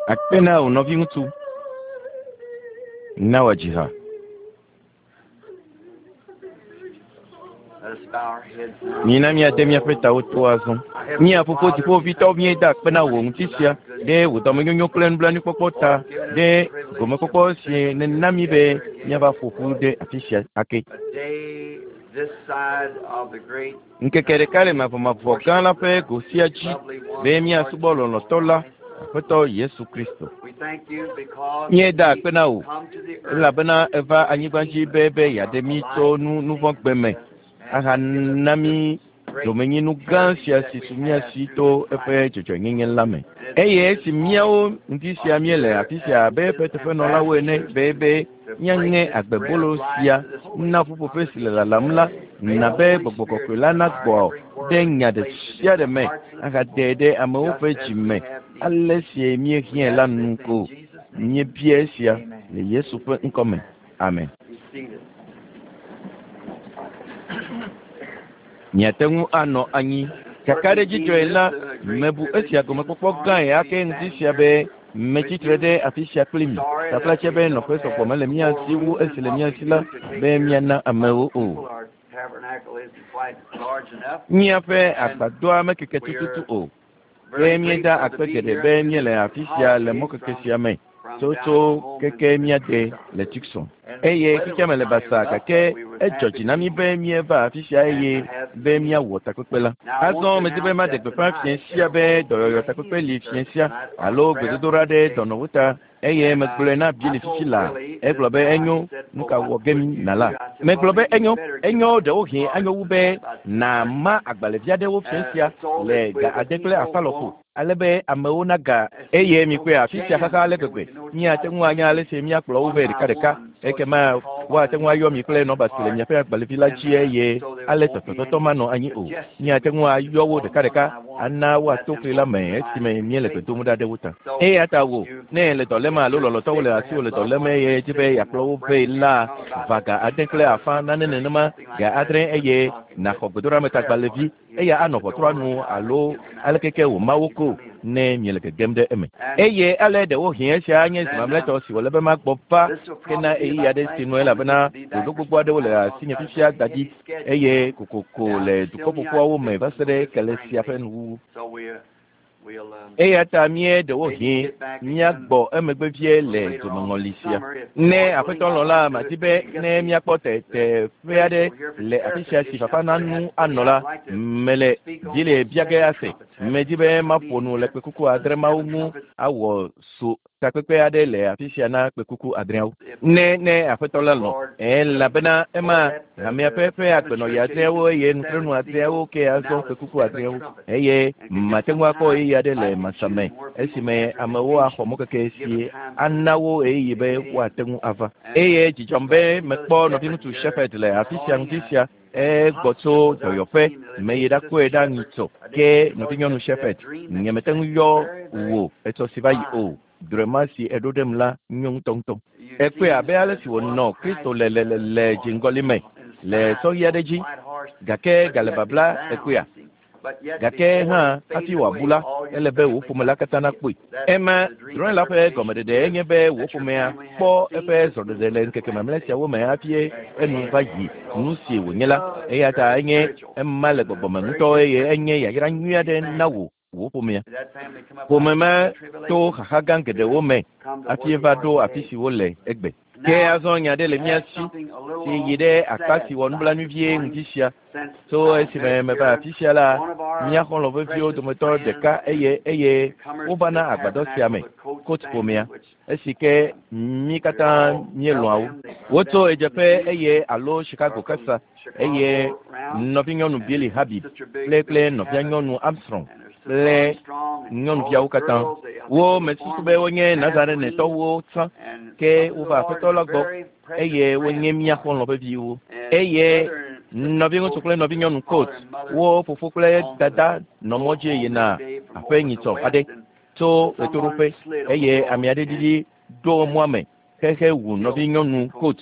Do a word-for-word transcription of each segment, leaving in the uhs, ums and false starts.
Akpe na wò nɔviŋutsu. Na wòadzi ha. Let us bow our heads now. Mina míade míaƒe tawo to azɔ. Mía fofo dziƒovitɔwo míeda akpe na wò ŋuti sia ɖe wò dɔmenyonyo kple nublanuikpɔkpɔ ta ɖe gomekpɔkpɔ si nèna mí be míava ƒo ƒu ɖe afi sia ake. A day this side of the great Ŋkeke ɖeka le mavɔmavɔ gã la ƒe go sia dzi lovely one, be míasubɔ lɔlɔ̃tɔ la, Aƒetɔ Yesu Kristo. We thank you because Míeda we akpe na wò come to the earth elabena eva anyigba dzi be be yeaɖe mí tso nu nuvɔ̃gbe me ahana mí domenyinu gã sia si su mía si to eƒe dzɔdzɔenyenye la me. Eye esi míawo ŋuti sia míele afi sia abe eƒe teƒenɔlawo ene be be míaŋe agbebolo sia na ƒuƒoƒe si le lalam la, na be gbɔgbɔ kɔkɔe la nagbɔ ɖe nya ɖe sia ɖe me ahadee ɖe amewo ƒe dzi me ale si míehiãe la nu ko. Míebia esia le Yesu ƒe ŋkɔ me. Amen. Be seated. Miate ŋu anɔ anyi. Kakaɖedzitɔe la, mebu esia gɔmekpɔkpɔ gãe ake ŋuti sia be metsitre ɖe afi sia kpli mi. Taflatse be nɔƒe sɔgbɔ mele mía si wu esi le mía si la be míana amewo o. Our tabernacle isn't quite large enough. Míaƒe agbadɔa mekeke tututu o. Ke míeda akpe geɖe be míele afi sia le mɔkeke sia me tsotso keke míade le Tucson. Eye xexea me le basaa gake edzɔ dzi na mí be míeva afi sia eye be míawɔ takpekpe la. Azɔ medi be maɖe gbeƒã fiẽ sia be dɔyɔyɔ takpekpe li fiẽ sia alo gbedodoɖa ɖe dɔnɔwo ta eye megblɔe na Bili fifi laa. Egblɔ be enyo, nu ka wɔ ge mí nala? Megblɔ be enyo, enyo ɖewohĩ anyo wu be nàma agbalẽvi aɖewo fiẽ sia le ga ade kple afã lɔƒo ale be amewo naga eye mikpɔe afi sia xaxa ale gbegbe. Míate ŋu anya ale si míakplɔ wo vɛ ɖekaɖeka ekema woate ŋu ayɔ mi kple nɔba si le miaƒe agbalẽvi la dzi eye ale tɔtɔtɔtɔ manɔ anyi o. Míate ŋu ayɔ wo ɖekaɖeka ana woato fli la me esime míele gbe dom ɖa ɖe wo ta. Eya ta wò, ne le dɔ lém alo lɔlɔ̃tɔwo le asiwò le dɔ lém eye dzi be yeakplɔ wo vɛ la, va ga ade kple afã nane nenema ga adre eye nàxɔ gbedoɖametagbalẽvi eya anɔ ʋɔtrua nu alo aleke ke wòma wo ko ne miele gegem ɖe eme. Eye ale ɖewohĩ esia anye zi mamlɛtɔ si wòle be magbɔ va kena ɣeyiɣi aɖe si nu elabena ɖoɖo gbogbo aɖewo le asinye fifia da ɖi eye kokoko le dukɔ ƒoƒuawo me va se ɖe kele sia ƒe nuwuwu. So we, we'll, um, Eya ta mía ɖewohĩ míagbɔ emegbe vie le dzomeŋɔli sia. Ne aƒetɔ lɔ̃ la, madi be ne míakpɔ teteƒe aɖe le afi sia si fafa nanu anɔ la, mele dzi le bia ge ase. Medi be maƒo nu le kpekuku adre mawo ŋu awɔ so takpekpe aɖe le afi sia na kpekuku adreawo. Ne ne aƒetɔ la lɔ̃, elabena ema hamea ƒe ƒe agbenɔɣi adreawo eye nutrenu adreawo ke azɔ kpekuku adreawo eye mate ŋu akpɔ ɣeyiɣi aɖe le masame esime amewo axɔ mɔkeke si ana wo ɣeyiɣi be woate ŋu ava. Eye dzidzɔm be mekpɔ nɔviŋutsu Shepherd le afi sia ŋuti sia egbɔ tso dɔyɔƒe meyi ɖakɔe ɖa nyitsɔ ke nɔvinyɔnu Shepherd nyemete ŋu yɔ wò etsɔ si va yi o. Drɔ̃e si eɖo ɖem la nyo ŋutɔŋutɔ. Ekpɔe abe ale si wònɔ Kristo le le le le dziŋgɔli me le sɔɣi aɖe dzi gake gale babla ekpɔea. Gake hã hafi wòabu la, ele be wò ƒome la katã nakpɔe. Ema drɔ̃e la ƒe gɔmeɖeɖe enye be wò ƒomea kpɔ eƒe zɔɖeɖe le ŋkeke mamlɛ siawo me hafi enu va yi nu si wònye la. Eya ta enye ema le gbɔgbɔme ŋutɔ eye enye yayra nyui aɖe na wò wò ƒomea. Ƒome ma to xaxa gã geɖewo me hafi va ɖo afi si wole egbe. Ke azɔ nya ɖe le mía si si yi ɖe akpa si wɔ nublanui vie ŋuti sia. Tso esime meva afi sia la, mía xɔlɔ̃ veviwo dometɔ ɖeka eye eye wovana agbadɔ sia me, Kot ƒomea, esi ke mí katã míelɔ̃a wo. Wotso ɣedzeƒe eye alo Chicago kasa eye nɔvinyɔnu Billy Habib kple kple nɔvianyɔnu Armstrong kple nyɔnuviawo katã. Wo mesusu be wonye Nazarenetɔwo tsã ke wova aƒetɔ la gbɔ eye wonye mía xɔlɔ̃ veviwo. Eye nɔviŋutsu kple nɔvinyɔnu Kot, wo fofo kple dada nɔ mɔ dzi yina aƒe nyitsɔ aɖe tso ɣetoɖoƒe eye ame aɖe ɖiɖi ɖo mɔa me xexe wu nɔvinyɔnu Kot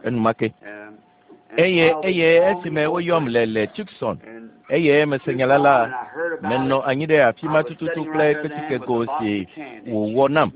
enumake. Eye eye esime woyɔm le le Tucson Eye mese nya la la, menɔ anyi ɖe afi ma tututu kple kpetikego si wòwɔ nam.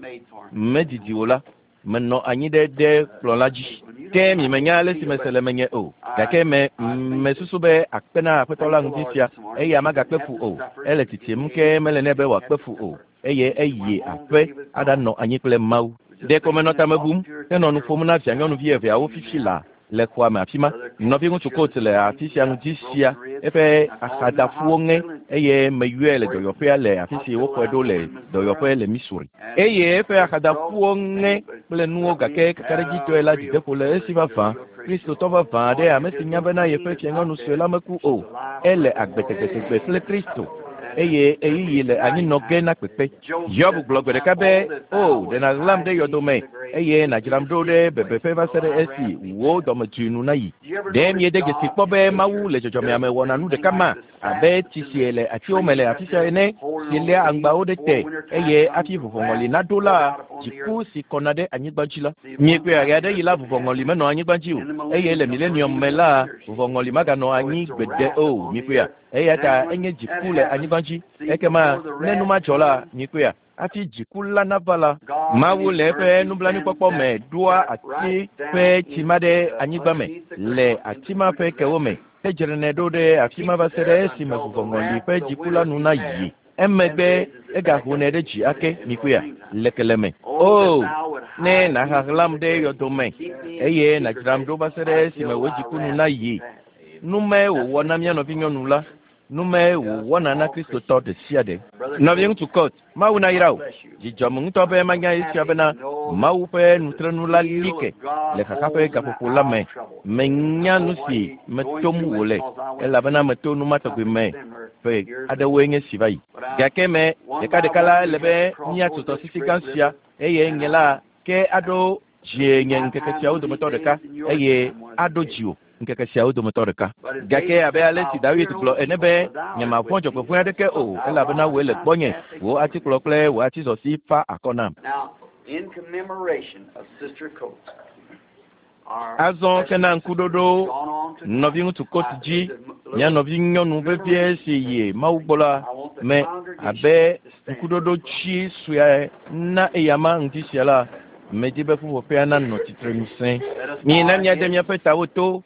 Medidi o la, menɔ anyi ɖe ɖe kplɔ̃ la dzi. Ke mi menya ale si mese le menye o. Gake me mesusu be akpe na Aƒetɔ la ŋdi sia, eya magakpe fu o. Ele tsitsim ke mele nɛ be wòakpe fu o. Eye eyi aƒe aɖanɔ anyi kple Mawu. Ɖeko menɔ tame bum henɔ nu ƒom na vianyɔnuvi eveawo fifi laa le xɔa me afi ma. Nɔviŋutsu Coates le afi sia ŋdi sia, eƒe axadafuwo ŋe eye meyɔe le dɔyɔƒea le afi si woxɔe ɖo le dɔyɔƒe le Missouri. Eye eƒe axadafuwo ŋe kple nuwo gake kakaɖedzitɔe la dzideƒo le esi vavã. Kristotɔ vavã aɖe ame si nya bena yeƒe fianyɔnu sue la meku o. Ele agbe tegbetegbe kple Kristo. Eye ɣeyiɣi le anyinɔ ge na kpekpe. Hiob gblɔ gbe ɖeka be, o, ɖe nàɣlam ɖe yɔdome eye nàdzram ɖo ɖe bebeƒe va se ɖe esi wò dɔmedzoe nu nayi. Ɖe miede dzesi kpɔ be Mawu le dzɔdzɔmea me wɔna nu ɖeka ma abe tsi si le atiwo me le afi sia ene si léa aŋgbawo ɖe te eye hafi vuvɔŋɔli naɖo la, dziku si kɔna ɖe anyigba dzi la. Miekpɔe ɣe aɖe yi la vuvɔŋɔli menɔ anyigba dzi o eye le milenium me la vuvɔŋɔli maganɔ anyi gbeɖe o. Miekpɔea? Eya ta enye dziku le anyigba dzi. Ekema ne nu madzɔ la, miekpɔea? Hafi dziku la nava la, Mawu le eƒe nublanuikpɔkpɔ me ɖoa ati ƒe tsi ma ɖe anyigba me le ati ma ƒe kewo me hedzranɛ ɖo ɖe afi ma va se ɖe esime vuvɔŋɔli ƒe dziku la nu nayi. Emegbe egahonɛ ɖe dzi ake, miekpɔea? Le keleme. O, ne nàxaxlam ɖe yɔdome eye nàdzram ɖo va se ɖe esime wò dziku nu nayi. Nu mae wòwɔ na mía nɔvinyɔnu la. Nu mae wòwɔna na Kristotɔ ɖe sia ɖe. Nɔviŋutsu Coates, Mawu nayra wò. Dzidzɔm ŋutɔ be manya esia bena Mawu ƒe nutrenu la li ke le xaxa ƒe gaƒoƒo la me. Menya nu si metom wòle elabena meto nu ma tɔgbi me ƒe aɖewoe nye si va yi. Gake me ɖekaɖeka la ele be míatso tɔsisi gã sia eye nye la ke aɖo dzie nye ŋkeke siawo dometɔ ɖeka eye aɖo dziwò ŋkeke siawo dometɔ ɖeka. Gake abe ale si Dawid gblɔ ene be nyemavɔ̃ dzɔgbevɔ̃e aɖeke o elabena wòe le gbɔnye, wò atikplɔ kple wò atizɔti fa akɔ nam. Now, in commemoration of Sister Coates, our Azɔ ke na ŋkuɖoɖo gone on to nɔviŋutsu Coates dzi, mía nɔvinyɔnu vevie si yi Mawu gbɔ la me abe ŋkuɖoɖo tsi sue na eyama ŋdi sia la, medi be ƒuƒoƒea nanɔ tsitre nu sẽ. Mina míade míaƒe tawo to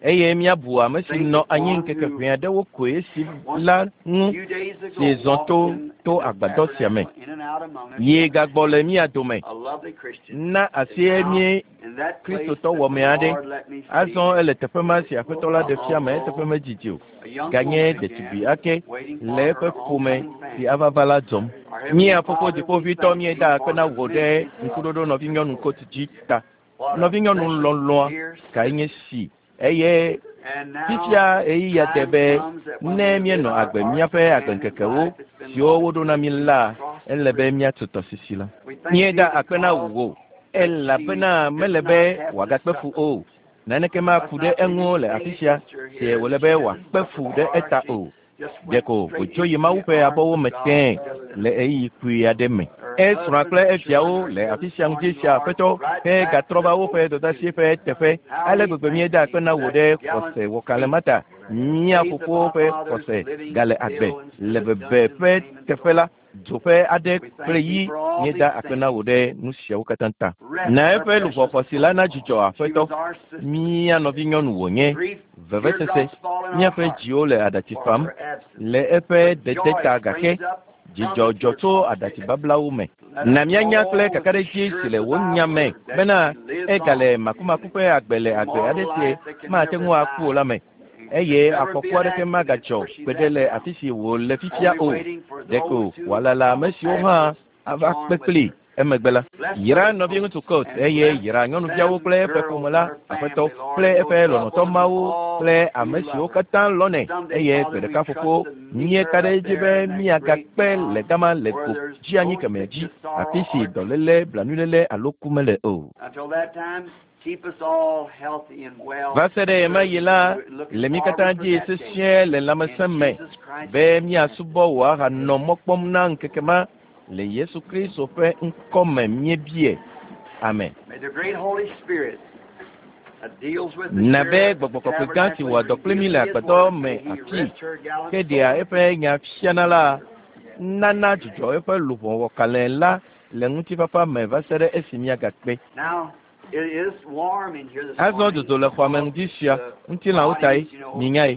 eye míabu ame si nɔ anyi ŋkeke ʋɛ aɖewo koe si la ŋu few days ago si zɔ to to agbadɔ sia me. in and out among us, Ye gagbɔ le mía dome. a lovely Christian. Na asie mí In that place Kristotɔ that the wɔme aɖe. Lord let me see, Azɔ ele teƒe ma si Aƒetɔ la ɖe fia me eteƒe medzidzi o. a young Ganye woman ɖetugbi again, ake waiting for le her eƒe ƒome oncoming si family. ava va la dzɔm. Our Heavenly Mía fofo Father, we dziƒoʋĩtɔ thank míeda thee akpe for na the wò ɖe ministry ŋkuɖoɖo nɔvinyɔnu Coates dzi ta. What a Nɔvinyɔnu precious lɔlɔ̃a dear kae nye si eye And now fifia ɣeyiɣia de be time comes that when ne we míenɔ live our agbe míaƒe agbeŋkekewo life that's been siwo woɖo na mí la, ele be míatso tɔsisi la. We thank Míeda thee akpe na because wò elabena mele be wòagakpe fu o. Naneke maku ɖe eŋu le afi sia si wòle be wòakpe fu ɖe eta o. just went Ɖeko straight wòtso yi into Mawu the ƒe arms abɔwo of me God. tẽe le ɣeyiɣi kpui aɖe me. Esrɔ̃a kple eviawo le afi sia ŋdi sia Aƒetɔ he gatrɔ va woƒe dɔdeasi ƒe teƒe. Ale gbegbe míeda akpe na wò ɖe xɔse wɔkalẽ ma ta. Mía fofowo ƒe xɔse gale agbe le bebe ƒe teƒe la, dzo ƒe aɖe kple yi míeda akpe na wò ɖe nu siawo katã ta. Rest Na her eƒe luʋɔ precious xɔasi la nadzudzɔ soul. She Aƒetɔ. was our sister. Mía nɔvinyɔnu wònye. Grief, Vevesese, teardrops fall in our míaƒe hearts dziwo le aɖatsi for fam her absence. le eƒe But dede joy ta gake springs up from the dzidzɔ dzɔ tso teardrops. aɖatsibablawo me. Let Na us míanya know kple with kakaɖedzi si le assurance wò of thy nya me word that bena she lives egale on makumaku ƒe agbe le agbe aɖe immortal si life that can mate never ŋu aku o die la me and can eye never be afɔku an aɖeke accident magadzɔ where she's gbeɖe at le now. afi si wòle fifia Only o. waiting for Ɖeko those who wòalala ame follow siwo hã afterwards to ava join kpe with kplii her. emegbe la. Bless Yra Brother nɔviŋutsu Coates Coates and eye bless yra nyɔnuviawo them kple eƒe girls ƒome and la, her Aƒetɔ family, Lord, kple and eƒe those loved lɔlɔ̃tɔ ones and mawo all kple who ame siwo love her. katã lɔ̃nɛ Someday, eye Father, gbe we ɖeka trust fofo to meet míeka her ɖe up edzi there be in that great míagakpe le beyond gama le where go there's dzi anyi no kemɛ dzi sickness, sorrow, afi si or dɔléle, blanuiléle alo ku mele o. Until that time, keep us all healthy and well Va se ɖe ɣemaɣi serving la, you and looking le mí katã forward for dzi that day. sesĩe le In lãmesẽ me Jesus Christ's be name. míasubɔ wò ahanɔ mɔ kpɔm na ŋkeke ma le Yesu Kristo ƒe ŋkɔ me míebie. Amen. May the great Holy Spirit Na be gbɔgbɔ kɔkɔe gã si wɔ dɔ kpli mí le agbadɔ me afi ke ɖea eƒe nya fiana la nana dzudzɔ eƒe luʋɔ wɔkalẽ la le ŋutifafa me va se ɖe esi míagakpe. Azɔ dzodzo le xɔa me ŋdi sia ŋutilãwo tae minyae.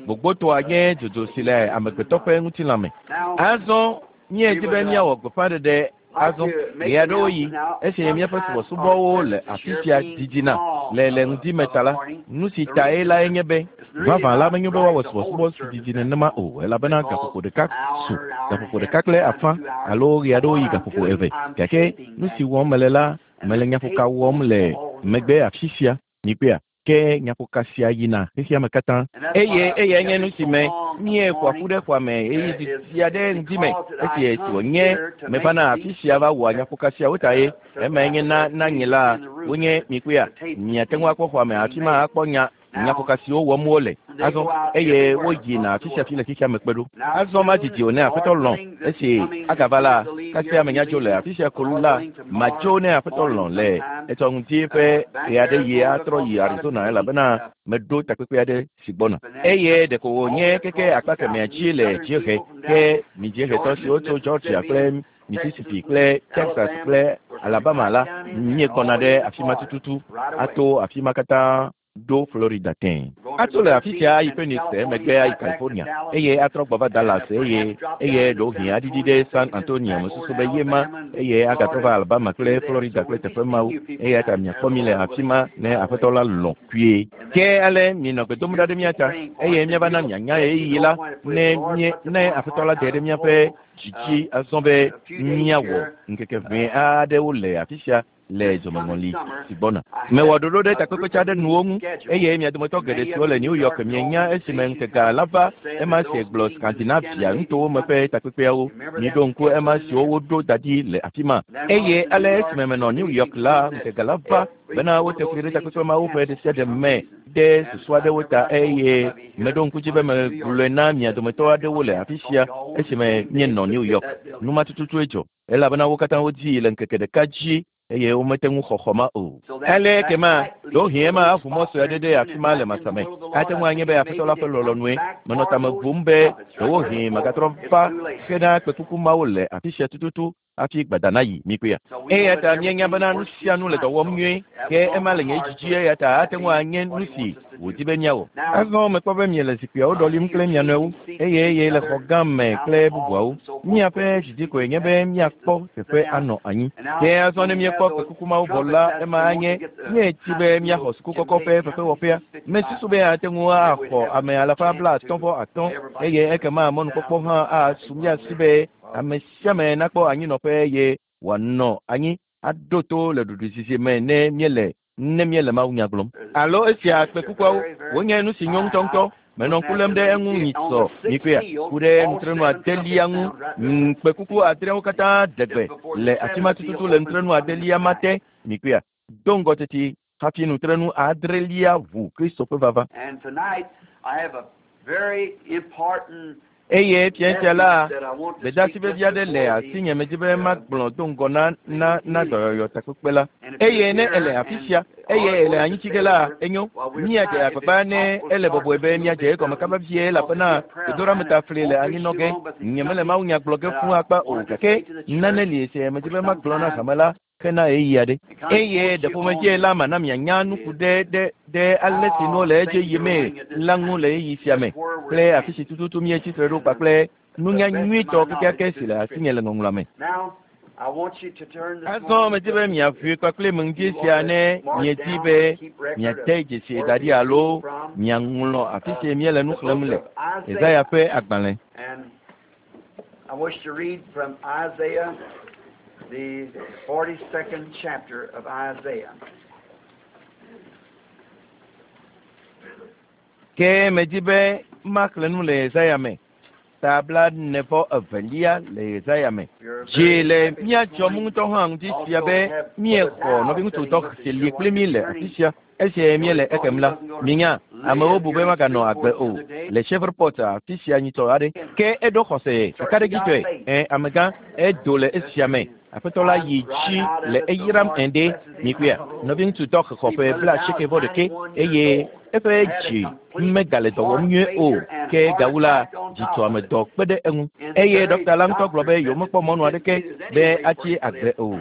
Gbogbotoa nye dzodzo si le amegbetɔ ƒe ŋutilã me. Azɔ míedi be míawɔ gbeƒãɖeɖe azɔ ɣe aɖewo yi esi míaƒe subɔsubɔwo le afi sia didina le le ŋdi me ta la, nu si tae lae nye be vavã la menyo be woawɔ subɔsubɔ si didi nenema o elabena gaƒoƒo ɖeka su gaƒoƒo ɖeka kple afã alo ɣe aɖewo yi gaƒoƒo eve gake nu si wɔm mele la mele nyaƒoka wɔm le megbe afi sia mikpea ke nyaƒoka sia yina xexea me katã eye eyae nye nu si me míeƒoa ƒu ɖe xɔa me eye didi aɖe ŋdi me esi esi wònye mevana afi sia va wɔa nyaƒoka siawo ta ye emae nye na na nye la wonye mikpea miate ŋu akpɔ xɔa me afi ma akpɔ nya nyaƒoka siwo wɔm wole azɔ eye woyina afi sia afi le xexea me kpe ɖo azɔ madzidzi o ne aƒetɔ lɔ̃ esi agava la kasia menya dzo le afi sia ko la madzo ne aƒetɔ lɔ̃ le etsɔ ŋdi ƒe ɣe aɖe yi atrɔ yi Arizona elabena meɖo takpekpe aɖe si gbɔna eye ɖeko wònye keke akpa kemɛa dzi le dziehe ke mi dziehetɔ siwo tso Georgia kple Mississippi kple Texas kple Alabama la míekɔna ɖe afi ma tututu ato afi ma katã ɖo Florida tẽ. Atso le afi sia ayi Phoenix emegbe ayi California eye atrɔ gbɔ va Dallas eye eye ɖewohĩ aɖiɖi ɖe San Antonio mesusu be ye ma eye agatrɔ va Alabama kple Florida kple teƒe mawo eya ta miakpɔ mi le afi ma ne aƒetɔ la lɔ̃ kpuie. Ke ale mienɔ gbe dom ɖa ɖe mía ta eye míava na mianya ɣeyiɣi la ne mie ne aƒetɔ la de ɖe míaƒe dzidzi azɔ be míawɔ ŋkeke ʋɛ aɖewo le afi sia le dzomeŋɔli si gbɔna. Mewɔ ɖoɖo ɖe takpekpetsa aɖe nuwo ŋu eye mia dometɔ geɖe siwo le New York mienya esime ŋkega la va ema si gblɔ Scandinavia nutowo me ƒe takpekpeawo. Miɖo ŋku ema siwo woɖo da ɖi le afi ma. Eye ale esime menɔ New York la ŋkega la va bena wote fli ɖe takpekpe mawo ƒe ɖe sia ɖe me ɖe susu aɖewo ta eye meɖo ŋku dzi be megblɔe na mia dometɔ aɖewo le afi sia esime míenɔ New York. Nu ma tututue dzɔ elabena wo katã wodii le ŋkeke ɖeka dzi eye womete ŋu xɔ xɔ ma o. Ale kema ɖewohĩ ema aʋu mɔ sue aɖe ɖe afi ma le masa me. Ate ŋu anye be aƒetɔ la ƒe lɔlɔ̃nue menɔ tame bum be ɖewohĩ magatrɔ va hena kpekuku mawo le afi sia tututu hafi gbada nayi mikpea. Eya ta míenya bena nu sia nu le dɔ wɔm nyuie ke ema le nye dzidzi eya ta ate ŋu anye nu si wòdi be míawɔ. Azɔ mekpɔ be miele zikpuiawo ɖɔlim kple mia nɔewo eye eye le xɔ gã me kple bubuawo. Míaƒe dzidzi koe nye be míakpɔ teƒe anɔ anyi. Ke azɔ ne míekpɔ kpekuku mawo vɔ la ema anye míetsi be míaxɔ sukukɔkɔ ƒe fefewɔƒea. Mesusu be ate ŋu axɔ ame alafa blaatɔ̃ vɔ atɔ̃ eye ekema mɔnukpɔkpɔ hã asu mía si be ame sia ame nakpɔ anyinɔƒe eye wòanɔ anyi aɖo to le ɖuɖuizizi me ne míele ne míele mawunya gblɔm. Alo esia kpekukuawo wonye nu si nyo ŋutɔŋutɔ. Menɔ ŋku lém ɖe eŋu nyitsɔ mikpea ku ɖe nutrenu adelia ŋu. Kpekuku adreawo katã ɖe gbe le afi ma tututu le nutrenu adelia ma te mikpea do ŋgɔ teti hafi nutrenu adrelia ʋu Kristo ƒe vava. Eye fia sia la gbedeasi vevi aɖe le asinye medzi be magblɔ do ŋgɔ na na na dɔyɔyɔ takpekpe la. Eye ne ele afi sia eye ele anyitsi ge la enyo míadze agbagba ne ele bɔbɔe be míadze egɔme kaba vie elabena gbedoɖameta fli le anyinɔ ge. Nye mele mawunya gblɔ ge fũu akpa o gake nane li esi medzi be magblɔ na hame la hena ɣeyiɣi aɖe. Eye ɖe ƒomedzie la mana mianya nu ku ɖe ɖe ɖe ale si nuwo le edzi yimee la ŋu le ɣeyiɣi sia me kple afi si tututu míetsi tre ɖo kpakple nunya nyuitɔ kekeake si le asinye le ŋɔŋlɔa me. Azɔ medzi be miaʋui kpakple ŋdi sia ne miedi be miade dzesi da ɖi alo miaŋlɔ afi si míele nu xlẽm le Yesaya ƒe agbalẽ. I wish to read from Isaiah, the forty-second chapter of Isaiah. Ke medzi be maxlẽ nu le Yesaya me. Ta blaene vɔ evelia le Yesaya me. Dzi le mía dzɔm ŋutɔ hã ŋdi sia be míexɔ nɔviŋutsu tɔ si li kpli mí le afi sia. Esi míele ekem la, minya amewo bu be maganɔ agbe o le Shreveport afi sia nyitsɔ aɖe. Ke eɖo xɔse kakaɖedzitɔe. Ẽ amegã edo le esia me Aƒetɔ la yi dzi le eyram ene mikpɔea nɔviŋutsu dɔ xexɔ ƒe bla asieke vɔ ɖeke eye eƒe dzi megale dɔ wɔm nyuie o ke gawu la dzitɔame dɔ kpe ɖe eŋu eye ɖɔkita la ŋutɔ gblɔ be yewomekpɔ mɔnu aɖeke be atsi agbe o.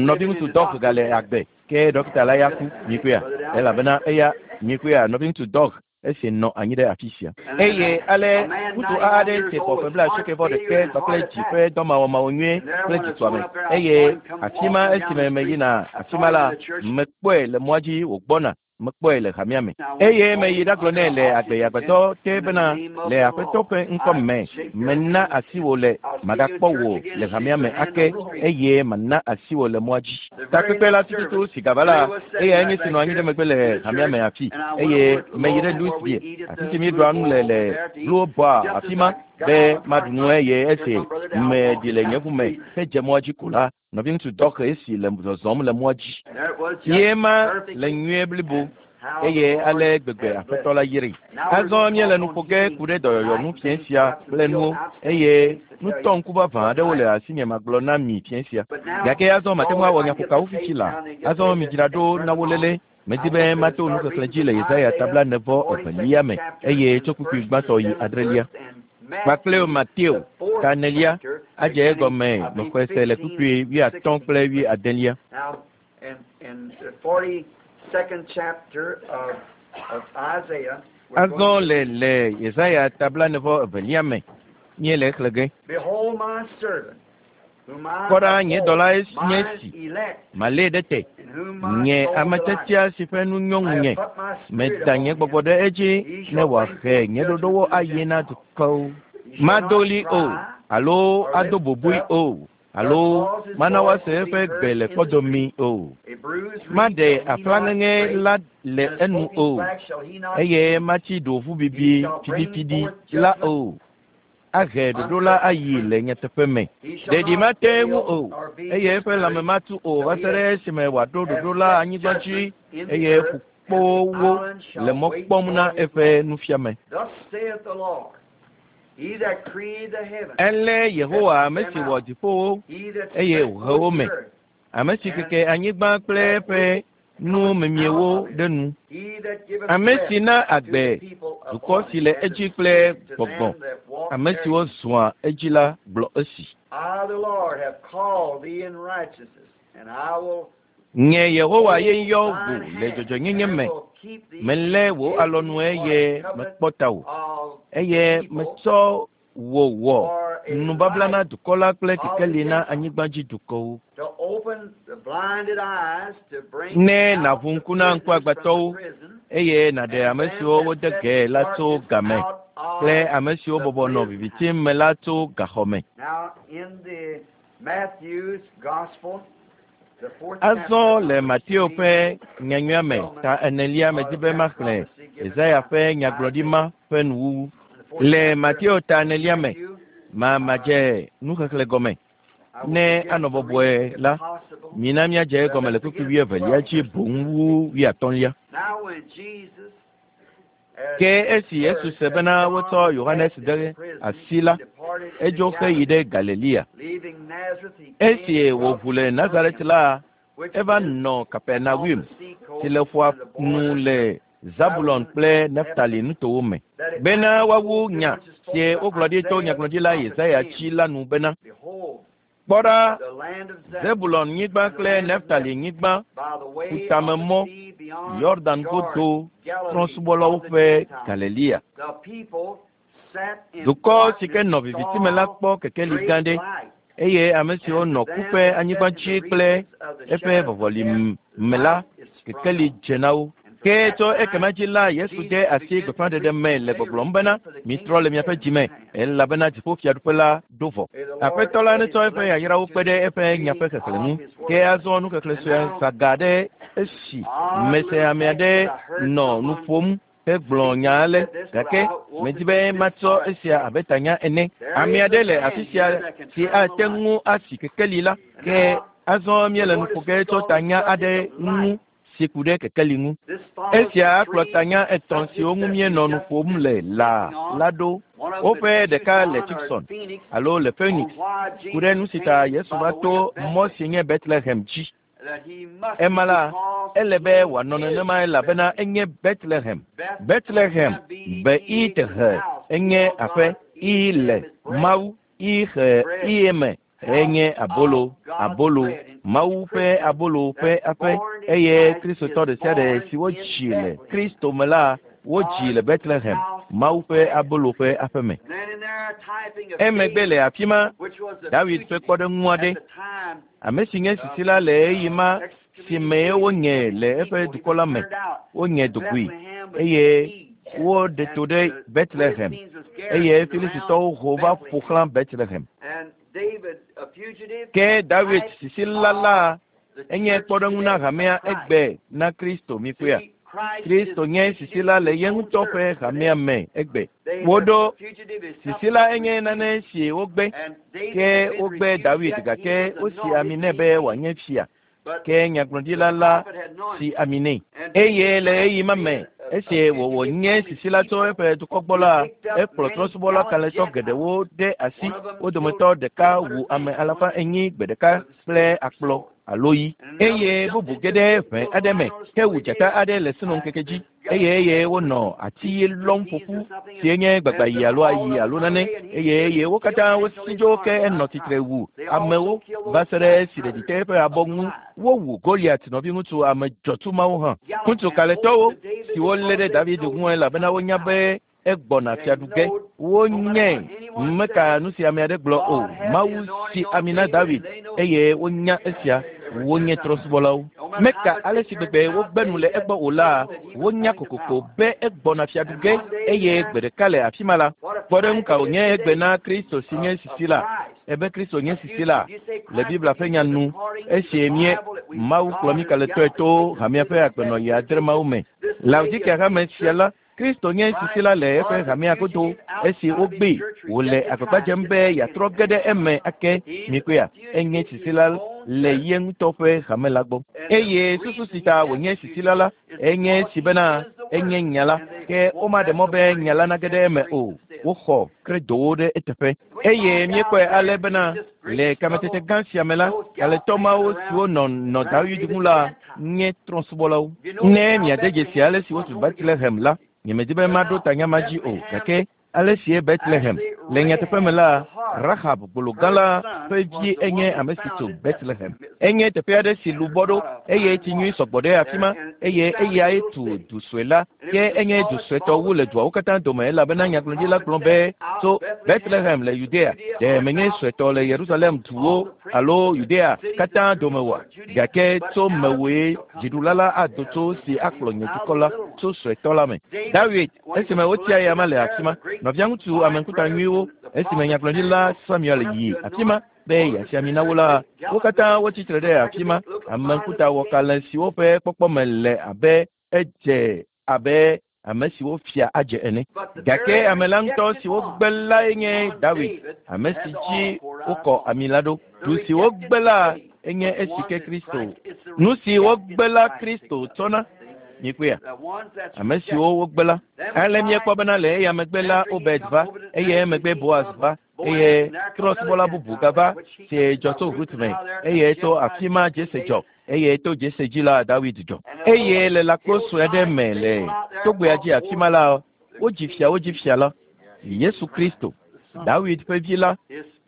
Nɔviŋutsu dɔ gale agbe ke ɖɔkita la ya ku mikpɔea elabena eya mikpɔea nɔviŋutsu dɔ esi nɔ anyi ɖe afi sia. Eye ale ŋutsu aɖe si xɔ ƒe bla asieke vɔ ɖeke kpakple dzi ƒe dɔmawɔmawɔ nyuie kple dzitɔame eye afi ma esime meyina afi ma la mekpɔe le mɔa dzi wògbɔna mekpɔe le hamea me eye meyi ɖagblɔ nɛ le agbeyagbedɔ te bena le aƒetɔ ƒe ŋkɔ me mena asi wò le magakpɔ wò le hamea me ake eye mana asi wò le mɔa dzi. Takpekpe la tututu si gava la eyae nye si nɔ anyi ɖe megbe le hamea me afi eye meyi ɖe Louisville afi si míeɖua nu le le Blue Bar afi ma be maɖu nu eye esi meɖi le nye ʋu me hedze mɔa dzi ko la nɔviŋutsu dɔxe esi le zɔzɔm le mɔa dzi. Ye ma le nyuie blibo eye ale gbegbe aƒetɔ la yiri. Azɔ míele nu ƒo ge ku ɖe dɔyɔyɔ ŋu fiẽ sia kple nuwo eye nutɔ ŋku vavã aɖewo le asinye magblɔ na mi fiẽ sia. Gake azɔ mate ŋu awɔ nyaƒokawo fifi la. Azɔ midzra ɖo na wo léle. Medi be mato nuxexlẽ dzi le Yesaya tabla nevɔ evelia me eye tso kpukpui gbãtɔ yi adrelia. Kpakple Mateo ta enelia adze egɔme mexɔe se le kpukpui wuiatɔ̃ kple wuiadelia. Azɔ le le Yesaya tabla nevɔ evelia me míele exlẽ ge. Kpɔ ɖa nye dɔla nye esi malée ɖe te nye ame tiatia si ƒe nu nyɔ ŋunye meda nye gbɔgbɔ ɖe edzi ne wòahe nye ɖoɖowo ayi na dukɔwo. Mado ɣli o alo ado bobui o alo mana woase eƒe gbe le kpɔdomi o. Maɖe aƒlaŋeŋe la le enu o eye matsi ɖovu bibi fiɖifiɖi la o. Ahe ɖoɖo la ayi le nyateƒe me. Ɖeɖi mate ŋu o eye eƒe lãme matu o va se ɖe esime wòaɖo ɖoɖo la anyigba dzi eye ƒukpowo le mɔ kpɔm na eƒe nufiame. Ele Yehowa ame si wɔ dziƒowo eye wòhe wo me, ame si keke anyigba kple eƒe nu memiewo ɖe nu, ame si na agbe dukɔ si le edzi kple gbɔgbɔ, ame siwo zɔa edzi la gblɔ esi. Nye Yehowa ye yɔ wò le dzɔdzɔnyenye me, melé wò alɔnu eye mekpɔ tawò eye metsɔ wò wɔ nubabla na dukɔ la kple kekeli na anyigba dzi dukɔwo. Ne nàʋu ŋku na ŋkuagbãtɔwo eye nàɖe ame siwo wode ge la tso game kple ame siwo bɔbɔ nɔ viviti me la tso gaxɔ me. Azɔ le Mateo ƒe nyanyuia me ta enelia medi be maxlẽ Yesaya ƒe nyagblɔɖi ma ƒe nuwuwu. Le Mateo ta enelia me ma madze nuxexlẽ gɔme. Ne anɔ bɔbɔe la, mina míadze egɔme le kpukpui wuievelia dzi boŋ wu wuiatɔ̃lia. Ke esi Yesu se bena wotsɔ Yohanes de asi la, edzo heyi ɖe Galilea. Esi wòʋu le Nazaret la, eva nɔ Kapernaum si le ƒua nu le Zabulon kple Naftali nutowo me bena woawu nya si wogblɔ ɖi to nyagblɔɖila Yesaya dzi la nu bena, kpɔ ɖa, Zebulon nyigba kple Naftali nyigba ƒutamemɔ Yordan godo trɔ̃subɔlawo ƒe Galilea. Dukɔ si ke nɔ viviti me la kpɔ kekeli gã ɖe eye ame siwo nɔ ku ƒe anyigba dzi kple eƒe vɔvɔli me la kekeli dze na wo. Ke tso ekema dzi la Yesu de asi gbeƒãɖeɖe me le gbɔgblɔm bena mitrɔ le miaƒe dzime elabena dziƒofiaɖuƒe la ɖo vɔ. Aƒetɔ la netsɔ eƒe yayrawo kpe ɖe eƒe nyaƒe xexlẽ ŋu. Ke azɔ nuxexlẽ sue saga ɖe esi mese ame aɖe nɔ nu ƒom hegblɔ nya ale gake medi be matsɔ esia abe tanya ene. Ame aɖe le afi sia si ate ŋu asi kekeli la ke azɔ míele nu ƒo ge tso tanya aɖe ŋu si ku ɖe kekeli ŋu. Esia kplɔ tanya etɔ̃ siwo ŋu míenɔ nu ƒom le la la ɖo. Woƒe ɖeka le Tucson alo le Phoenix ku ɖe nu si ta Yesu va to mɔ si nye Bethlehem dzi. Ema la, ele be wòanɔ nenema elabena enye Bethlehem. Bethlehem be i te he enye aƒe i le Mawu i he i eme enye abolo abolo Mawu ƒe abolo ƒe aƒe eye Kristotɔ ɖe sia ɖe si wodzi le Kristo me la wodzi le Bethlehem Mawu ƒe abolo ƒe aƒe me. Emegbe le afi ma David ƒe kpɔɖeŋu aɖe ame si nye sisi la le ɣeyiɣi ma si me wonye le eƒe dukɔ la me wonye dugui eye woɖe to ɖe Bethlehem eye Filistitɔwo ho va ƒo xlã Bethlehem. Ke David sisila la enye kpɔɖeŋu na hamea egbe na Kristo mikpɔea. Kristo nye sisila le ye ŋutɔ ƒe hamea me egbe. Woɖo sisila enye nane si wogbe ke wogbe David gake wosi ami nɛ be wòanye fia. Ke nyagblɔɖila la si ami nɛ. Eye le ɣeyiɣi ma me esi wòwɔ nye sisila tso eƒe dukɔ gbɔ la ekplɔ trɔ̃subɔla kalẽtɔ geɖewo ɖe asi. Wo dometɔ ɖeka wu ame alafa enyi gbe ɖeka kple akplɔ alo yi eye bubu ge ɖe ʋe aɖe me hewu dzata aɖe le sinoŋkeke dzi eye eye wonɔ ati lɔm ƒoƒu si nye gbagbayi alo ayi alo nane eye eye wo katã wosi dzo ke enɔ tsitre wu amewo va se ɖe esi ɖeɖi te eƒe abɔ ŋu. Wowu Goliat nɔviŋutsu ame dzɔtsu mawo hã. Ŋutsu kalẽtɔwo siwo lé ɖe David ŋu elabena wonya be egbɔna fiaɖu ge. Wonye meka nu si ame aɖe gblɔ o. Mawu si ami na David eye wonya esia. Wonye trɔ̃subɔlawo. Meka ale si gbegbe wogbe nu le egbɔ o la, wonya kokoko be egbɔna fiaɖu ge eye gbe ɖeka le afi ma la. Kpɔɖeŋu ka wònye egbe na Kristo si nye sisi la? Ebe Kristo nye sisi la le Biblia ƒe nya nu esi mie Mawu kplɔ mí kalẽtɔe to hamea ƒe agbenɔɣi adre mawo me. Laodikea hame sia la, Kristo nye sisi la le eƒe hamea godo esi wogbee wòle agbagba dzem be yeatrɔ ge ɖe eme ake mikpɔea enye sisi la le ye ŋutɔ ƒe hame la gbɔ. Eye susu si ta wònye sisi la la enye si bena enye nya la ke womaɖe mɔ be nya la nage ɖe eme o. Woxɔ kredowo ɖe eteƒe. Eye míekpɔe ale bena le kametete gã sia me la, kalẽtɔ mawo siwo nɔ nɔ David ŋu la nye trɔ̃subɔlawo. Ne miade dzesi ale si wotu Bethlehem la, nyemedi be maɖo tanya ma dzi o gake ale sie Bethlehem le nyateƒe me la, Rahab gbologã la ƒe vi enye ame si tso Bethlehem. Enye teƒe aɖe si lu bɔ ɖo eye tsi nyui sɔgbɔ ɖe afi ma eye eyae tu du sue la ke enye du suetɔ wu le duawo katã dome elabena nyagblɔɖila gblɔ be tso Bethlehem le Yudea ɖe menye suetɔ le Yerusalem duwo alo Yudea katã dome oa? Gake tso mewòe dziɖula la ado tso si akplɔ nye dukɔ la tso suetɔ la me. David esime wotia eya ma le afi ma nɔviaŋutsu ame ŋkuta nyuiwo esime nyagblɔɖila Samuel yi afi ma be yeasi ami na wo la, wo katã wotsi tre ɖe afi ma. Ame ŋkuta wɔkalẽ siwo ƒe kpɔkpɔme le abe edze abe ame siwo fia adze ene. Gake ame la ŋutɔ si wogbe lae nye David, ame si dzi wokɔ ami la ɖo. Du si wogbe la enye esi ke Kristo. Nu si wogbe la Kristo tsɔna. Mikpɔea? Ame siwo wogbe la. Ale míekpɔ bena le eya megbe la Obed va eye emegbe Boaz va eye trɔ̃subɔla bubu gava si dzɔ tso Rut me eye tso afi ma Jese dzɔ eye to Jese dzi la David dzɔ. Eye le lãkpo sue aɖe me le togbea dzi afi ma la wodzi fia wodzi fia la Yesu Kristo David ƒe vi la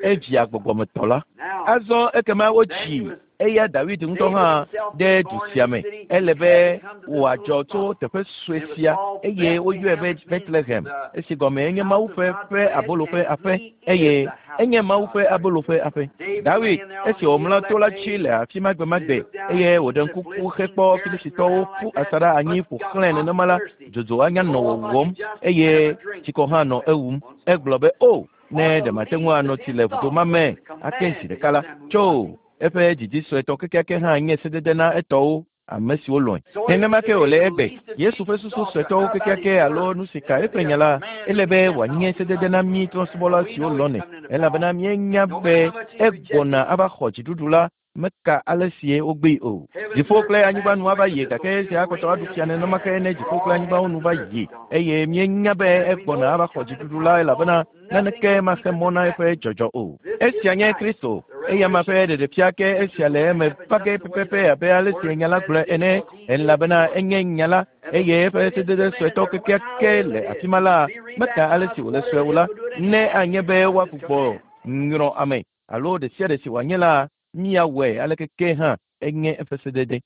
evia gbɔgbɔmetɔ la. Azɔ ekema wodzi eya David ŋutɔ hã ɖe du sia me. Ele be wòadzɔ tso teƒe sue sia eye woyɔe be Bethlehem esi gɔme enye Mawu ƒe ƒe abolo ƒe aƒe eye enye Mawu ƒe abolo ƒe aƒe. David esi wòmlɔ to la dzi le afi ma gbemagbe eye wòɖe ŋkuku hekpɔ Filistitɔwo ƒu asaɖa anyi ƒo xlãe nenema la, dzodzo anya nɔ wɔwɔm eye tsikɔ hã nɔ ewum. Egblɔ be o ne ɖe mate ŋu anɔ tsi le vudo ma me ake zi ɖeka la tso eƒe didi suetɔ kekeake hã nye sedede na etɔwo ame siwo lɔ̃e. Nenema ke wòle egbe. Yesu ƒe susu suetɔwo kekeake alo nu si ka eƒe nya la, ele be wòanye sedede na mí trɔ̃subɔla siwo lɔ̃nɛ elabena míenya be egbɔna ava xɔ dziɖuɖu la Meka ale sie wogbee o. Dziƒo kple anyigba nu ava yi gake esia akpɔtɔ aɖu fia nenema ke ne dziƒo kple anyigbawo nu va yi eye míenya be egbɔna ava xɔ dziɖuɖu la elabena naneke maxe mɔ na eƒe dzɔdzɔ o. Esia nye Kristo eya ma ƒe ɖeɖefia ke esia le eme va ge pɛpɛpɛ abe ale si nya la gblɔe ene elabena enye nya la eye eƒe sedede suetɔ kekeake le afi ma la meka ale si wòle sue o la ne anye be woagbugbɔ nyrɔ ame alo ɖe sia ɖe si wòanye la míawɔe aleke ke hã enye eƒe sedede.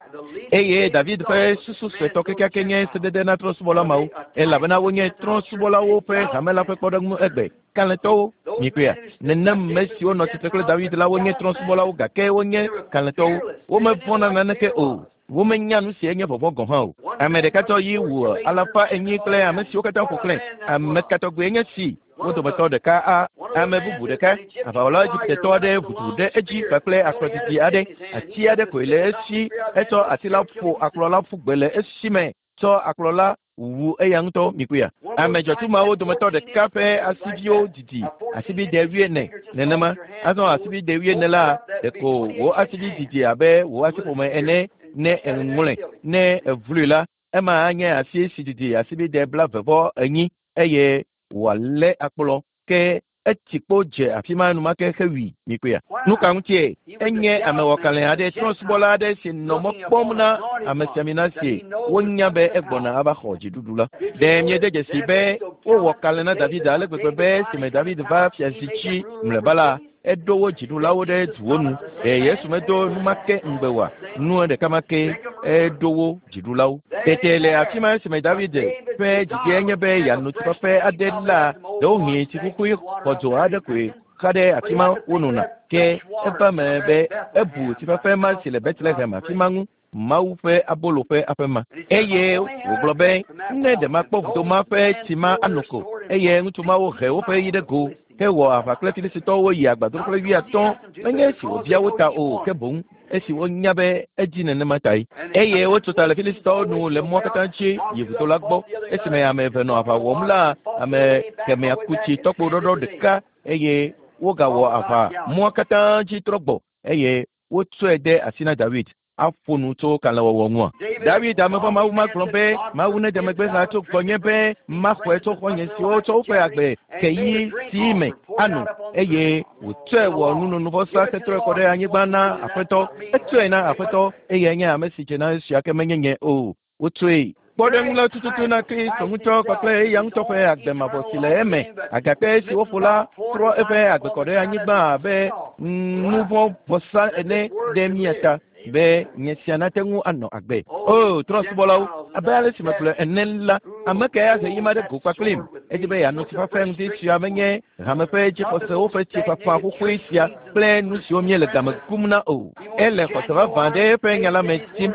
Eye David ƒe susu suetɔ kekeake nye sedede na trɔ̃subɔla mawo elabena wonye trɔ̃subɔlawo ƒe hame la ƒe kpɔɖeŋu egbe. Kalẽtɔwo mikpɔea nenem me siwo nɔ tsitre kple David la wonye trɔ̃subɔlawo gake wonye kalẽtɔwo. Womevɔ̃na naneke o. Womenya nu si enye vɔvɔ̃ gɔ̃ hã o. Ame ɖeka tsɔ yi wu alafa enyi kple ame siwo katã ƒo xlãe. Ame katɔgbe enye si wo dometɔ ɖeka a ame bubu ɖeka aʋawɔla Egiptetɔ aɖe ʋudu ɖe edzi kpakple akplɔdidi aɖe ati aɖe koe le esi etsɔ ati la ƒo akplɔ la ƒu gbe le esi me tsɔ akplɔ la wu eya ŋutɔ mikpɔea. Ame dzɔtsu mawo dometɔ ɖeka ƒe asiviwo didi asibide wuiene nenema azɔ asibide wuiene la ɖeko wò asivi didi abe wò asiƒome ene ne eŋlɔe ne evlui la ema anye asi si didi asibide blaeve vɔ enyi eye wòalé akplɔ ke etsi kpo dze afi ma enumake hewui mikpɔea. Nu ka ŋutie enye amewɔkalẽ aɖe trɔ̃subɔla aɖe si nɔ mɔ kpɔm na amesiamina si wonya be egbɔna ava xɔ dziɖuɖu la. Ɖe miede dzesi be wowɔ kalẽ na David ale gbegbe be esime David va fiazi dzi mlɔeba la eɖo wo dziɖulawo ɖe duwo nu. Ɖe Yesu medo numake ŋugbe oa? Nu ɖeka ma ke eɖo wo dziɖulawo. Tete le afi ma esime David ƒe didi enye be yeano tsifafe aɖe la ɖewohĩ tsikuxui xɔdzo aɖe koe xa ɖe afi ma wonona. Ke eva me be ebu tsifafe ma si le Betlehem afi ma ŋu Mawu ƒe abolo ƒe aƒe ma. Eye wògblɔ be ne ɖe makpɔ vudo ma ƒe tsi ma ano ko eye ŋutsu mawo he woƒe yi ɖe go hewɔ aʋa kple Filistitɔwo yi agbadroƒe wuiatɔ̃ menye esi wòbia wo ta o ke boŋ esi wonya be edzi nenema tae. Eye wotso ta le Filistitɔwo nu le mɔa katã dzi yi vudo la gbɔ. Esime ame eve nɔ aʋa wɔm la ame kemɛa ku tsi tɔkpo ɖɔɖɔ ɖeka eye wogawɔ aʋa mɔa katã dzi trɔ gbɔ eye wotsɔe de asi na David aƒo nu tso kalẽwɔwɔ ŋua. David ame ƒe Mawu ma gblɔ be Mawu nede megbe hã tso gbɔnye be maxɔe tso xɔ̃nye siwo tsɔ woƒe agbe ke yi si me ano eye wòtsɔe wɔ nunonuvɔsa hetrɔe kɔ ɖe anyigba na Aƒetɔ. Etsɔe na Aƒetɔ eye nye ame si dze na esia ke menye nye o. Wotsɔe. Kpɔɖeŋu la tututu na Kristo ŋutɔ kpakple eya ŋutɔ ƒe agbe mavɔ si le eme. Agakpe si woƒo la trɔ eƒe agbe kɔ ɖe anyigba abe nuvɔ̃vɔsa ene ɖe mía ta be nye sia nate ŋu anɔ agbe. O trɔ̃subɔlawo, abe ale si megblɔe ene la, ame kae ahe yi ma ɖe go kpakplim? Edzi be yeano tsifafe ŋdi sia menye hame ƒe dzixɔsewo ƒe tsifafa xoxoe sia kple nu siwo míele game kum na o. Ele xɔse vavã ɖe eƒe nya la me tim.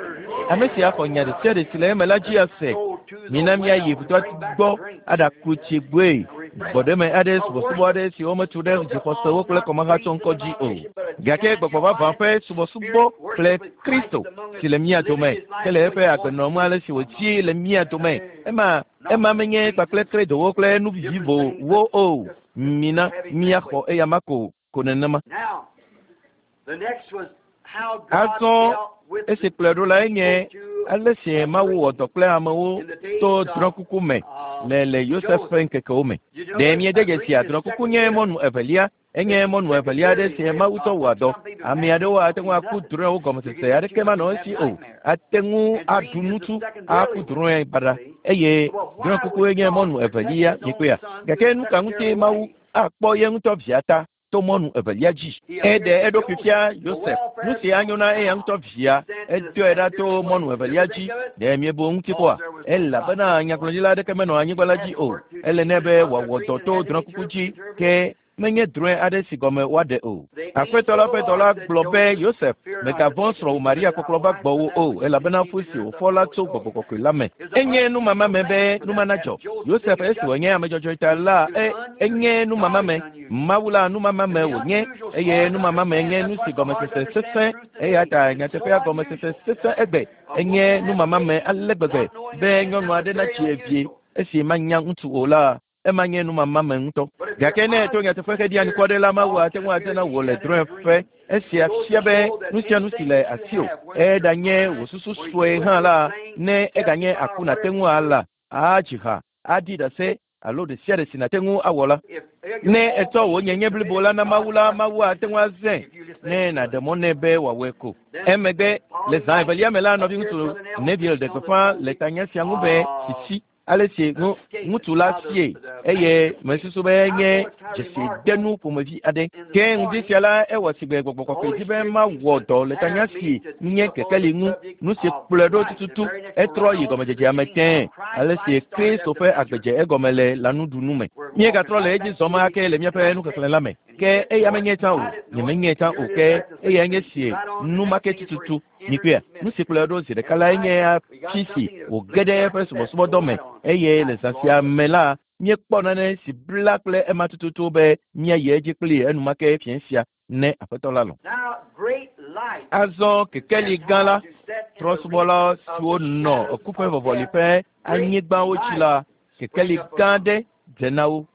Ame sia xɔ nya ɖe sia ɖe si le eme la dzi ase. Mina míayi vudoa gbɔ aɖaku tsi gbɔe. Gbɔɖeme aɖe subɔsubɔ aɖe si wometu ɖe dzixɔsewo kple kɔmahatsɔŋkɔ dzi o. Gake gbɔgbɔ vavã ƒe subɔsubɔ kple Kristo si le mía dome ke le eƒe agbenɔm ale si wòdzi le mía dome. Ema ema menye kpakple kredowo kple nu vivivowo o. Mina míaxɔ eya ma ko ko nenema. Azɔ esi kplɔe ɖo lae nye ale si Mawu wɔ dɔ kple amewo to drɔ̃kuku me le le Yosef ƒe ŋkekewo me. Ɖe miede dzesi drɔ̃kuku nye mɔnu evelia enye mɔnu evelia aɖe si Mawu tsɔ wɔa dɔ. Ame aɖewo ate ŋu aku drɔ̃ewo gɔmesese aɖeke manɔ esi o. Ate ŋu aɖu nutsu aku drɔ̃e baɖa eye drɔ̃kukue nye mɔnu evelia mikpɔea. Gake nu ka ŋuti Mawu akpɔ ye ŋutɔ via ta to mɔnu evelia dzi? Eɖe eɖokui fia Yosef. Nu si anyo na eya ŋutɔ via edɔe ɖa to mɔnu evelia dzi. Ɖe miebu eŋuti kpɔa? Elabena nyagblɔɖila aɖeke menɔ anyigba la dzi o. Ele nɛ be wòawɔ dɔ to drɔ̃kuku dzi ke menye drɔ̃e aɖe si gɔme woaɖe o. Aƒetɔ la ƒe dɔla gblɔ be Yosef mègavɔ̃ srɔ̃wò Maria kpɔkplɔ va gbɔwò o elabena fu si wòfɔ la tso gbɔgbɔ kɔkɔe la me. Enye numama me be numa nadzɔ. Yosef esi wònye ame dzɔdzɔe ta la e enye numama me. Mawu la numama me wònye eye numama me nye nu si gɔmesese sesẽ eya ta nyateƒea gɔmesese sesẽ egbe. Enye numama me ale gbegbe be nyɔnu aɖe natsi evie esi manya ŋutsu o la Ema nye numama me ŋutɔ. Gake ne èto nyateƒe heɖi anukware la, Mawu ate ŋu ate na wò le drɔ̃eƒe. Esia fia be nu sia nu si le asiwò, eɖanye wò susu sue hã la, ne eganye aku nàte ŋu ala, adzi ha, aɖi ɖase alo ɖe sia ɖe si nàte ŋu awɔ la. Ne ètsɔ wò nyenye blibo la na Mawu la, Mawu ate ŋu azãe ne nàɖe mɔ nɛ be wòawɔe ko. Emegbe le zã evelia me la, nɔviŋutsu Neville ɖe gbeƒã le tanya sia ŋu be sisi ale si ŋutsu la sie eye mesusu be nye dzesidenu ƒomevi aɖe. Ke ŋdi sia la, ewɔ sigbe gbɔgbɔ kɔkɔe dzi be mawɔ dɔ le tanya si nye kekeli ŋu. Nu si kplɔe ɖo tututu etrɔ yi gɔmedzedzea me tẽe ale si Kristo ƒe agbe dze egɔme le lãnuɖunu me. Míegatrɔ le edzi zɔm ake le míaƒe nuxexlẽ la me. Ke eya menye tsã o, nyemenye tsã o, ke eyae nye sie numake tututu. Mikpɔea, nu si kplɔe ɖo zi ɖeka lae nye afi si wòge ɖe eƒe subɔsubɔdɔ me eye le zã sia me la, míekpɔ nane si bla kple ema tututu be míayi edzi kpli enumake fiẽ sia ne Aƒetɔ la lɔ̃. Azɔ kekeli gã la, trɔ̃subɔla siwo nɔ ku ƒe vɔvɔli ƒe anyigbawo dzi la, kekeli gã aɖe dze na wo.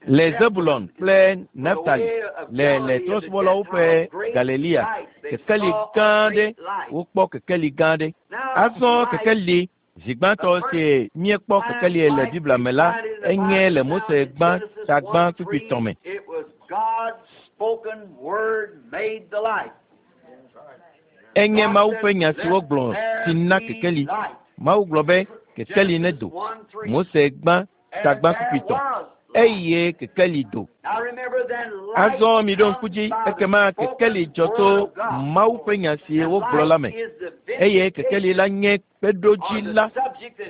Le Zebulon kple Naftali le le trɔ̃subɔlawo ƒe Galilea, kekeli gã aɖe wokpɔ kekeli gã aɖe. Azɔ kekeli zi gbãtɔ si míekpɔ kekeli le Biblia me la, enye le Mose gbã tagbã kpukpui tɔ̃ me. Enye Mawu ƒe nya si wogblɔ si na kekeli. Mawu gblɔ be kekeli nedo. Mose gbã tagbã kpukpui tɔ̃. Eye kekeli do. Azɔ miɖo ŋku dzi ekema kekeli dzɔ tso Mawu ƒe nya si wogblɔ la me. Eye kekeli la nye kpeɖodzi la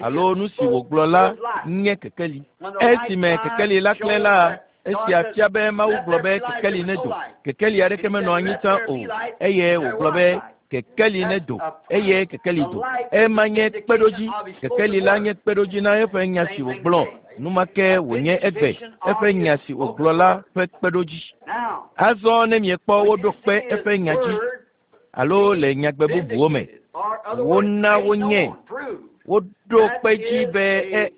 alo nu si wògblɔ la nye kekeli. Esime kekeli la klẽ la, esia fia be Mawu gblɔ be kekeli nedo. Kekeli aɖeke menɔ anyi tsã o eye wògblɔ be kekeli nedo eye kekeli do. Ema nye kpeɖodzi. Kekeli la nye kpeɖodzi na eƒe nya si wògblɔ. Numake wònye egbe eƒe nya si wògblɔ la ƒe kpeɖodzi. Azɔ ne miekpɔ woɖo kpe eƒe nya dzi alo le nyagbe bubuwo me, wona wonye woɖo kpe dzi be e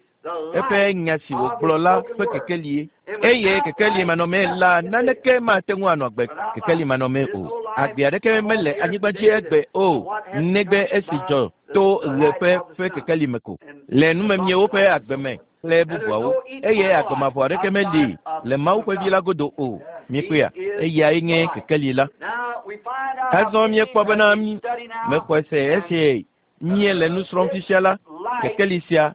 eƒe nya si wògblɔ la ƒe kekelie. Eye kekeli manɔmee la, naneke mate ŋu anɔ agbe kekeli manɔmee o. Agbe aɖeke mele anyigba dzi egbe o, negbe esi dzɔ to ɣe ƒe ƒe kekeli me ko. Le numemiewo ƒe agbe me kple bubuawo eye agbe mavɔ aɖeke meli le Mawu ƒe vi la godo o. Mikpɔea, eyae nye kekeli la. Azɔ míekpɔ bena mexɔe se esi míele nu srɔ̃m fifia la, kekeli sia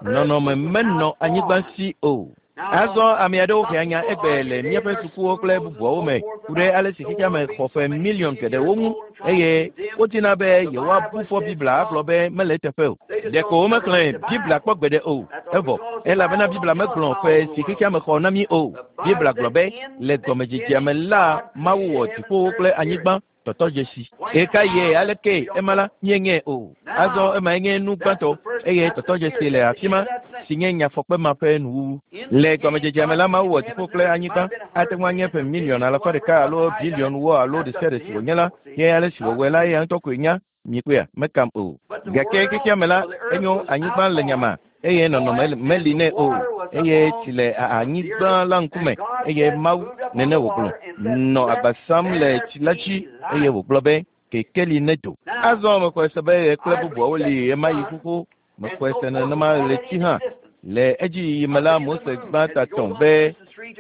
nɔnɔme menɔ anyigba si o. Azɔ ame aɖewo hea nya egbe le míaƒe sukuwo kple bubuawo me ku ɖe ale si xexea me xɔ ƒe miliɔn geɖewo ŋu eye wodina be yewoabu fɔ Biblia agblɔ be mele eteƒe o. Ɖeko womexlẽ Biblia kpɔ gbeɖe o. Evɔ elabena Biblia megblɔ ƒe si xexea me xɔ na mí o. Biblia gblɔ be le gɔmedzedzea me la, Mawu wɔ dziƒowo kple anyigba tɔtɔdzesi. Ɣeka ye aleke ema la míeŋe o. Azɔ emae nye nu gbãtɔ eye tɔtɔdzesi le afi ma si nye nyafɔkpe ma ƒe nuwuwu. Le gɔmedzedzea me la, Mawu wɔ dziƒo kple anyigba. Ate ŋu anye ƒe miliɔn alafa ɖeka alo biliɔn wo alo ɖe sia ɖe si wònye la, ye ale si wòwɔe la, eya ŋutɔ koe nya. Mikpɔea, mekam o. Gake xexea me la, enyo anyigba le nyama eye nɔnɔme meli nɛ o eye tsi le anyigba la ŋkume eye Mawu nene wògblɔ nɔ agba sam le tsi la dzi eye wògblɔ be kekeli nedo. Azɔ mexɔe se be ɣe kple bubuawo li ɣemaɣi xoxo. Mexɔe se nenema ɣleti hã. Le edziyiyi me la, Mose gbã ta tɔ̃ be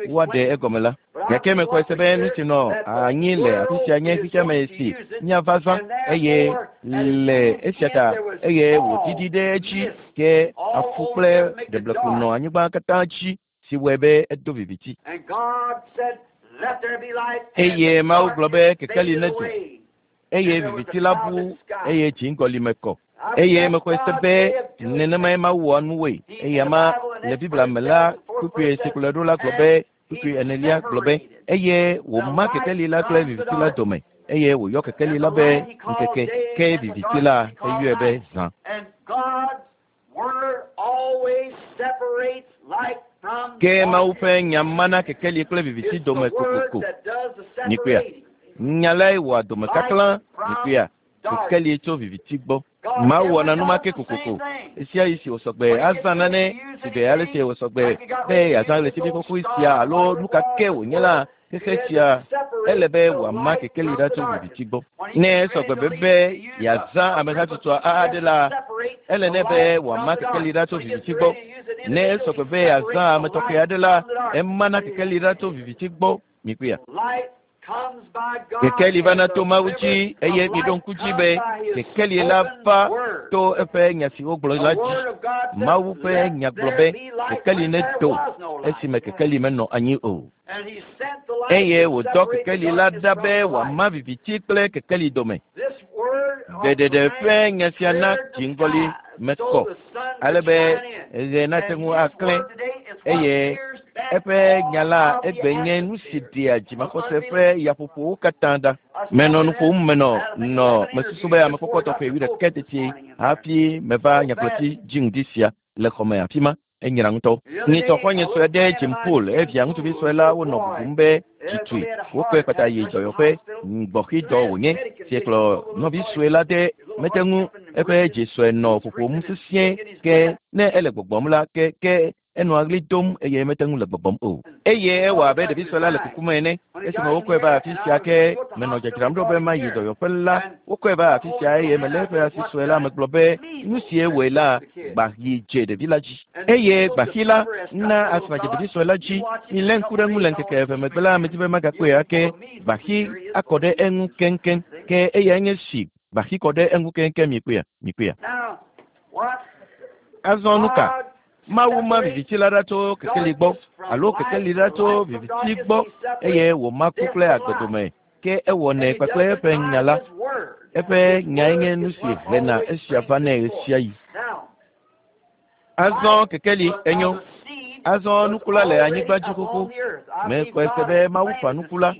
woaɖe egɔme la. Gake mexɔe se be nu si nɔ anyi le afi sia nye xexea me si míava zã eye le esia ta eye wòdidi ɖe edzi ke afu kple ɖeblekpo nɔ anyigba katã dzi si wɔe be edo viviti. Eye Mawu gblɔ be kekeli nedo eye viviti la bu eye dziŋgɔli me kɔ. Eye mexɔe se be nenemae Mawu wɔa nuwoe. Eye ama le Biblia me la, kpukpui si kplɔe ɖo la gblɔ be kpukpui enelia gblɔ be eye wòma kekeli la kple viviti la dome eye wòyɔ kekeli la be ŋkeke ke viviti la eyɔe be zã. Ke Mawu ƒe nya mana kekeli kple viviti dome kokoko. Mikpɔea, nya lae wɔa domekaklã. Mikpɔea, kekeli tso viviti gbɔ. Mawu wɔna numake kokoko. Esia yi si wòsɔgbe azã nane si be ale si wòsɔgbe be yeazã ɣletivi xoxoe sia alo nu ka ke wònye la xexe sia ele be wòama kekeli ɖa tso viviti gbɔ. Ne esɔgbe be be yeazã ame hatsotso aɖe la ele nɛ be wòama kekeli ɖa tso viviti gbɔ. Ne esɔgbe be yeazã ame tɔxɛ aɖe la emana kekeli ɖa tso viviti gbɔ. Mikpɔea. Kekeli vana to Mawu dzi eye miɖo ŋku dzi be kekeli la va to eƒe nya si wogblɔ la dzi. Mawu ƒe nya gblɔ be kekeli nedo esime kekeli menɔ anyi o. Eye wòdɔ kekeli la ɖa be wòama viviti kple kekeli dome. Gbeɖeɖe ƒe nya sia na dziŋgɔli me kɔ ale be ɣe nate ŋu aklẽ eye eƒe nya la egbe nye nu si ɖea dzimaxɔse ƒe yaƒoƒowo katã ɖa. Menɔ nu ƒom menɔ nɔ mesusu be amekpɔkpɔ tɔxɛ wuiɖekɛ teti hafi meva nyagblɔti dzi ŋdi sia le xɔme afi ma. Enyra ŋutɔ. Nyitsɔ xɔ̃nye sue ɖe Jim Poole evia ŋutsuvi sue la wonɔ bubum be tsitsui. Wokɔe kpata yi dɔyɔƒe gbɔxidɔ wònye si kplɔ nɔvi sue la de mete ŋu eƒe dzi sue nɔ ƒoƒom sesĩe ke ne ele gbɔgbɔm la ke ke enɔa ɣli dom eye mete ŋu le gbɔgbɔm o. Eye ewɔ abe ɖevi sue la le kukum ene. Esime wokɔe va afi sia ke menɔ dzadzram ɖo be mayi dɔyɔƒe la wokɔe va afi sia eye melé eƒe asi sue la megblɔ be nu si ewɔe la gbaxi dze ɖevi la dzi. Eye gbaxi la na asma dze ɖevi sue la dzi. Milé ŋku ɖe ŋu le ŋkeke eve megbe la medi be magakpɔe ake gbaxi akɔ ɖe eŋu keŋkeŋ ke eyae nye si gbaxi kɔ ɖe eŋu keŋkeŋ mikpɔea mikpɔea. Azɔ nu ka? Mawu ma viviti la ɖa tso kekeli gbɔ alo kekeli ɖa tso viviti gbɔ eye wòma ku kple agbe dome ke ewɔnɛ kpakple eƒe nya la. Eƒe nyae nye nu si hena esia vanɛ ɣesiaɣi. Azɔ kekeli enyo. Azɔ nuku la le anyigba dzi xoxo. Mexɔe se be Mawu ƒã nuku la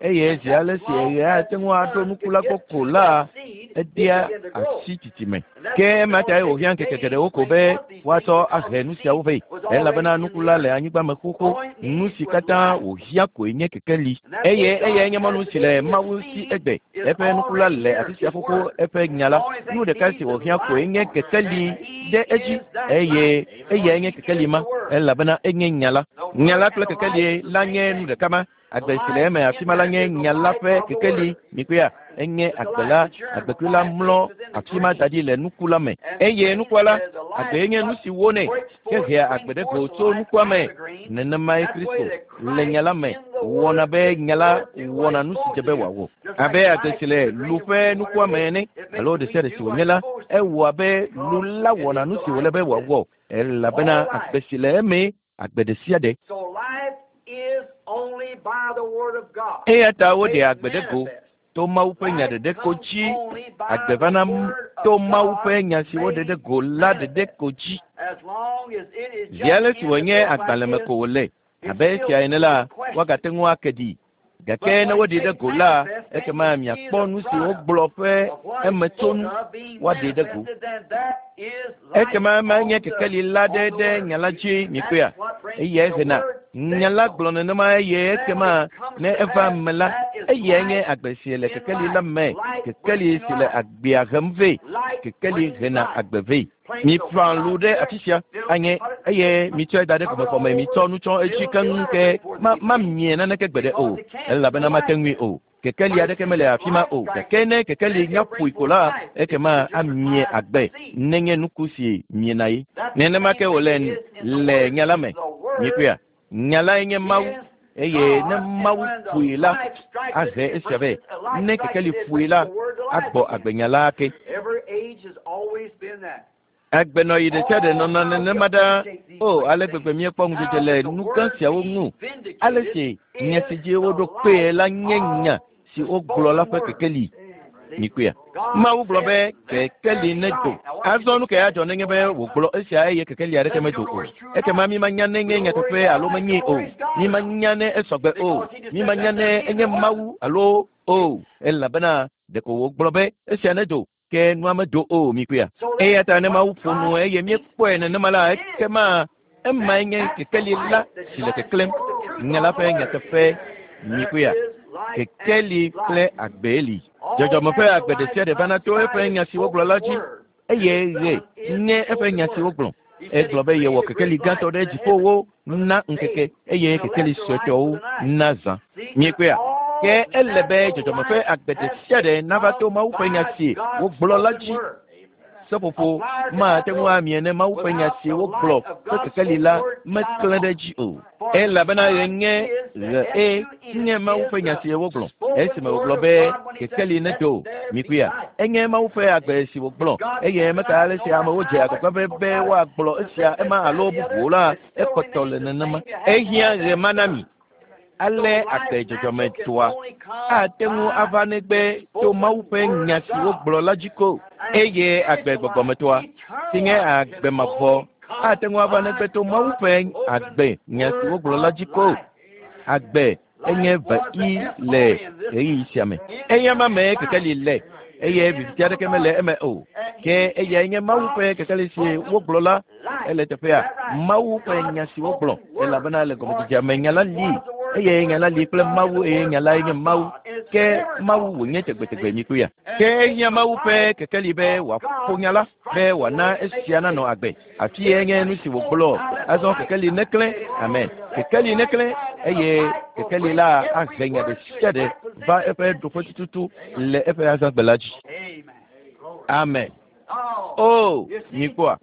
eye zi ale si ɣe ate ŋu aɖo nuku la gbɔ ko la edea asi tsitsime. Ke ema tae wòhiã ŋkeke geɖewo ko be woatsɔ ahe nu siawo vɛ elabena nuku la le anyigba me xoxo. Nu si katã wòhiã koe nye kekeli eye eyae nye mɔnu si le Mawu si egbe. Eƒe nuku la le afi sia xoxo eƒe nya la. Nu ɖeka si wòhiã koe nye kekeli ɖe edzi eye eyae nye kekeli ma elabena enye nya la. Nya la kple kekeli la nye nu ɖeka ma. Agbe si le eme afi ma la nye nya la ƒe kekeli. Mikpɔea, enye agbe la, agbekui la mlɔ afi ma da ɖi le nuku la me. Eye nukua la, agbe nye nu si wonɛ ke hea agbe ɖe go tso nukua me. Nenemae Kristo le nya la me wɔna be nya la wɔna nu si dze be wòawɔ. Abe agbe si le lu ƒe nukua me ene alo ɖe sia ɖe si wònye la, ewɔ abe lu la wɔna nu si wòle be wòawɔ elabena agbe si le eme agbe ɖe sia ɖe. Eya ta woɖe agbe ɖe go to Mawu ƒe nya ɖeɖe ko dzi. Agbe vana to Mawu ƒe nya si woɖe ɖe go la ɖeɖe ko dzi. Zi ale si wònye agbalẽ me ko wòle abe esia ene la, woagate ŋu ake ɖi. Gake ne woɖe ɖe go la, ekema miakpɔ nu si wogblɔ ƒe emetsonu woaɖe ɖe go. Ekema ema nye kekeli la ɖe ɖe nya la dzi mikpɔea. Eyae hena nya la gblɔ nenema eye ekema ne eva me la, eyae nye agbe si le kekeli la me, kekeli si le agbea hem vɛ, kekeli hena agbe vɛ. Miƒã lu ɖe afi sia anye eye mitsɔe da ɖe gɔmexɔme mitsɔ nu tsɔ edzi keŋ ke ma mamie naneke gbeɖe o elabena mate ŋui o. Kekeli aɖeke mele afi ma o gake ne kekeli nya ƒoe ko la ekema amie agbe nenye nuku si miena ye. Nenema ke wòle le nya la me. Mikpɔea, nya lae nye Mawu eye ne Mawu ƒoe la ahe esia vɛ. Ne kekeli ƒoe la agbɔ agbenya la ake. Agbenɔɣi ɖe sia ɖe nɔna nenema ɖaa. O ale gbegbe míekpɔ ŋudzedze le nu gã siawo ŋu. Ale si nya si dzi woɖo kpee la nye nya si wogblɔ la ƒe kekeli. Mikpɔea, Mawu gblɔ be kekeli nedo. Azɔ nu ke adzɔ nenye be wògblɔ esia eye kekeli aɖeke medo o. Ekema mímanya nenye nyateƒe alo menyee o. Mímanya ne esɔgbe o. Mímanya ne enye Mawu alo o. Elabena ɖeko wògblɔ be esia nedo ke nua medo o mikpɔea. Eya ta ne Mawu ƒo nu eye míekpɔe nenema la ekema emae nye kekeli la si le keklẽm. Nya la ƒe nyateƒe mikpɔea. Kekeli kple agbe li. Dzɔdzɔme ƒe agbe ɖe sia ɖe vana to eƒe nya si wogblɔ la dzi. Eye ɣe nye eƒe nya si wogblɔ. Egblɔ be yewɔ kekeli gãtɔ ɖe dziƒowo na ŋkeke eye kekeli suetɔwo na zã. Miekpɔea? Ke ele be dzɔdzɔme ƒe agbe ɖe sia ɖe nava to Mawu ƒe nya si wogblɔ la dzi. Seƒoƒo mate ŋu amie ne Mawu ƒe nya si wogblɔ ƒe kekeli la meklẽ ɖe edzi o. Elabena ɣe nye ɣe e nye Mawu ƒe nya si wogblɔ. Esime wògblɔ be kekeli nedo, mikpɔea? Enye Mawu ƒe agbe si wògblɔ eye meka ale si amewo dze agbagba be be woagblɔ esia ema alo bubuwo la, ekpɔtɔ le nenema. Ehiã ɣe ma na mi. Ale agbe dzɔdzɔmetɔa ate ŋu ava negbe to Mawu ƒe nya si wogblɔ la dzi ko. Eye agbe gbɔgbɔmetɔa si nye agbe mavɔ ate ŋu ava negbe to Mawu ƒe agbe nya si wogblɔ la dzi ko. Agbe enye ve i le ɣeyiɣi sia me. Eya ma me kekeli le eye viviti aɖeke mele eme o. Ke eyae nye Mawu ƒe kekeli si wogblɔ la ele teƒea. Mawu ƒe nya si wogblɔ elabena le gɔmedzedzea me nya la li eye nya la li kple Mawu eye nya lae nye Mawu. Ke Mawu wònye tegbetegbe mikpɔea. Ke ehiã Mawu ƒe kekeli be wòaƒo nya la be wòana esia nanɔ agbe. Afie nye nu si wògblɔ. Azɔ kekeli neklẽ. Amen. Kekeli neklẽ eye kekeli la ahe nya ɖe sia ɖe va eƒe ɖoƒe tututu le eƒe azãgbe la dzi. Amen. O, mikpɔa,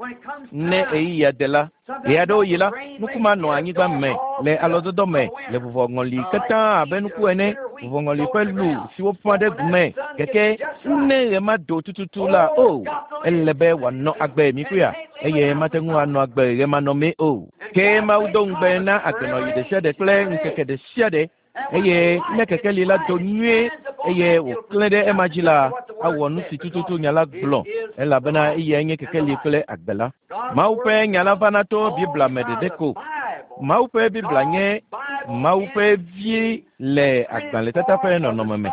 ne ɣeyiɣia de la, ɣe aɖewo yi la, nuku ma nɔ anyigba me le alɔdɔdɔ me le vuvɔŋɔli katã abe nuku ene, vuvɔŋɔli ƒe lu si woƒã ɖe gu me. Gake ne ɣe ma do tututu la, o, ele be wòanɔ agbe mikpɔea, eye mate ŋu anɔ agbe ɣe manɔmee o. Ke Mawu do ŋugbe na agbenɔɣi ɖe sia ɖe kple ŋkeke ɖe sia ɖe eye ne kekeli la do nyuie eye wòklẽ ɖe ema dzi la, awɔ nu si tututu nya la gblɔ elabena eyae nye kekeli kple agbe la. Mawu ƒe nya la vana to Biblia me ɖeɖe ko. Mawu ƒe Biblia nye Mawu ƒe vi le agbalẽtata ƒe nɔnɔme me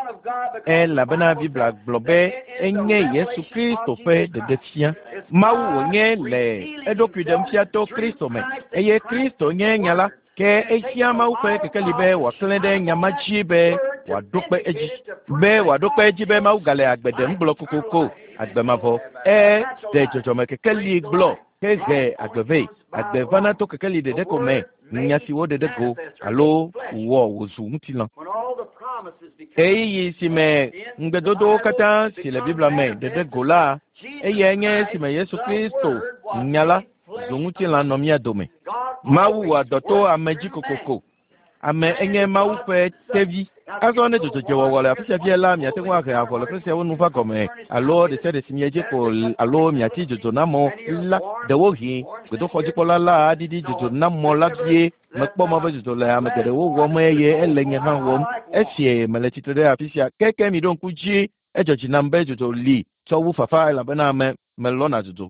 elabena Biblia gblɔ be enye Yesu Kristo ƒe ɖeɖefia. Mawu wònye le eɖokui ɖem fia to Kristo me eye Kristo nye nya la. Ke ehiã Mawu ƒe kekeli be wòaklẽ ɖe nya ma dzi be wòaɖo kpe edzi. Be wòaɖo kpe edzi be Mawu gale agbe ɖem gblɔ kokoko agbe mavɔ. Eɖe dzɔdzɔme kekeli gblɔ hehe agbe vɛ. Agbe vana to kekeli ɖeɖe ko me. Nya si woɖe ɖe go alo wɔ wòzu ŋutilã. Ɣeyiɣi si me ŋugbedodowo katã si le Biblia me ɖeɖe go la, eyae nye esime Yesu Kristo nya la zu ŋutilã nɔ mía dome. Mawu wɔa dɔ to ame dzi kokoko. Ame enye Mawu ƒe tevi. Azɔ ne dzodzodzoewɔwɔ le afi sia fia la, miate ŋu ahe avɔ le ƒe siawo nu va gɔme alo ɖe sia ɖe si miedze ko alo miati dzodzonamɔ la. Ɖewohĩ gbedoxɔdzikpɔla la aɖiɖi dzodzonamɔ la vie. Mekpɔ mɔ be dzodzo le ame geɖewo wɔm eye ele nye hã wɔm. Esie mele tsitre ɖe afi sia. Keke mi ɖo ŋku dzi edzɔ dzi nam be dzodzo li tsɔ wu fafa elabena ame melɔ̃na dzodzo.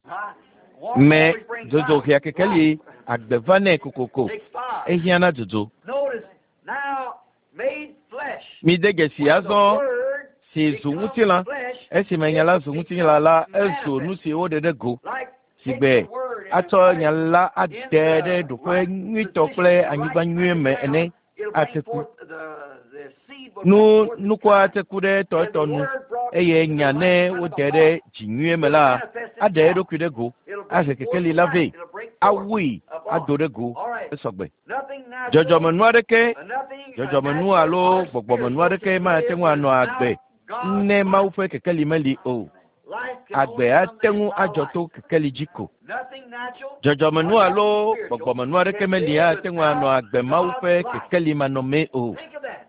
Me dzodzo hea kekeli agbe vanɛ kokoko. Ehiã na dzodzo. Mide dzesi azɔ si zu ŋutilã. Esime nya la zu ŋutilã la, ezu nu si woɖe ɖe go. Si gbe atsɔ nya la ade ɖe ɖoƒe nyuitɔ kple anyigba nyuie me ene ate ku. Nu nukua ate ku ɖe etɔetɔ nu eye nya ne wode ɖe dzi nyuie me la, aɖe eɖokui ɖe go, ahe kekeli la vɛ, awui ado ɖe go esɔgbe. Dzɔdzɔmenu aɖeke, dzɔdzɔmenu alo gbɔgbɔmenu aɖeke mate ŋu anɔ agbe ne Mawu ƒe kekeli meli o. Agbe ate ŋu adzɔ to kekeli dzi ko. Dzɔdzɔmenu alo gbɔgbɔmenu aɖeke meli ate ŋu anɔ agbe Mawu ƒe kekeli manɔmee o.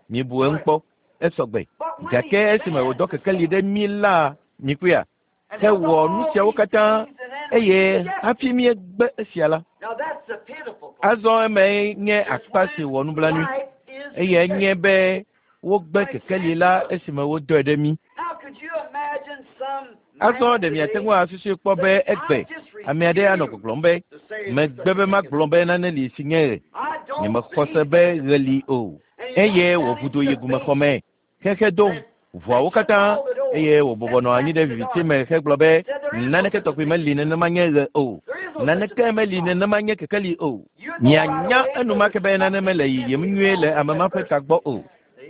Mibu eŋu kpɔ, esɔgbe. Gake esime wòdɔ kekeli ɖe mí la, mikpɔea, hewɔ nu siawo katã eye hafi míegbe esia la. Azɔ eme nye akpa si wɔ nublanui eye nye be wogbe kekeli la esime wodɔe ɖe mí. Azɔ ɖe miate ŋu asusui kpɔ be egbe ame aɖe anɔ gbɔgblɔm be megbe be magblɔ be nane li si nye ɣe. Nyemexɔ se be ɣe li o. Eye wòʋu do yi gumexɔme xexe do ʋɔawo katã eye wòbɔbɔ nɔ anyi ɖe viviti me hegblɔ be naneke tɔgbi meli nenema nye ɣe o. Naneke meli nenema nye kekeli o. Mianya enumake be nane mele yiyim nyuie le ame ma ƒe tagbɔ o.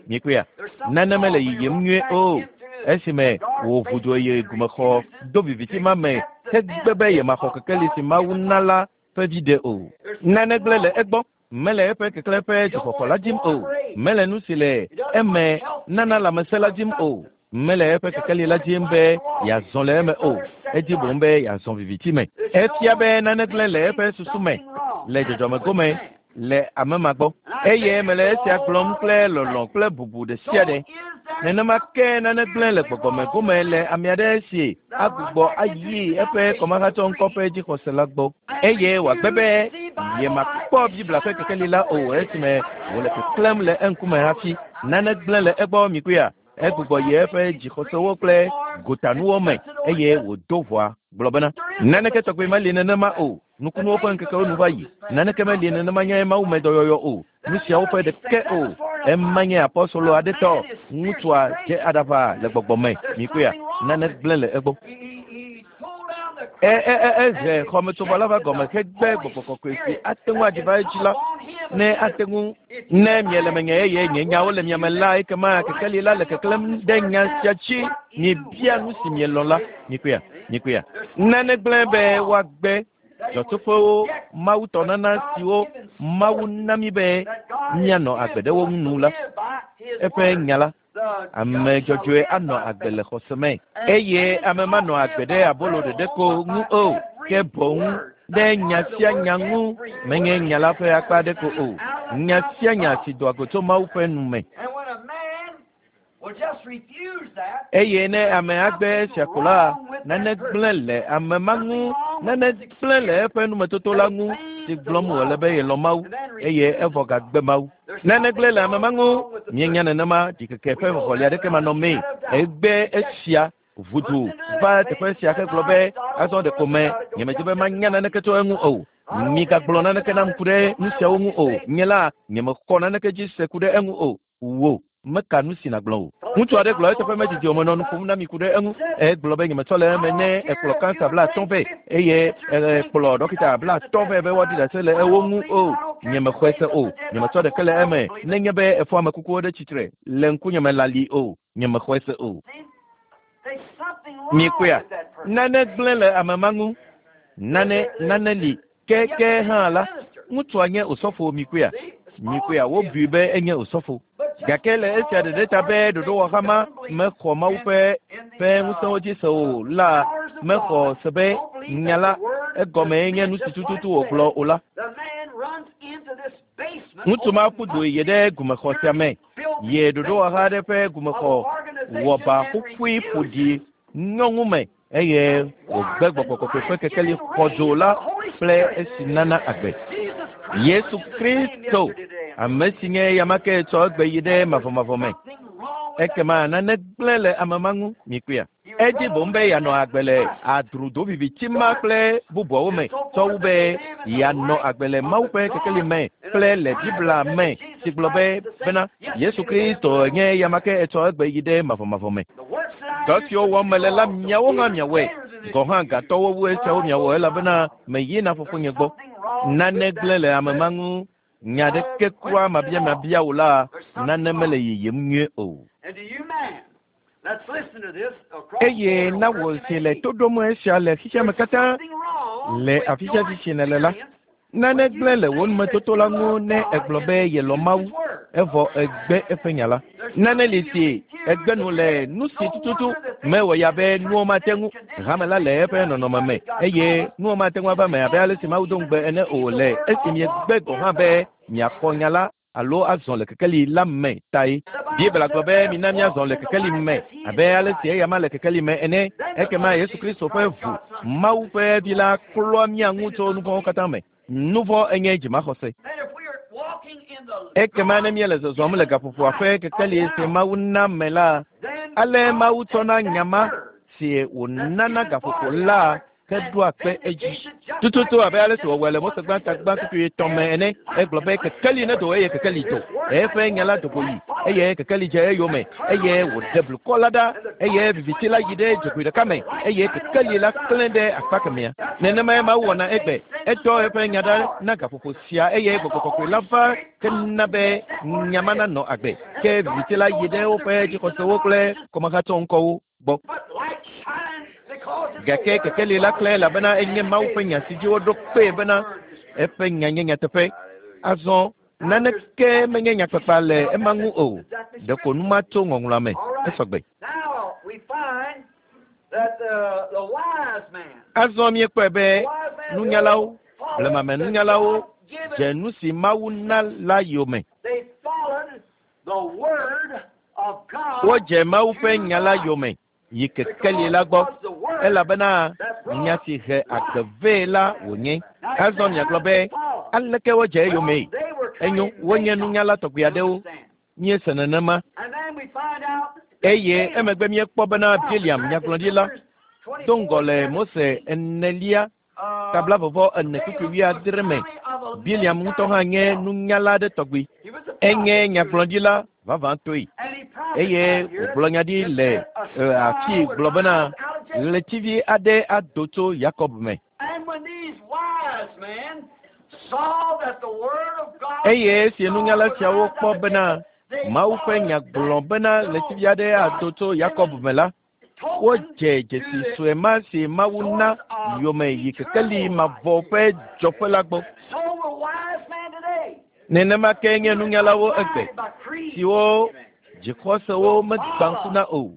Mikpɔea, nane mele yiyim nyuie o. Esime wòʋu do yi gumexɔ do viviti ma me Hegbe be yemaxɔ kekeli si Mawu na la ƒe viɖe o. Nane gblẽ le egbɔ. Mele eƒe keklẽ ƒe dzixɔxɔ la dim o. Mele nu si le eme nana lãmesẽ la dim o. Mele eƒe kekeli la dim be yeazɔ le eme o. Edi boŋ be yeazɔ viviti me. Efia be nane gblẽ le eƒe susu me le dzɔdzɔme gome le ame ma gbɔ. Eye mele esia gblɔm kple lɔlɔ̃ kple bubu ɖe sia ɖe. Nenema ke nane gblẽ le gbɔgbɔme gome le ame aɖe si agbugbɔ ayi eƒe kɔmahatsɔ ŋkɔ ƒe dzixɔse la gbɔ. Eye wòagbe be yemakpɔ Biblia ƒe kekeli la o esime wòle keklẽm le eŋkume hafi. Nane gblẽ le egbɔ mikuia. Egbugbɔ yi eƒe dzixɔsewo kple gotanuwo me eye wòdo ʋɔa gblɔ bena naneke tɔgbe meli nenema o. Nukunuwo ƒe ŋkekewo nu va yi. Naneke meli nenema nye Mawu me dɔyɔyɔ o. Nu siawo ƒe ɖeke o. Ema nye apɔstolo aɖe tɔ. Ŋutsua dze aɖaʋa le gbɔgbɔ me. Mikuia, nane gblẽ le egbɔ. E e e ehe xɔmetsovɔ la va gɔme hegbe gbɔgbɔ kɔkɔe si ate ŋu adzi va edzi la. Ne ate ŋu ne miele menye eye nye nyawo le miame la ekema kekeli la le keklẽm ɖe nya sia dzi. Miebia nu si mielɔ̃ la. Mikuia, mikuia. Nane gblẽ be woagbe dzɔtsoƒewo Mawu tɔ nana siwo Mawu na mí be míanɔ agbe ɖe wo ŋu nu la. Eƒe nya la, ame dzɔdzɔe anɔ agbe le xɔse me eye ame manɔ agbe ɖe abolo ɖeɖe ko ŋu o ke boŋ ɖe nya sia nya ŋu menye nya la ƒe akpa aɖe ko o. Nya sia nya si doa go tso Mawu ƒe nu me. Eye ne ame agbe esia ko la, nane gblẽ le ame ma ŋu, nane gblẽ le eƒe numetoto la ŋu si gblɔm wòle be yelɔ̃ Mawu eye evɔ gagbe Mawu. Nane gblẽ le ame ma ŋu, mienya nenema ɖikeke ƒe vɔvɔli aɖeke manɔmee. Egbe esia ʋudu va teƒe sia hegblɔ be azɔ ɖeko me nyemedi be manya naneke tso eŋu o. Migagblɔ naneke nam ku ɖe nu siawo ŋu o. Nye la nyemexɔ naneke dzi se ku ɖe eŋu o. Wo meka nu si nàgblɔ o. Ŋutsu aɖe gblɔ eteƒe medidi o menɔ nu ƒom na mi ku ɖe eŋu. Egblɔ be nyemetsɔ le eme ne ekplɔ kansa bla atɔ̃ vɛ eye ekplɔ ɖɔkita bla atɔ̃ vɛ be woaɖi ɖase le ewo ŋu o. Nyemexɔe se o. Nyemetsɔ ɖeke le eme nenye be efɔ ame kukuwo ɖe tsitre le ŋkunyeme lali o. Nyemexɔe se o. Mikuia, nane gblẽ le ame ma ŋu. Nane nane li ke ke hã la, ŋutsua nye osɔfo mikuia. Mikuia wobui be enye osɔfo. Gake le esia ɖeɖe ta be ɖoɖowɔha ma mexɔ Mawu ƒe ƒe ŋusẽwo dzi se o la mexɔ se be nya la egɔme nye nu si tututu wògblɔ o la. Ŋutsu ma ƒu du yi ɖe gumexɔ sia me. Ye ɖoɖowɔha aɖe ƒe gumexɔ wɔ ba ƒuƒui ƒoɖi nyɔŋu me eye wògbe gbɔgbɔ kɔkɔe ƒe kekeli xɔdzo la kple esi nana agbe. Yesu Kristo, ame si nye eyama ke tsɔ egbe yi ɖe mavɔmavɔ me. Ekema nane gblẽ le ame ma ŋu mikuia. Edi boŋ be yeanɔ agbe le adrudo viviti ma kple bubuawo me tsɔ wu be yeanɔ agbe le Mawu ƒe kekeli me kple le Biblia me si gblɔ be bena Yesu Kristo nye eyama ke etsɔ egbe yi ɖe mavɔmavɔ me. Dɔ siwo wɔm mele la miawo hã miawɔe. Gɔ̃ hã gatɔwo wu esiawo miawɔ elabena meyina fofonye gbɔ. Nane gblẽ le ame ma ŋu. Nya ɖeke kura mabiamabia o la, nane mele yiyim nyuie o. Eye na wò si le to ɖom esia le xexea me katã le afi sia fi si nèle la, nane gblẽ le wò numetoto la ŋu ne egblɔ be yelɔ̃ Mawu evɔ egbe eƒe nya la. Nane li si egbe nu le nu si tututu mewɔ ya be nuwo mate ŋu hame la le eƒe nɔnɔme me eye nuwo mate ŋu ava me abe ale si Mawu do ŋugbe ene o le esi miegbe gɔ̃ hã be miaxɔ nya la alo azɔ le kekeli la me tae. Biblia gblɔ be mina míazɔ le kekeli me abe ale si eyama le kekeli me ene. Ekema Yesu Kristo ƒe ʋu Mawu ƒe vi la klɔa mía ŋu tso nu vɔ̃wo katã me. Nu vɔ̃ enye dzimaxɔse. Ekema ne míele zɔzɔm le gaƒoƒoa ƒe kekeli si Mawu na me la, ale Mawu tsɔna nya ma si wònana gaƒoƒo la heɖoa kpe edzi. Tututu abe ale si wòwɔe le Mose gbãta gbã kpukpui etɔ̃ me ene, egblɔ be kekeli nedo eye kekeli do. Eƒe nya la do go yi eye kekeli dze eyome eye wòɖe blukɔ la ɖa eye viviti la yi ɖe dzogoe ɖeka me eye kekeli la klẽ ɖe akpa kemɛa. Nenemae Mawu wɔna egbe. Etsɔ eƒe nya ɖa na gaƒoƒo sia eye gbɔgbɔ kɔkɔe la va kena be nya ma nanɔ agbe. Ke viviti la yi ɖe woƒe dzixɔsewo kple kɔmahatsɔ ŋkɔwo gbɔ. Gake kekeli la klẽ elabena enye Mawu ƒe nya si dzi woɖo kpee bena eƒe nya nye nyateƒe. Azɔ naneke menye nyakpakpa le ema ŋu o. Ɖeko nu ma tso ŋɔŋlɔa me. Esɔgbe. Azɔ míekpɔe be nunyalawo, blemamenunyalawo dze nu si Mawu na la yome. Wodze Mawu ƒe nya la yome yi kekeli la gbɔ elabena nya si he agbe vɛ la wònye. Azɔ miagblɔ be aleke wodze eyomee? Enyo, wonye nunyala tɔgbi aɖewo. Míese nenema. Eye emegbe míekpɔ bena Biliam nyagblɔɖila do ŋgɔ le Mose enelia tabla vɔvɔ ene kpukpui wuiadre me. Biliam ŋutɔ hã nye nunyala aɖe tɔgbi. Enye nyagblɔɖila vavãtɔe. Eye wògblɔ nya ɖi le afi gblɔ bena ɣletivi aɖe ado tso Yakob me. Eye esi nunyala siawo kpɔ bena Mawu ƒe nya gblɔ bena ɣletivi aɖe ado tso Yakob me la, wodze dzesi sue ma si Mawu na yome yi kekeli mavɔ ƒe dzɔƒe la gbɔ. Nenema ke nye nunyalawo egbe siwo dzixɔsewo megbã ŋku na o.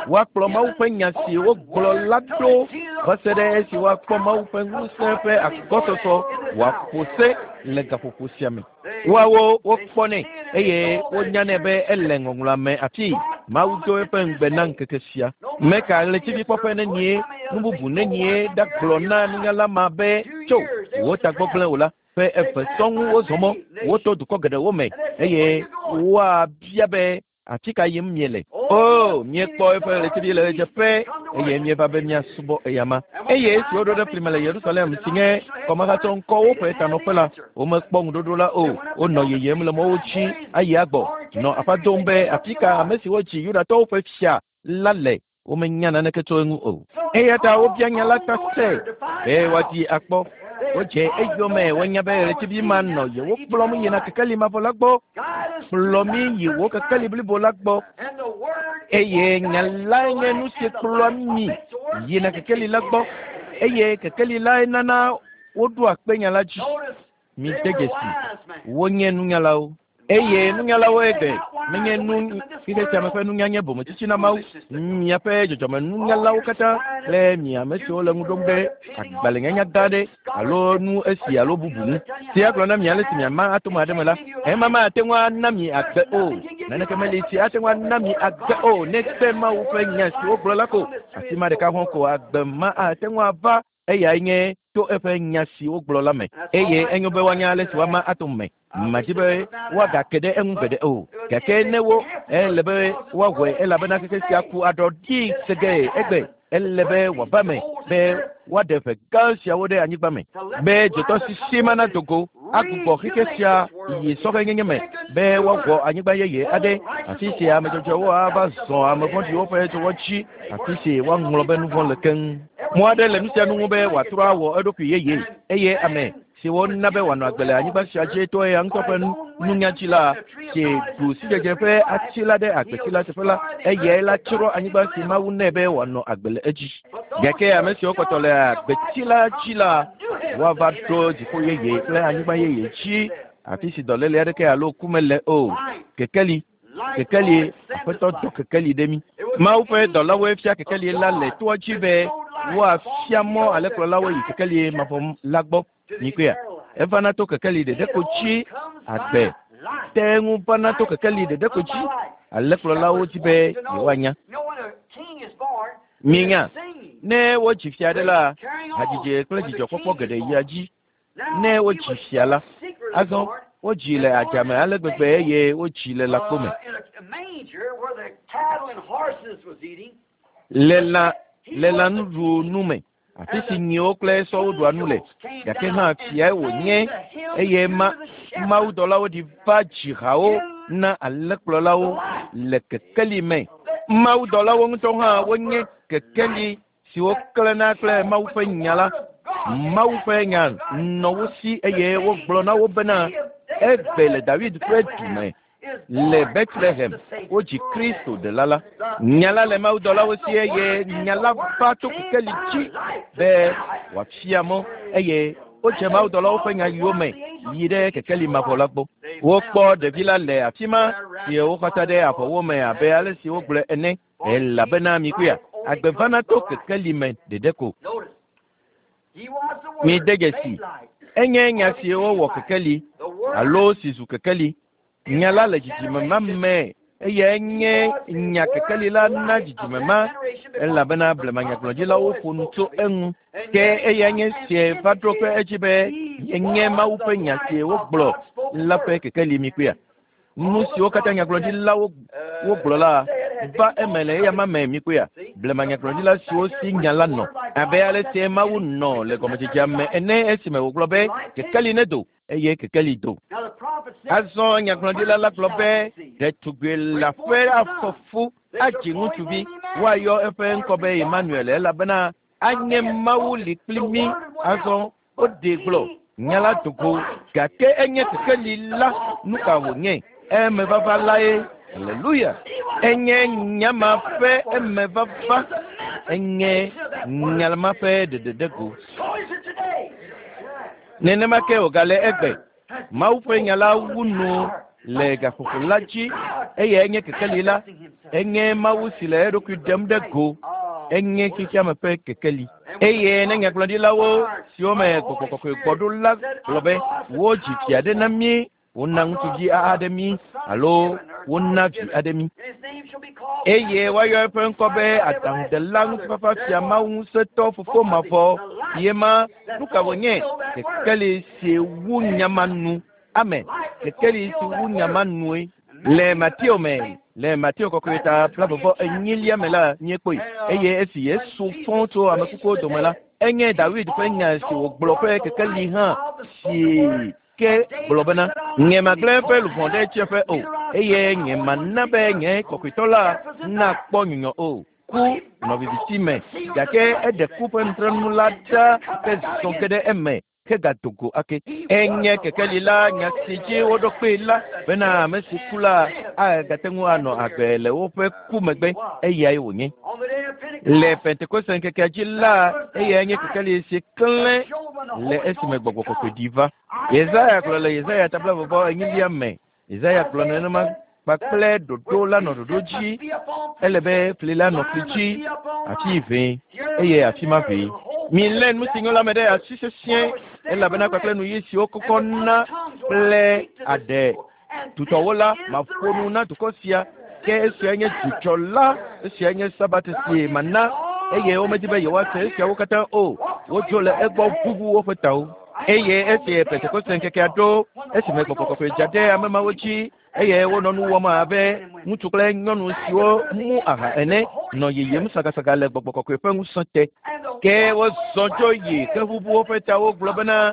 Woakplɔ Mawu ƒe nya si wogblɔ la ɖo va se ɖe esi woakpɔ Mawu ƒe ŋusẽ ƒe agbɔsɔsɔ wòaƒo se le gaƒoƒo sia me. Woawo wokpɔnɛ eye wonyanɛ be ele ŋɔŋlɔa me afi Mawu do eƒe ŋugbe na ŋkeke sia. Meka ɣletivikpɔƒe nenie, nu bubu nenie ɖagblɔ na nunyala ma be tso wò tagbɔ gblẽ o la. Ƒe eve sɔŋ wozɔ mɔ, woto dukɔ geɖewo me eye woabia be afi ka yim miele. O, míekpɔ eƒe ɣletivi le ɣedzeƒe eye míeva be míasubɔ eyama. Eye esi woɖo ɖe fli me le Yerusalem si nye kɔmehatsɔ ŋkɔwo ƒe tanɔƒe la, womekpɔ ŋuɖoɖo la o. Wonɔ yeyem le mɔwo dzi ayi agbɔ, nɔ aƒa dom be afi ka ame siwo dzi Yudatɔwo ƒe fia la le. Womenya naneke tso eŋu o. Eya ta wobia nya la ta se be woadi akpɔ. Wodze eyome wonya be ɣletivi ma nɔ yewo kplɔm yina kekeli mavɔ la gbɔ. Kplɔ mí yi wò kekeli blibo la gbɔ. Eye nya lae nye nu si kplɔa mí yina kekeli la gbɔ. Eye kekeli lae nana woɖoa kpe nya la dzi. Mide dzesi, wonye nunyalawo. Eye nunyalawo egbe menye nu xexe sia me ƒe nunya nye bometsitsi na Mawu. Miaƒe dzɔdzɔmenunyalawo katã kple mi ame siwo le ŋu ɖom ɖe agbalẽnyanya gã aɖe alo nu esi alo bubu ŋu. Si agblɔ na mi ale si miama atome aɖe me la, ema mate ŋu ana mi agbe o. Naneke meli si ate ŋu ana mi agbe o negbe Mawu ƒe nya si wogblɔ la ko. Afi ma ɖeka hɔ̃ ko agbe ma ate ŋu ava eyae nye to eƒe nya si wogblɔ la me. Eye enyo be woanya ale si woama atom me. Madi be woagake ɖe eŋu gbeɖe o. Gake ne wo ele be woawɔe elabena xexe sia ku aɖɔ ɖi segee egbe. Ele be wòava me be woaɖe ʋe gã siawo ɖe anyigba me be dzotɔsisi ma nado go agbugbɔ xexe sia yi sɔhɛnyenye me be woawɔ anyigba yeye aɖe afi si ame dzɔdzɔewo ava zɔ ame vɔ̃ɖiwo ƒe dzɔwɔ dzi afi si woaŋlɔ be nu vɔ̃ le keŋ. Mɔ aɖe le nu sia nu ŋu be wòatrɔ awɔ eɖokui yeye eye ame si wona be wòanɔ agbe le anyigba sia dzi to eya ŋutɔ ƒe nunya dzi la si ɖu sidzedze ƒe ati la ɖe agbeti la teƒe la, eyae la tsrɔ̃ anyigba si Mawu nɛ be wòanɔ agbe le edzi. Gake ame siwo kpɔtɔ le agbeti la dzi la, woava ɖo dziƒo yeye kple anyigba yeye dzi afi si dɔléle aɖeke alo ku mele o. Kekeli, kekeli, Aƒetɔ dɔ kekeli ɖe mí. Mawu ƒe dɔlawoe fia kekeli la le toa dzi be woafia mɔ alẽkplɔlawo yi kekeli mavɔ la gbɔ. Mikpɔea, evana to kekeli ɖeɖe ko dzi agbe te ŋu vana to kekeli ɖeɖe ko dzi. Alẽkplɔlawo dzi be yewoanya. Minya, ne wodzi fia aɖe la, hadzidzi kple dzidzɔkpɔkpɔ geɖe yia dzi. Ne wodzi fia la, azɔ wodzi le adzame ale gbegbe eye wodzi le lãkpo me. Le lã le lãnuɖunu me. Afi si nyiwo kple sɔwo ɖua nu le. Gake hã fiae wònye eye ma mawudɔlawo ɖi va dzi hawo na alẽkplɔlawo le kekeli me. Mawudɔlawo ŋutɔ hã wonye kekeli siwo klẽna kple Mawu ƒe nya la. Mawu ƒe nya nɔ wo si eye wogblɔ na wo bena egbe le David ƒe du me. Le Bethlehem wodzi Kristo ɖela la. Nya la le mawudɔlawo si eye nya la va tso kekeli dzi be wòafia mɔ eye wodze mawudɔlawo ƒe nya yome yi ɖe kekeli mavɔ la gbɔ. Wokpɔ ɖevi la le afi ma si woxɔta ɖe avɔwo me abe ale si wogblɔe ene elabena mikpɔea agbe vana to kekeli me ɖeɖe ko. Mide dzesi enye nya si wowɔ kekeli alo si zu kekeli. Nya la le dzidzime ma me eye enye nya kekeli la na dzidzime ma elabena blemanyagblɔɖilawo ƒo nu tso eŋu. Ke eya nye sie va ɖo kpe edzi be yenye Mawu ƒe nya si wogblɔ la ƒe kekeli mikpɔea. Nu siwo katã nyagblɔɖilawo wogblɔ la va eme le eya ma me mikpɔea. Blemanyagblɔɖila siwo si nya la nɔ abe ale si Mawu nɔ le gɔmedzedzea me ene esime wògblɔ be kekeli nedo eye kekeli do. Azɔ nyagblɔɖila la gblɔ be ɖetugbi le aƒe afɔfu adzi ŋutsuvi woayɔ eƒe ŋkɔ be Emmanuel elabena anye Mawu li kpli mí. Azɔ woɖee gblɔ nya la do go gake enye kekeli la nu ka wònye emevava lae. Hallelujah. Enye nya ma ƒe emevava enye nya ma ƒe ɖeɖeɖego. Nenema ke wògale egbe. Mawu ƒe nya la wu nu le gaƒoƒo la dzi eye enye kekeli la. Enye Mawu si le eɖokui ɖem ɖe go. Enye xexeame ƒe kekeli. Eye ne nyagblɔɖilawo siwo me gbɔgbɔ kɔkɔe gbɔ ɖo la gblɔ be wodzi vi aɖe na mí, wona ŋutsuvi aɖe mí alo wona vi aɖe mí. Eye woayɔ eƒe ŋkɔ be aɖaŋudela ŋutifafa fia Mawu ŋusẽtɔ fofo mavɔ ye ma nu ka wònye kekeli si wu nya ma nu. Amen. Kekeli si wu nya ma nue. Le Mateo me le Mateo kɔkɔe ta blaeve enyilia me la míekpɔe eye esi Yesu fɔ tso ame kukuwo dome la enye Dawid ƒe nya si wògblɔ ƒe kekeli hã si ke gblɔ bena nye magblẽ eƒe luʋɔ ɖe tsiẽƒe o eye nye mana be nye kɔkɔetɔ la nakpɔ nyunyɔ o. Ku nɔ viviti me gake eɖe ku ƒe nutrenu la ɖa ke zɔ ge ɖe eme hegado go ake. Enye kekeli la nya si dzi woɖo kpee la bena ame si ku la agate ŋu anɔ agbe le woƒe ku megbe eyae wònye. Le Pentekoste ŋkekea dzi la eyae nye kekeli si klẽ le esime gbɔgbɔ kɔkɔe ɖi va. Yesaya gblɔ le Yesaya ta blaeve enyilia me. Yesaya gblɔ nenema kpakple ɖoɖo la nɔ ɖoɖo dzi. Ele be fli la nɔ fli dzi afi vee eye afi ma vee. Milé nu si nyo la me ɖe asi sesĩe elabena kpakple nu ɣi siwo kɔkɔ na kple aɖe tutɔwo la maƒo nu na dukɔ sia ke esia nye dzudzɔ la esia nye sabat si mana eye womedi be yewoase esiawo katã o. Wodzo le egbɔ ʋuʋu woƒe tawo. Eye esi Pentekoste ŋkekea ɖo esime gbɔgbɔ kɔkɔe dza ɖe ame mawo dzi eye wonɔ nu wɔm abe ŋutsu kple nyɔnu siwo mu aha ene nɔ yiyim sagasaga le gbɔgbɔ kɔkɔe ƒe ŋusẽ te. Ke wozɔ dzo yi ke ʋuʋu woƒe tawo gblɔ bena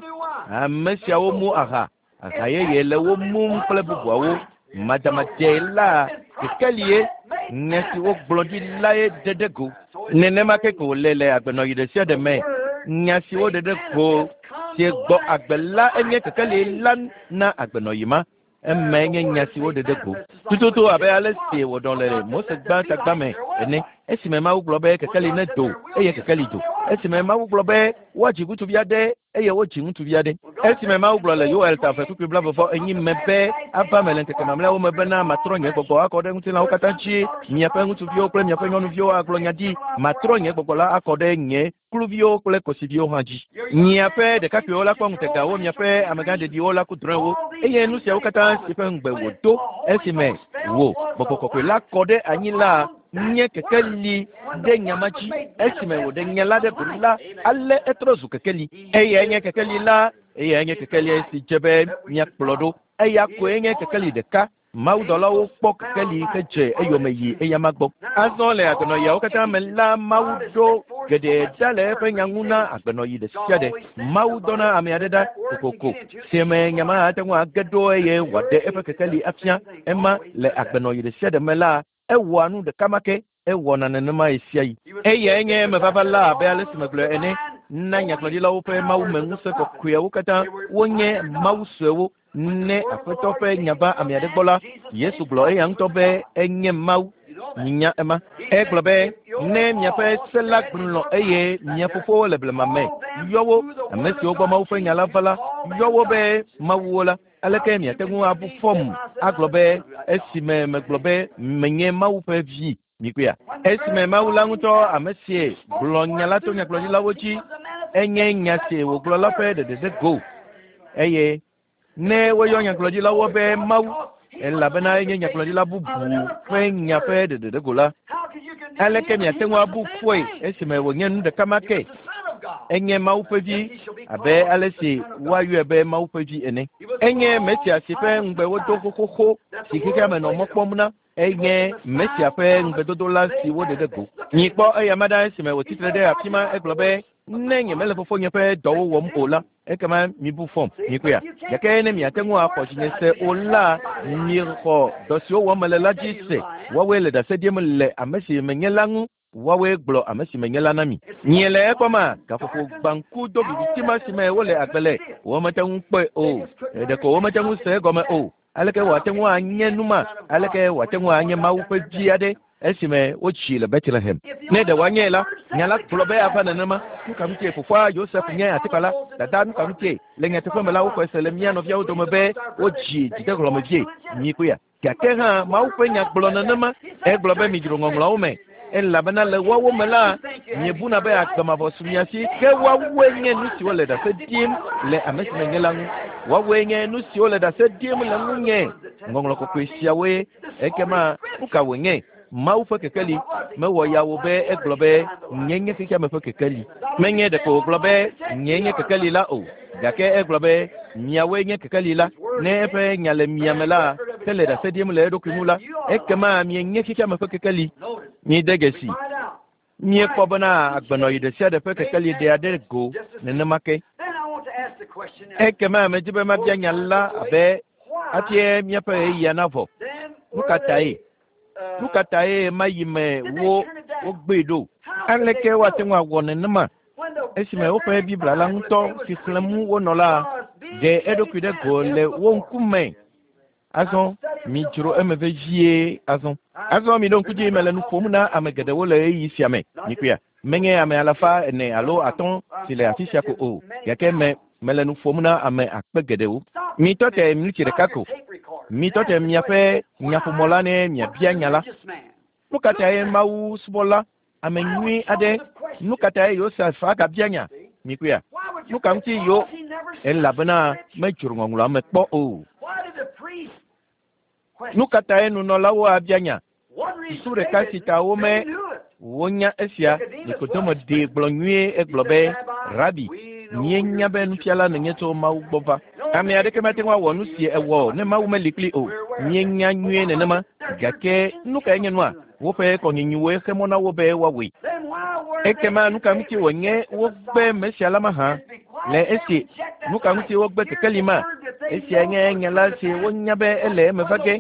ame siawo mu aha aha yeye le wo mum kple bubuawo. Madamade la kekelie nya si wogblɔ ɖi lae ɖe ɖe go. Nenema ke ko wòle le agbenɔɣi ɖe sia ɖe me. Nya si woɖe ɖe go si gbɔ agbe la enye kekeli la na agbenɔɣi ma. Eme nye nya si woɖe ɖe go. Tututu abe ale si wòɖɔ le Mose gbã tagba me ene. Esime Mawu gblɔ be kekeli nedo eye kekeli do. Esime Mawu gblɔ be woadzi ŋutsuvi aɖe eye wodzi ŋutsuvi aɖe. Esime Mawu gblɔ le Yoel ta eve kpukpui blaeve vɔ enyi me be ava me le ŋkeke mamlɛawo me bena matrɔ nye gbɔgbɔ akɔ ɖe ŋutilãwo katã dzi. Miaƒe ŋutsuviwo kple miaƒe nyɔnuviwo agblɔ nya ɖi. Matrɔ nye gbɔgbɔ la akɔ ɖe nye kluviwo kple kosiviwo hã dzi. Miaƒe ɖekakpuiwo la kpɔ ŋutegawo, miaƒe amegãɖeɖiwo la ku drɔ̃ewo eye nu siawo katã si ƒe ŋugbe wòdo esime wò gbɔgbɔ kɔkɔe la kɔ ɖe anyi la nye kekeli ɖe nya ma dzi. Esime wòɖe nya la ɖe go la ale etrɔ zu kekeli. Eyae nye kekeli la eyae nye kekeli si dze be míakplɔ ɖo. Eya koe nye kekeli ɖeka. Mawudɔlawo kpɔ kekeli hedze eyome yi eyama gbɔ. Azɔ le agbenɔɣiawo katã me la Mawu ɖo geɖe ɖa le eƒe nya ŋu na agbenɔɣi ɖe sia ɖe. Mawu dɔna ame aɖe ɖa kokoko si me nya ma ate ŋu age ɖo eye wòaɖe eƒe kekeli afia. Ema le agbenɔɣi ɖe sia ɖe me la ewɔa nu ɖeka ma ke ewɔna nenema ɣe sia ɣi. Eyae nye emevava la abe ale si megblɔe ene. Na nyagblɔɖilawo ƒe mawumeŋusẽ kɔkɔeawo katã wonye mawu suewo. Ne Aƒetɔ ƒe nya va ame aɖe gbɔ la, Yesu gblɔ eya ŋutɔ be enye Mawu. Minya ema. Egblɔ be ne miaƒe se la gblɔ eye mia fofowo le blema me yɔ wo, ame siwo gbɔ Mawu ƒe nya la va la, yɔ wo be mawuwo la, aleke miate ŋu abu fɔm agblɔ be esime megblɔ be menye Mawu ƒe vi. Mikpɔea? Esime Mawu la ŋutɔ ame sie gblɔ nya la to nyagblɔɖilawo dzi, enye nya si wògblɔ la ƒe ɖeɖe go. Eye ne woyɔ nyagblɔɖilawo be Mawu, elabena enye nyagblɔɖila bubu ƒe nya ƒe ɖeɖe go la, aleke miate ŋu abu fɔe esime wònye nu ɖeka ma ke? Enye Mawu ƒe vi abe ale si woayɔe be Mawu ƒe vi ene. Enye Mesia si ƒe ŋugbe wodo xoxoxo si xexea me nɔ mɔ kpɔm na. Enye Mesia ƒe ŋugbedodo la si woɖe ɖe go. Mikpɔ eya ma ɖa esime wòtsi tre ɖe afi ma, egblɔ be ne nyemele fofonye ƒe dɔwo wɔm o la, ekema mibu fɔm. Mikpɔea? Gake ne miate ŋu axɔ dzinye se o la, mixɔ dɔ siwo wɔm mele la dzi se. Woawoe le ɖase ɖim le ame si menye la ŋu. Woawoe gblɔ ame si menye la na mi. Miele ekpɔma, gaƒoƒo gbãku do viviti ma si me wole agbe le. Womete ŋu kpɔe o. Ɖeko womete ŋu se egɔme o. Aleke wòate ŋu anye nu ma? Aleke wòate ŋu anye Mawu ƒe vi aɖe esime wotsi le Bethlehem? Ne ɖe wòanye la, nya la gblɔ be ava nenema. Nu ka ŋutie fofoa Yosef nye atikpala? Dada nu ka ŋutie? Le nyateƒe me la, woxɔe se le mía nɔviawo dome be wodzi dzidehlɔ̃mevie. Mikpɔea? Gake hã Mawu ƒe nya gblɔ nenema. Egblɔ be midzro ŋɔŋlɔawo me, elabena le woawo me la, miebuna be agbe mavɔ su mia si. Ke woawoe nye nu siwo le ɖase ɖim le ame si menye la ŋu. Woawoe nye nu siwo le ɖase ɖim le ŋunye. Ŋɔŋlɔ kɔkɔe siawoe. Ekema nu ka wònye? Mawu ƒe kekeli. Mewɔ ya wo be egblɔ be nye nye xexeame ƒe kekeli. Menye ɖeko wògblɔ be nye nye kekeli la o, gake egblɔ be miawoe nye kekeli la. Ne eƒe nya le mia me la, ke le ɖase ɖim le eɖokui ŋu la, ekema mienye xexeame ƒe kekeli. Mide dzesi. Miekpɔ bena agbenɔɣi ɖe sia ɖe ƒe kekeli ɖea ɖe go nenema ke. Ekema medi be mabia nya la abe hafi míaƒe ɣeyiɣia navɔ. Nu ka tae? Nu ka tae ma yi me wo wogbee ɖo? Aleke woate ŋu awɔ nenema esime woƒe Biblia la ŋutɔ si xlẽm wonɔ la ɖe eɖokui ɖe go le wo ŋkume? Azɔ midzro eme vevie azɔ. Azɔ miɖo ŋku dzi mele nu ƒom na ame geɖewo le ɣeyiɣi sia me. Mikpɔea? Menye ame alafa ene alo atɔ̃ si le afi sia ko o, gake me mele nu ƒom na ame akpe geɖewo. Mitɔ te miniti ɖeka ko. Mitɔ te miaƒe nyaƒomɔ la ne miabia nya la. Nu ka tae Mawu subɔla, ame nyui aɖe, nu ka tae Yosef agabia nya? Mikpɔea? Nu ka ŋuti yo? Elabena medzro ŋɔŋlɔa me kpɔ o. Nu ka tae nunɔlawo abia nya? Susu ɖeka si ta wome wonya esia, Nikodemo ɖee gblɔ nyuie egblɔ be, Rabi, míenya be nufiala nènye tso Mawu gbɔ va. Ame aɖeke mate ŋu awɔ nu si ewɔ ne Mawu meli kpli o. Míenya nyuie nenema, gake nu kae nye nua? Woƒe kɔnyinyiwoe xe mɔ na wo be woawɔe. Ekema nu ka ŋuti wònye wogbe Mesia la mahã? Le esi nu ka ŋuti wogbe kekeli ma? Esia nye nya la si wonya be ele eme va ge.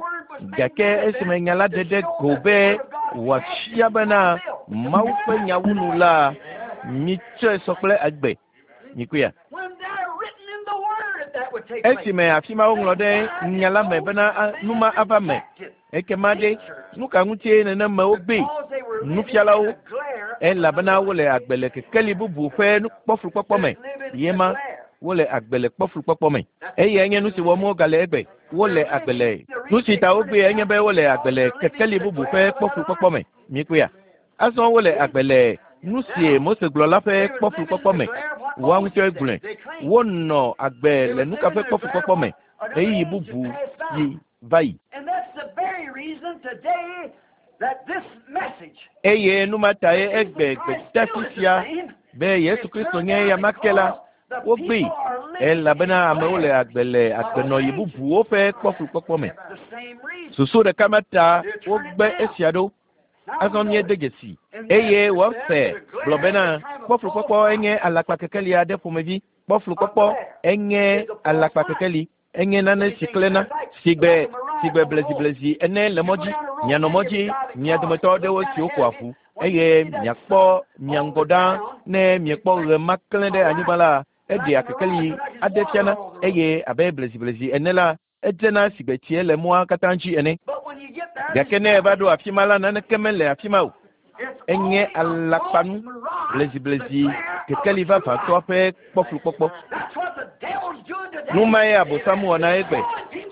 Gake esime nya la ɖe ɖe go be wòafia bena Mawu ƒe nyawunu la, mitsɔe sɔ kple agbe. Mikpɔea? Esime afi ma woŋlɔ ɖe nya la me bena nu ma ava me. Ekema ɖe nu ka ŋutie nenema wogbee? Nufialawo, elabena wole agbe le kekeli bubu ƒe kpɔflukpɔkpɔ me. Yema wole agbe le kpɔflukpɔkpɔ me. Eyae nye nu si wɔm wogale egbe. Wole agbe le nu si ta wogbee enye be wole agbe le kekeli bubu ƒe kpɔflukpɔkpɔ me. Mikpɔea? Azɔ wole agbe le nu si Mose gblɔ la ƒe kpɔflukpɔkpɔ me. Woa ŋutɔe gblɔe. Wonɔ agbe le nu ka ƒe kpɔflukpɔkpɔ me ɣeyiɣi bubu yi va yi. Eye nu ma tae egbe gbedeasi sia be Yesu Kristo nye eya ma ke la, wogbee elabena amewo le agbe le agbenɔɣi bubuwo ƒe kpɔflukpɔkpɔ me. Susu ɖeka ma ta wogbe esia ɖo. Azɔ míede dzesi. Eye Webster gblɔ bena kpɔflukpɔkpɔ enye alakpa kekeli aɖe ƒomevi. Kpɔflukpɔkpɔ enye alakpa kekeli. Enye nane si klẽna sigbe sigbe bleziblezi ene le mɔ dzi. Mianɔ mɔ dzi mia dometɔ aɖewo siwo ƒo avu eye miakpɔ mia ŋgɔ ɖaa ne miekpɔ ɣe ma klẽ ɖe anyigba la eɖea kekeli aɖe fiana eye abe bleziblezi ene la edzena sigbe tsie le mɔa katã dzi ene. Gake ne eva ɖo afi ma la naneke mele afi ma o. Enye alakpanu bleziblezi kekeli vavãtɔ ƒe kpɔflukpɔkpɔ. Nu mae Abosam wɔna egbe.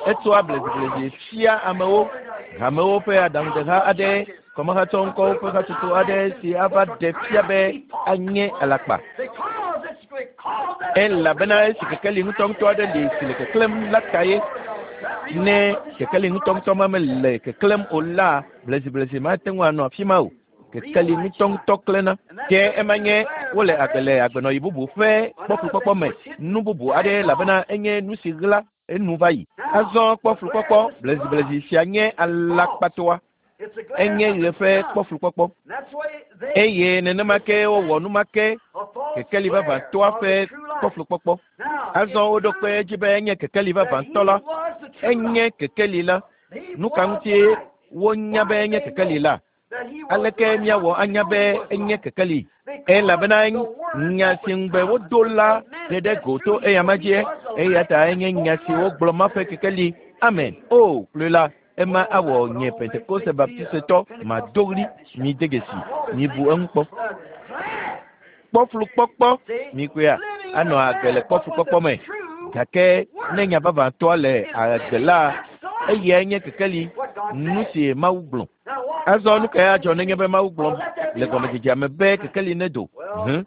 Etsɔa bleziblezi fia amewo, hamewo ƒe aɖaŋudeha aɖe, kɔmehatsɔ ŋkɔwo ƒe hatsotso aɖe si ava ɖe fia be anye alakpa. Elabena esi kekeli ŋutɔŋutɔ aɖe li si le keklẽm la ta ye. Ne kekeli ŋutɔŋutɔ ma mele keklẽm o la, bleziblezi mate ŋu anɔ afi ma o. Kekeli ŋutɔŋutɔ klẽna. Ke ema nye wole agbe le agbenɔɣi bubu ƒe kpɔflukpɔkpɔ me. Nu bubu aɖe elabena enye nu si ɣla enu va yi. Azɔ kpɔflukpɔkpɔ bleziblezi sia nye alakpatɔa. Enye ɣe ƒe kpɔflukpɔkpɔ. Eye nenema ke wowɔ nu ma ke kekeli vavãtɔa ƒe kpɔflukpɔkpɔ. Azɔ woɖo kpe edzi be enye kekeli vavãtɔ la. Enye kekeli la. Nu ka ŋutie wonya be enye kekeli la? Aleke míawɔ anya be enye kekeli? Elabena nya si ŋugbe wodo la ɖe ɖe go to eyama dzie. Eya ta enye nya si wogblɔ ma ƒe kekeli. Amen. O, kloe la, ema awɔ nye Pentekoste Baptistetɔ mado ɣli. Mi de dzesi. Mibu eŋu kpɔ. Kpɔflukpɔkpɔ mikpɔea anɔ agbe le kpɔflukpɔkpɔ me. Gake ne nya vavãtɔa le agbe la, eyae nye kekeli, nu si Mawu gblɔ. Azɔ nu kae adzɔ nenye be Mawu gblɔ le gɔmedzedzea me be kekeli nedo? Hũ,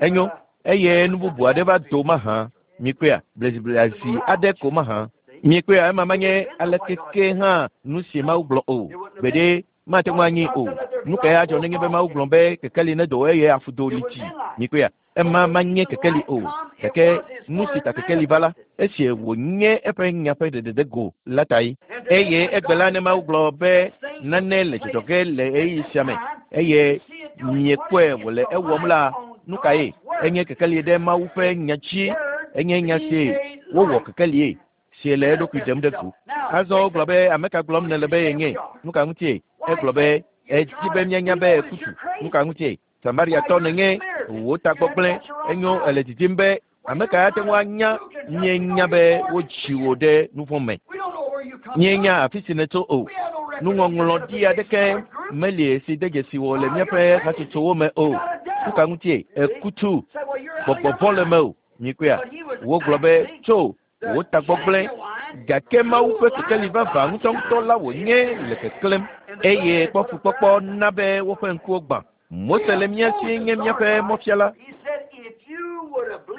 enyo eye nu bubu aɖe va do mahã. Mikpɔea bleziblezi aɖe ko mahã. Mikpɔea ema menye aleke ke hã nu si Mawu gblɔ o. Gbeɖe mate ŋu anyi o. Nu kae adzɔ nenye be Mawu gblɔ be kekeli nedo eye afu do li tsi? Mikpɔea ema menye kekeli o. Gake nu si ta kekeli va la, esi wònye eƒe nya ƒe ɖeɖeɖe go la ta ye. Eye egbe la ne Mawu gblɔ be nane le dzɔdzɔ ge le ɣeyiɣi sia me eye miekpɔe wòle ewɔm la, nu kae? Enye kekeli ɖe Mawu ƒe nya dzi. Enye nya si wowɔ kekelie si le eɖokui ɖem ɖe go. Azɔ wogblɔ be ame ka gblɔm nèle be yenye? Nu ka ŋutie? Egblɔ be edzi be míanya be ekutu. Nu ka ŋutie? Samariatɔ nènye wò tagbɔgblẽ. Enyo ele didim be ame ka ate ŋu anya míenya be wodzi wò ɖe nu vɔ̃ me. Míenya afi si nètso o. Nuŋɔŋlɔɖi aɖeke meli si de dzesi wò le míaƒe hatsotsowo me o. Nu ka ŋutie? Ekutu. Gbɔgbɔ vɔ̃ le mewò. Mikpɔea? Wogblɔ be tso wò tagbɔgblẽ. Gake Mawu ƒe kekeli vavã ŋutɔŋutɔ la wònye le keklẽm eye kpɔflukpɔkpɔ na be woƒe ŋkuwo gbã. Mose le mía si nye míaƒe mɔfiala.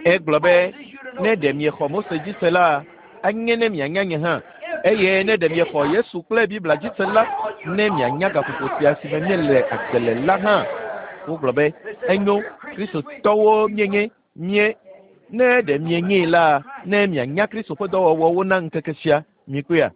Egblɔ be ne ɖe miexɔ Mose dzi se la, anye ne mianya nye hã. Eye ne ɖe miexɔ Yesu kple Biblia dzi se la, ne mianya gaƒoƒo sia si me míele agbe le la hã. Wogblɔ be enyo Kristotɔwo míenye mie. Ne ɖe mienyee la, ne mianya Kristo ƒe dɔwɔwɔwo na ŋkeke sia, mikpɔea,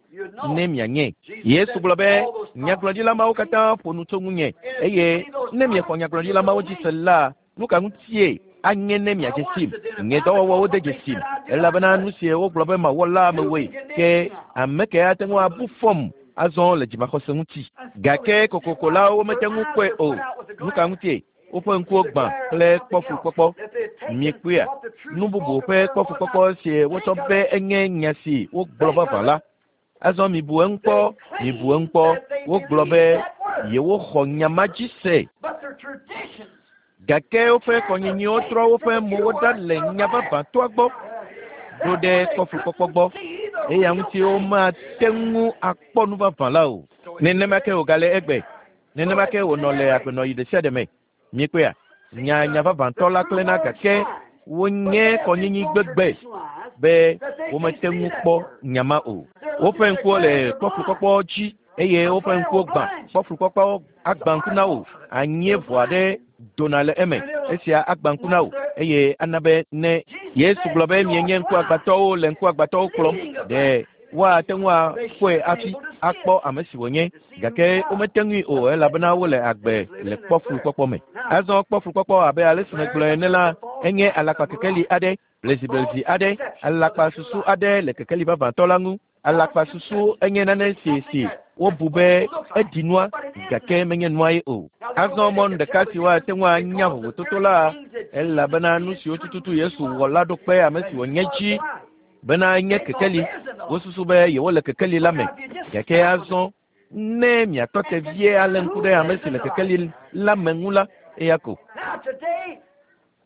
ne mianye. Yesu gblɔ be nyagblɔɖila mawo katã ƒo nu tso ŋunye eye ne miexɔ nyagblɔɖila mawo dzi se la, nu ka ŋutie anye ne miadze sim? Nye dɔwɔwɔwo de dzesim elabena nu si wogblɔ be mawɔ la mewɔe. Ke ame ke ate ŋu abu fɔm azɔ le dzimaxɔse ŋuti. Gake kokoko la womete ŋu kpɔe o. Nu ka ŋutie? Woƒe ŋkuwo gbã kple kpɔflukpɔkpɔ. Mikpɔea? Nu bubu ƒe kpɔflukpɔkpɔ si wotsɔ be enye nya si wogblɔ vavã la. Azɔ mibu eŋu kpɔ, mibu eŋu kpɔ. Wogblɔ be yewoxɔ nya ma dzi se. Gake woƒe kɔnyinyiwo trɔ woƒe mowo ɖa le nya vavãtɔa gbɔ ɖo ɖe kpɔflukpɔkpɔ gbɔ. Eya ŋuti womate ŋu akpɔ nu vavã la o. Nenema ke wògale egbe. Nenema ke wònɔ le agbenɔɣi ɖe sia ɖe me. Mikpɔea? Nya nya vavãtɔ la klẽna gake wonye kɔnyinyi gbegbe be womete ŋu kpɔ nya ma o. Woƒe ŋkuwo le kpɔflukpɔkpɔ dzi eye woƒe ŋkuwo gbã. Kpɔflukpɔkpɔ agbã ŋku na wò. Anyie ʋɔ aɖe dona le eme. Esia agbã ŋku na wò eye ana be ne Yesu gblɔ be mienye ŋkuagbãtɔwo le ŋkuagbãtɔwo kplɔm, ɖe woate ŋu akpɔe hafi akpɔ ame si wònye. Gake womete ŋui o elabena wole agbe le kpɔflukpɔkpɔ me. Azɔ kpɔflukpɔkpɔ abe ale si megblɔe ene la, enye alakpa kekeli aɖe. Blesiblesi aɖe, alakpasusu aɖe le kekeli vavãtɔ la ŋu. Alakpasusu enye nane si si wobu be eɖi nua gake menye nua ye o. Azɔ mɔnu ɖeka si woate ŋu anya vovototo la, elabena nu siwo tututu Yesu wɔ la ɖo kpe ame si wònye dzi bena enye kekeli. Wosusu be yewole kekeli la me. Gake azɔ ne miatɔ te vie alé ŋku ɖe ame si le kekeli la me ŋu la, eya ko. Now today,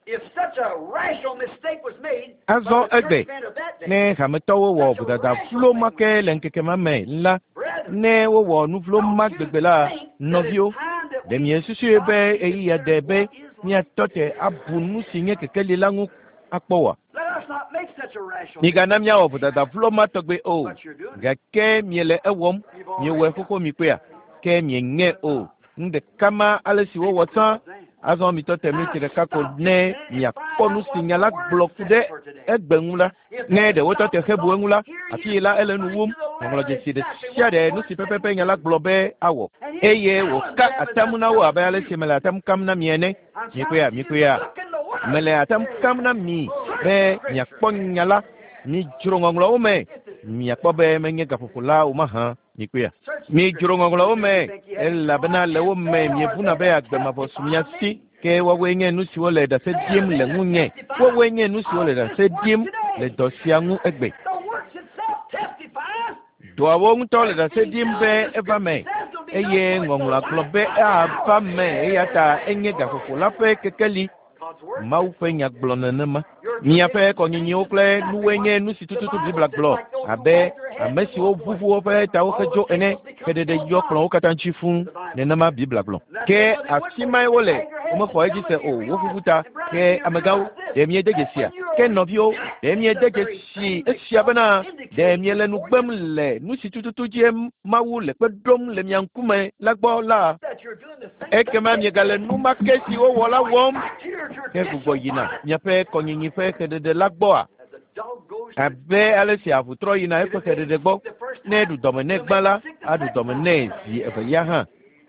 if such a rational mistake was made by Azɔ the egbe church men of that day, ne hametɔwo wɔ vodada vlo ma ke le ŋkeke ma me la, brethren, ne wowɔ nu vlo ma don't you gbegbe la, think that it's nɔviwo, time that ɖe we miesusue be stop and ɣeyiɣia de consider be what is light? míatɔ te abu nu si nye kekeli la ŋu akpɔ oa? Let us not make such a rational Migana mistake. míawɔ vodada vlo ma tɔgbe o. But you're doing it. Gake miele ewɔm, You've miewɔe already done xoxo mikpɔea, ke mieŋe o. Nu ɖeka ma ale si wowɔ it. tsã, Then. azɔ mitɔ te Now mliti ɖeka ko stop just ne a minute and miakpɔ find nu out si what nya the la Word gblɔ ku says ɖe for today. egbe ŋu la. If Ne they ɖe wotɔ stop te and hebu thought, eŋu la, here he afi is la ele nu referring wum. to the Ŋɔŋlɔ letter dzesi ɖe exactly sia what the ɖe nu Word si said pɛpɛpɛ he nya la would do. gblɔ be awɔ. And he's Eye telling wòka them as atam I'm na wo telling abe ale you. si mele atam kam na mi ene. I'm Mikpɔea, telling you, mikpɔea. look in the Word. Mele atam kam na mi be miakpɔ nya la. Midzro ŋɔŋlɔwo me. Miakpɔ be menye gaƒoƒo la o mahã. Mikpɔea. Search the Midzro Scriptures. ŋɔŋlɔwo You me think you have eternal elabena life. le wo me They are miebuna they be that agbe mavɔ su mia testify of si. me. Ke woawoe nye nu siwo le ɖase They are ɖim they le that ŋunye. testify Woawoe nye nu siwo le of ɖase this work ɖim le today. dɔ sia ŋu egbe. The works itself testifies Dɔawo ŋutɔ le that it's ɖase being ɖim done. be The eva Scripture me says it'll be done, eye so it's the ŋɔŋlɔa gblɔ light be of the ava hour. me eya ta enye gaƒoƒo la ƒe kekeli. God's Word Mawu says ƒe so. nya gblɔ nenema. Your Miaƒe traditions kɔnyinyiwo teach kple exactly nuwoe what nye nu si the tututu Bible Biblia says, gblɔ like those who abe wag their heads ame and siwo walk away. ʋuʋu woƒe tawo All the hedzo ene tables become xeɖeɖe so yɔ kplɔ̃wo large, katã dzi fũu. the Bible Nenema says. Biblia gblɔ. And that's Ke where they went afi for mae it. They wole, wagged their heads and womexɔ edzi some se of o, you woʋuʋu realize, ta. and brethren, Ke you amegãwo, realize this, ɖe miede that dzesia? when you Ke are nɔviwo, ɖe rejecting miede the very dzesi thing that esia God bena ɖe indicated miele nu before gbem you, le nu si tututu dzie Mawu le kpe ɖom le mia ŋkume la gbɔ la, that you're doing the same thing ekema they miegale did. nu ma ke si wowɔ la Going wɔm back to your ke gbugbɔ traditional yina life miaƒe kɔnyinyi ƒe xeɖeɖe la gbɔa? as the dog goes to its Abe ale si avu trɔ yina If eƒe it made xeɖeɖe him gbɔ, sick the first ne time, eɖu dɔme nɛ it'll gbã make la, him sick the aɖu second dɔme time. nɛ zi evelia hã.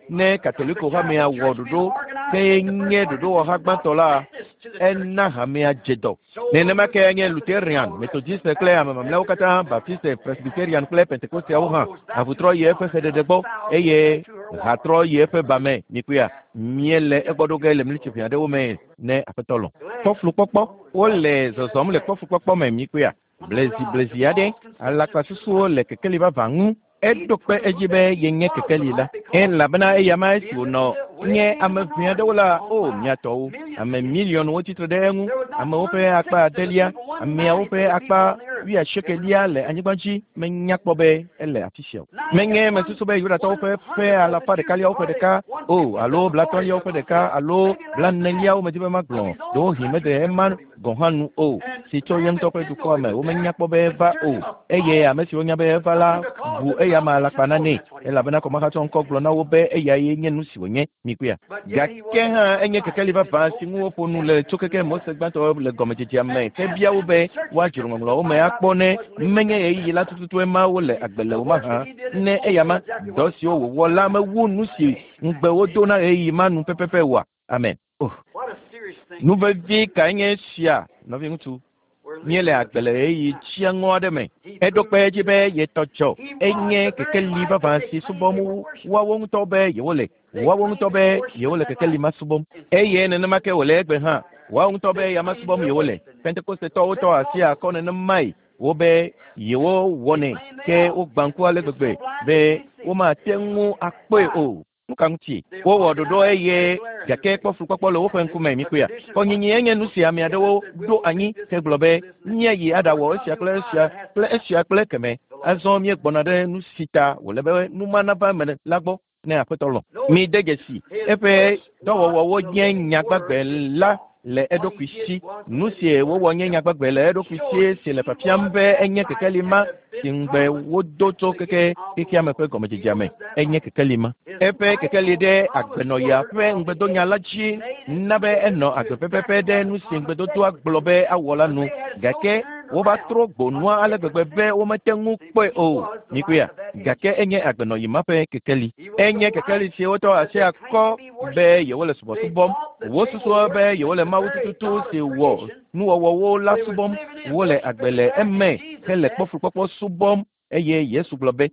Ne If the Katoliko hamea Catholic wɔ Church being ɖoɖo organized ke made the first nye part ɖoɖowɔha decision, gbãtɔ God la, sent this to the church. ena hamea dze dɔ. So was Nenema ke Luther, nye Methodist, Lutheran, all the rest of Methodist them, kple ame Baptist, mamlɛawo katã, Presbyterian, Baptiste, Presbyterian kple Pentekosteawo all hã. goes back Avu to trɔ the yi eƒe fount xeɖeɖe a gbɔ thousand eye to her ha water. trɔ yi eƒe ba me. Mikpɔea, míele egbɔ ɖo ge le mlitsi ʋɛ aɖewo me ne Aƒetɔ lɔ̃. Glad. Kpɔflukpɔkpɔ, wole zɔzɔm le kpɔflukpɔkpɔ me mikpɔea. On the Blesi rise of blesi aɖe, false conception of true alakpasusuwo light. le kekeli vavã ŋu. He Eɖo kpe proved edzi that be he yenye was the kekeli la light because elabena eya ma esi being wònɔ the way nye in the ame ʋɛ minority aɖewo la on o five mia tɔwo million ame people. miliɔnwo tsitre ɖe eŋu There was not amewo one ƒe akpa sixth of the adelia people, one ameawo ninth ƒe of the akpa people on the earth wuiasiekelia that were le anyigba dzi menya kpɔ be ele afi sia o. ninety Menye one mesusu be Yudatɔwo one ƒe ƒe hundredth of the alafa Jews, ɖekaliawo ƒe hardly ɖeka one o fiftieth alo of the fortieth blatɔ̃liawo ƒe of them, ɖeka alo maybe less than that, blaneliawo medi be of magblɔ his own ɖewohĩ mede country ema never heard he was gɔ̃ hã nu o And si tso ye man ŋutɔ that ƒe did know dukɔa he me was womenya there kpɔ be eva considered o him a eye false ame siwo nya be eva la because bu of the eya ma alakpa denomination. Oh, nanɛ that's what he did. elabena kɔmahatsɔ ŋkɔ gblɔ na wo be eyae nye nu si wònye mikpɔea. But yet he was Gake the hã true enye light kekeli and his vavã si hope ŋu that woƒo nu le tso testifies keke to Mose that. gbãtɔ le gɔmedzedzea me And ke ask bia wo them be to search the woadzro scriptures to ŋɔŋlɔawo me find out akpɔ if ne he wasn't living menye in ɣeyiɣi la that time. tututue ma wole agbe le The o works mahã that he did ne is eya ma fulfilled exactly dɔ what siwo the wòwɔ la mewu nu si ŋugbe wodo na ɣeyiɣi ma nu pɛpɛpɛ oa. Amen. Oh. What a serious thing Nu it is, vevi brother. kae nye esia nɔviŋutsu? We're Míele living in a agbe le perilous ɣeyiɣi time. dziŋɔ aɖe me. He Eɖo proved kpe edzi be yetɔ dzɔ. he was Enye the very kekeli light vavã that they si claimed subɔm they were worshiping. woawo ŋutɔ be yewole. They Woawo claimed ŋutɔ to be be worshiping yewole that kekeli light. ma subɔm. And Eye nenema ke wòle egbe hã. Woawo ŋutɔ be they ya ma claimed subɔm they're yewole. worshiping it. Pentekostetɔwo tɔ asi Pentecostals, akɔ nenemae wobe yewo they wɔnɛ claim they ke are. wogbã ŋku ale It's so gbegbe blind be they can't see. womate ŋu akpɔe Why? o. Nu ka ŋuti? They Wowɔ ɖoɖo organized eye a glare in their gake face. kpɔflukpɔkpɔ le woƒe That's it. ŋkume A mikpɔea. tradition of what Kɔnyinyi enye nu people si ame together aɖewo said we'll ɖo make anyi this ke and gblɔ this be and this and that. míayi We're aɖawɔ coming esia to kple a esia time that has kple to happen. esia kple keme. The Lord. Azɔ míegbɔna ɖe nu si ta wòle be nu ma nava eme la gbɔ ne Aƒetɔ lɔ̃. Notice Mide dzesi his eƒe works was dɔwɔwɔwo the nye living nya word gbagbe la itself. le What eɖokui he did si. was the Nu living si word wowɔ nye itself. nya gbagbe le eɖokui si Showing si le he fiafiam was be that enye light kekeli that ma had si been ŋugbe promised wodo at tso the keke beginning of the xexea me world. ƒe He gɔmedzedzea me. was that Enye light. kekeli ma. His Eƒe light kekeli on ɖe the promised agbenɔɣia word ƒe of the ŋugbedonya age la dzi made it na be enɔ live agbe to pɛpɛpɛ exactly ɖe what nu the si promise said ŋugbedodoa it would gblɔ do. be awɔ la But nu. they had so Gake turned Wova trɔ gbonua ale gbegbe be womete ŋu kpɔe o. Mikpɔea, gake enye agbenɔyi ma ƒe kekeli. Enye kekeli si wotɔ asi akɔ be yewole subɔsubɔm. Wosusua be yewole Mawu tututu si wɔ nuwɔwɔwo la subɔm. Wole agbe le eme hele kpɔfukpɔkpɔ subɔm eye Yesu gblɔ be,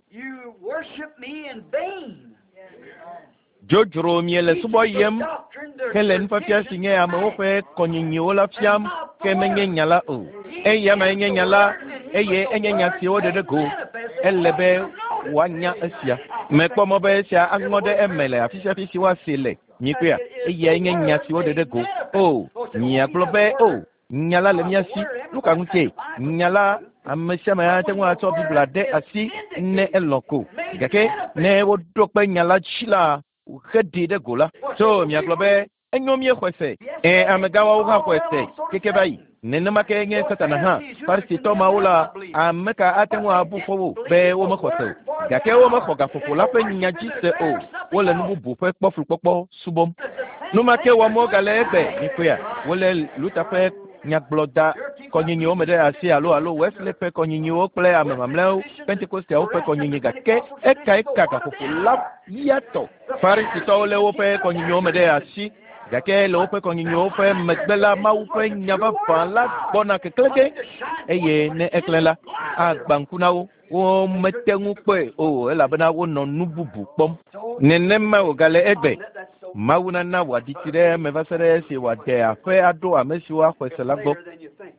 dzodzro miele subɔ yem hele nufiafia si nye amewo ƒe kɔnyinyiwo la fiam ke menye nya la o. Eya mae nye nya la eye enye nya si woɖe ɖe go. Ele be woanya esia. Mekpɔ mɔ be esia aŋɔ ɖe eme le afi sia afi si woase le. Mikpɔea, eyae nye nya si woɖe ɖe go. O, miagblɔ be o, nya la le mía si. Nu ka ŋutie? Nya la ame sia ame ate ŋu atsɔ Biblia ɖe asi ne elɔ̃ ko. Gake ne woɖo kpe nya la dzi la, heɖi ɖe go la. So miagblɔ be enyo míexɔe se. Ẽ, amegãwoawo hã xɔe se keke va yi. Nenema ke nye Satana hã. Farisitɔ mawo la, ame ka ate ŋu abu fɔ wo be womexɔ se o. Gake womexɔ gaƒoƒo la ƒe nya dzi se o. Wole nu bubu ƒe kpɔflukpɔkpɔ subɔm. Nu ma ke wɔm wogale egbe. Mikpɔea, wole Luther ƒe nyagblɔda kɔnyinyiwo me ɖe asi alo alo Wesley ƒe kɔnyinyiwo kple ame mamlɛawo Pentekosteawo ƒe kɔnyinyi gake ekae ka gaƒoƒo la ya tɔ. Farisitɔwo lé woƒe kɔnyinyiwo me ɖe asi gake le woƒe kɔnyinyiwo ƒe megbe la Mawu ƒe nya vavã la gbɔna keklẽ ge eye ne eklẽ la agbã ŋku na wo. Womete ŋu kpɔe o elabena wonɔ nu bubu kpɔm. Nenema wògale egbe. Mawu nana wòaɖi tsi ɖe eme va se ɖe esi wòade aƒe aɖo ame siwo axɔe se la gbɔ.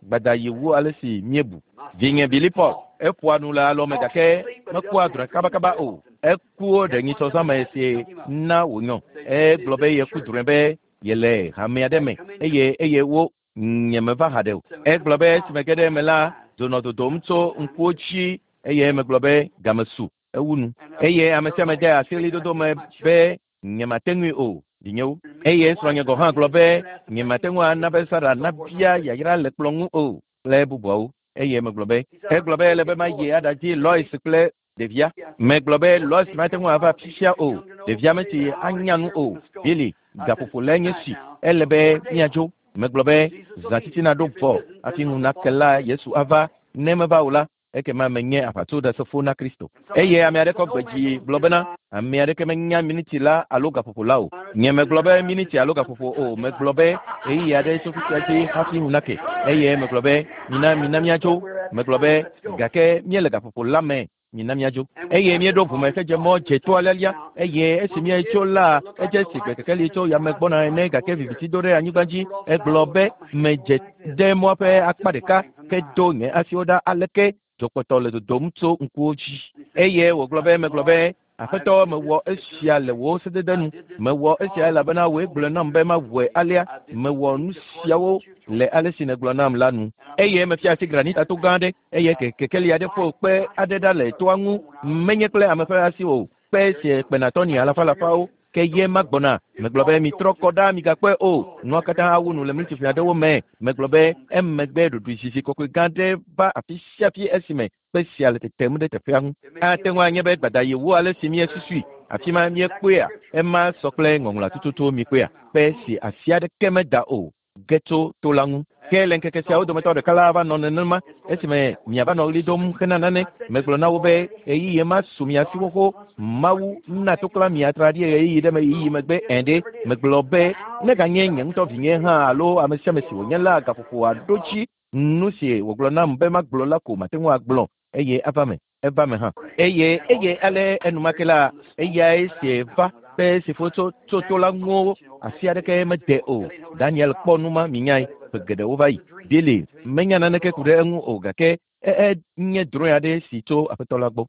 Gbadayi wu ale si míebu. Vinye Billy Paul eƒoa nu le alɔme gake mekua drɔ̃e kabakaba o. Ekuwo ɖe nyisɔzãme si na wònyɔ. Egblɔ be yeku drɔ̃e be yele hame aɖe me eye eye wo nyemeva haɖe o. Egblɔ be esime ge ɖe eme la, dzo nɔ dodom tso ŋkuwo dzi eye megblɔ be game su ewu nu. Eye ame sia ame de asi ɣlidodo me be nyemate ŋui o, vinyewo. Eye srɔ̃nye gɔ̃ hã gblɔ be nyemate ŋu ana be Sara nabia yayra le kplɔ̃ ŋu o kple bubuawo. Eye megblɔ be egblɔ be ele be mayi aɖadzi Lois kple ɖevia. Megblɔ be Lois mate ŋu ava fifia o. Ɖevia metsi anya nu o. Billy, gaƒoƒo lae nye si. Ele be míadzo. Megblɔ be zã titina ɖo vɔ hafi ŋu nake la Yesu ava. Ne meva o la, ekema menye aʋatsoɖasefo na Kristo. Eye ame aɖe kɔ gbe dzi gblɔ bena ame aɖeke menya miniti la alo gaƒoƒo la o. Nye megblɔ be miniti alo gaƒoƒo o. Megblɔ be ɣeyiɣi aɖe tso fifia dzi hafi ŋu nake. Eye megblɔ be mina mina míadzo. Megblɔ be gake míele gaƒoƒo la me. Mina míadzo. Eye míeɖo ʋume hedze mɔ dze toa lialia. Eye esi míetso la, edze si gbe kekeli tso yame gbɔna ene gake viviti do ɖe anyigba dzi. Egblɔ be medze ɖe mɔa ƒe akpa ɖeka ke do nye asiwo ɖa aleke dzokpɔtɔ le dodom tso ŋkuwo dzi. Eye wògblɔ be megblɔ be Aƒetɔ mewɔ esia le wò sedede nu. Mewɔ esia elabena wòe gblɔe nam be mawɔe alea. Mewɔ nu siawo le ale si nègblɔ nam la nu. Eye mefia asi granitato gã aɖe eye kekeli aɖe ƒo kpe aɖe ɖa le toa ŋu. Menye kple ame ƒe asi o. Kpe si kpena tɔni alafa alafawo ke ye ma gbɔna. Megblɔ be mitrɔ kɔ ɖa migakpɔe o. Nua katã awu nu le miniti aɖewo me. Megblɔ be emegbe ɖoɖoezizi kɔkɔe gã aɖe va afi sia afi esime kpe sia le tetem ɖe teƒea ŋu. Ate ŋu anye be gbadayi wu ale si míesusui. Afi ma míekpɔea, ema sɔ kple ŋɔŋlɔa tututu mikpɔea. Kpe si asi aɖeke meda o ge tso to la ŋu. Ke le ŋkeke siawo dometɔ ɖeka la va nɔ nenema esime miava nɔ ɣli dom hena nane. Megblɔ na wo be ɣeyiɣi ma su mia si xoxo. Mawu na toklã mi atraɖi ɣeyiɣi ɖe me ɣeyiɣi megbe ẽ ɖe. Megblɔ be neganye nye ŋutɔ vinye hã alo ame sia ame si wònye la gaƒoƒo aɖo dzi. Nu si wògblɔ nam be magblɔ la ko mate ŋu agblɔ eye eva me. Eva me hã. Eye eye ale enumake la eyae si va be si fo tso tso to la ŋu asi aɖeke mede o. Daniel kpɔ nu ma minyae ƒe geɖewo va yi. Billy menya naneke ku ɖe eŋu o gake enye drɔ̃e aɖe si tso Aƒetɔ la gbɔ.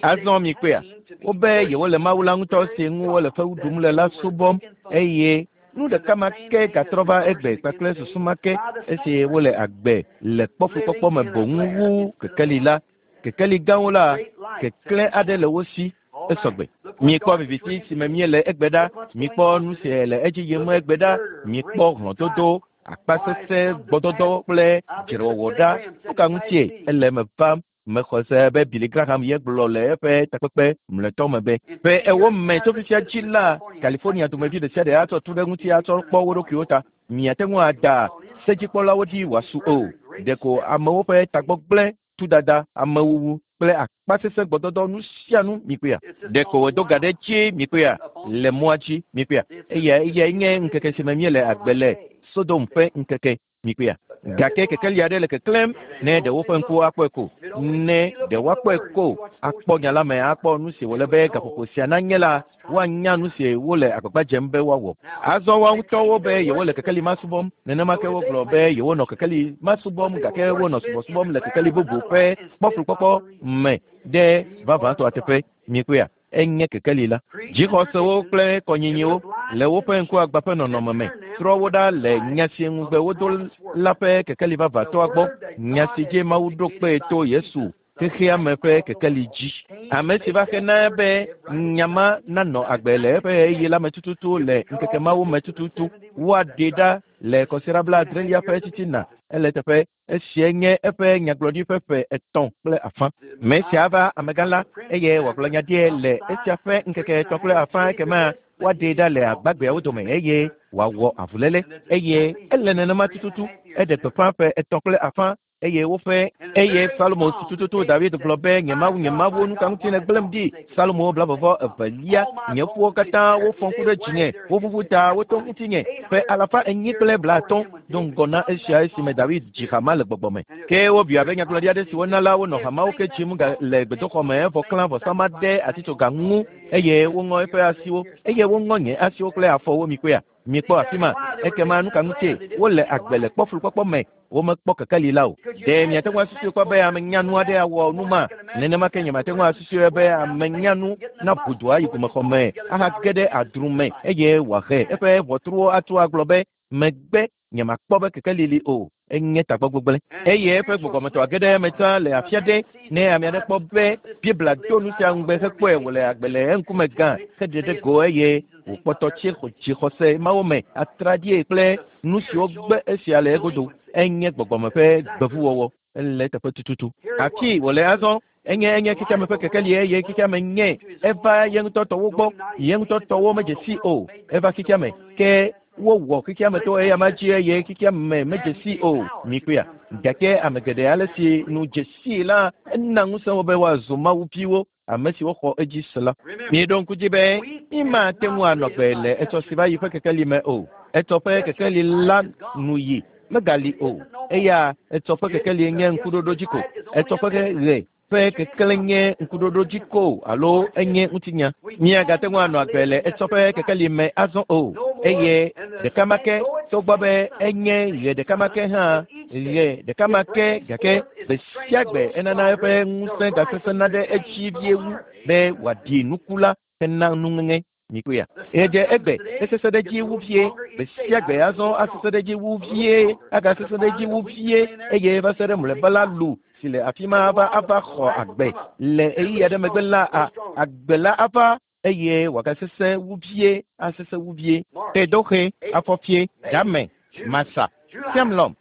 Azɔ mikpɔea, wobe yewole Mawu la ŋutɔ si ŋu wole fewu ɖum le la subɔm eye nu ɖeka ma ke gatrɔ va egbe kpakple susu ma ke esi wole agbe le kpɔfukpɔkpɔ me boŋ wu kekeli la. Kekeli gãwo la, keklẽ aɖe le wo si esɔgbe. Mikpɔ viviti si me míele egbe ɖa, mikpɔ nu si le edzi yim egbe ɖa, mikpɔ hlɔ̃dodo, akpasesẽ, gbɔdɔdɔ kple dzrewɔwɔ ɖa. Nu ka ŋutie ele eme vam? Mexɔ se be Billy Graham ye gblɔ le eƒe takpekpe mlɔetɔ me be ƒe ewo me tso fifia dzi la, California dumevi ɖe sia ɖe atsɔ tu ɖe ŋuti atsɔ kpɔ wo ɖokuiwo ta. Miate ŋu ada sedzikpɔlawo dzi wòasu o. Ɖeko amewo ƒe tagbɔgblẽ, tudada, amewuwu kple akpasesẽ gbɔdɔdɔ nu sia nu mikpɔea. Ɖeko wòdo ga ɖe dzi mikpɔea le mɔa dzi mikpɔea. Eya eyae nye ŋkeke si me míele agbe le Sodom ƒe ŋkeke mikpɔea. Gake kekeli aɖe le keklẽm ne ɖe woƒe ŋkuwo akpɔe ko. Ne ɖe woakpɔe ko akpɔ nya la me akpɔ nu si wòle be gaƒoƒo sia nanye la, woanya nu si wole agbagba dzem be woawɔ. Azɔ woa ŋutɔwo be yewole kekeli ma subɔm. Nenema ke wogblɔ be yewonɔ kekeli ma subɔm gake wonɔ subɔsubɔm le kekeli bubu ƒe kpɔflukpɔkpɔ me ɖe vavãtɔa teƒe. Mikpɔea, enye kekeli la. Dzixɔsewo kple kɔnyinyiwo le woƒe ŋkuagba ƒe nɔnɔme me trɔ wo ɖa le nya si ŋugbe wodo la ƒe kekeli vavãtɔa gbɔ. Nya si dzi Mawu ɖo kpee to Yesu xexea me ƒe kekeli dzi. Ame si va xena be nya ma nanɔ agbe le eƒe ɣeyiɣi la me tututu le ŋkeke mawo me tututu. Woaɖee ɖa le kɔsiɖa blaadrelia ƒe titina. Ele teƒe esia nye eƒe nyagblɔɖi ƒe ƒe etɔ̃ kple afã. Me sia va amegã la eye wòagblɔ nya ɖie le esia ƒe ŋkeke etɔ̃ kple afã ekema woaɖee ɖa le agbagbeawo dome eye wòawɔ avuléle eye ele nenema tututu. Eɖe gbeƒã ƒe etɔ̃ kple afã eye woƒe eye Salomo tututu David gblɔ be nye Mawu nye Mawu nu ka ŋuti nègblẽm ɖi. Salomo blavɔvɔ evelia nye ƒuwo katã wofɔ ŋku ɖe dzinye woʋuʋu ta woto ŋutinye ƒe alafa enyi kple blaatɔ̃ do ŋgɔ na esia esime David dzi hama le gbɔgbɔ me. Ke wobui abe nyagblɔɖi aɖe si wona la wonɔ hamawo ke dzim le gbedoxɔ me evɔ klã vɔsama ɖe atitsoga ŋu eye woŋɔ eƒe asiwo eye woŋɔ nye asiwo kple afɔwo mikpɔea. Mikpɔ afi ma ekema nu ka ŋutie wole agbe le kpɔflukpɔkpɔ me womekpɔ kekeli la o. Ɖe miate ŋu asusui kpɔ be ame nyanu aɖe awɔ nu ma? Nenema ke nyemate ŋu asusui be ame nyanu naʋu dua yi gomexɔ me ahage ɖe adru me eye wòahe eƒe ʋɔtruwo atu agblɔ be megbe nyemakpɔ be kekeli li o. Enye tagbɔgbegblẽ eye eƒe gbɔgbɔmetɔ age ɖe eme tsã le afi aɖe ne ame aɖe kpɔ be Biblia do nu sia ŋugbe hekpɔe wòle agbe le eŋkume gã heɖe ɖe go eye wòkpɔtɔ tsi dzixɔse mawo me atraɖie kple nu siwo gbe esia le egodo. Enye gbɔgbɔme ƒe gbevuwɔwɔ. Ele teƒe tututu. Afi wòle azɔ enye enye xexeame ƒe kekeli eye xexeame nye eva ye ŋutɔ tɔwo gbɔ ye ŋutɔ tɔwo medze si o. Eva xexeame ke wowɔ xexeame to eya ma dzi eye xexeame medze si o. Mikpɔea, gake ame geɖe ale si nu dze si la ena ŋusẽ wo be woazu Mawu viwo ame siwo xɔ edzi se la. Mieɖo ŋku dzi be mímate ŋu anɔ gbe le etsɔ si va yi ƒe kekeli me o. Etsɔ ƒe kekeli la nu yi megali o. Eya etsɔ ƒe kekeli nye ŋkuɖoɖo dzi ko. Etsɔ ƒe ɣe ƒe kekele nye ŋkuɖoɖo dzi ko alo enye ŋutinya. Míagate ŋu anɔ agbe le etsɔ ƒe kekeli me azɔ o. Eye ɖeka ma ke togbɔ be enye ɣe ɖeka ma ke hã ɣe ɖeka ma ke gake gbe sia gbe enana eƒe ŋusẽ gasesẽna ɖe edzi vie wu be wòaɖi nuku la hena nuŋeŋe. Mikpɔea, edze egbe esesẽ ɖe dzi wu vie gbe sia gbe azɔ asesẽ ɖe dzi wu vie agasesẽ ɖe dzi wu vie eye va se ɖe mlɔeba la lu si le afi ma ava ava xɔ agbe le ɣeyiɣi aɖe megbe la a agbe la ava eye wòagasesẽ wu vie asesẽ wu vie. Tedoxe, afɔfie, dame, masa, siamlɔm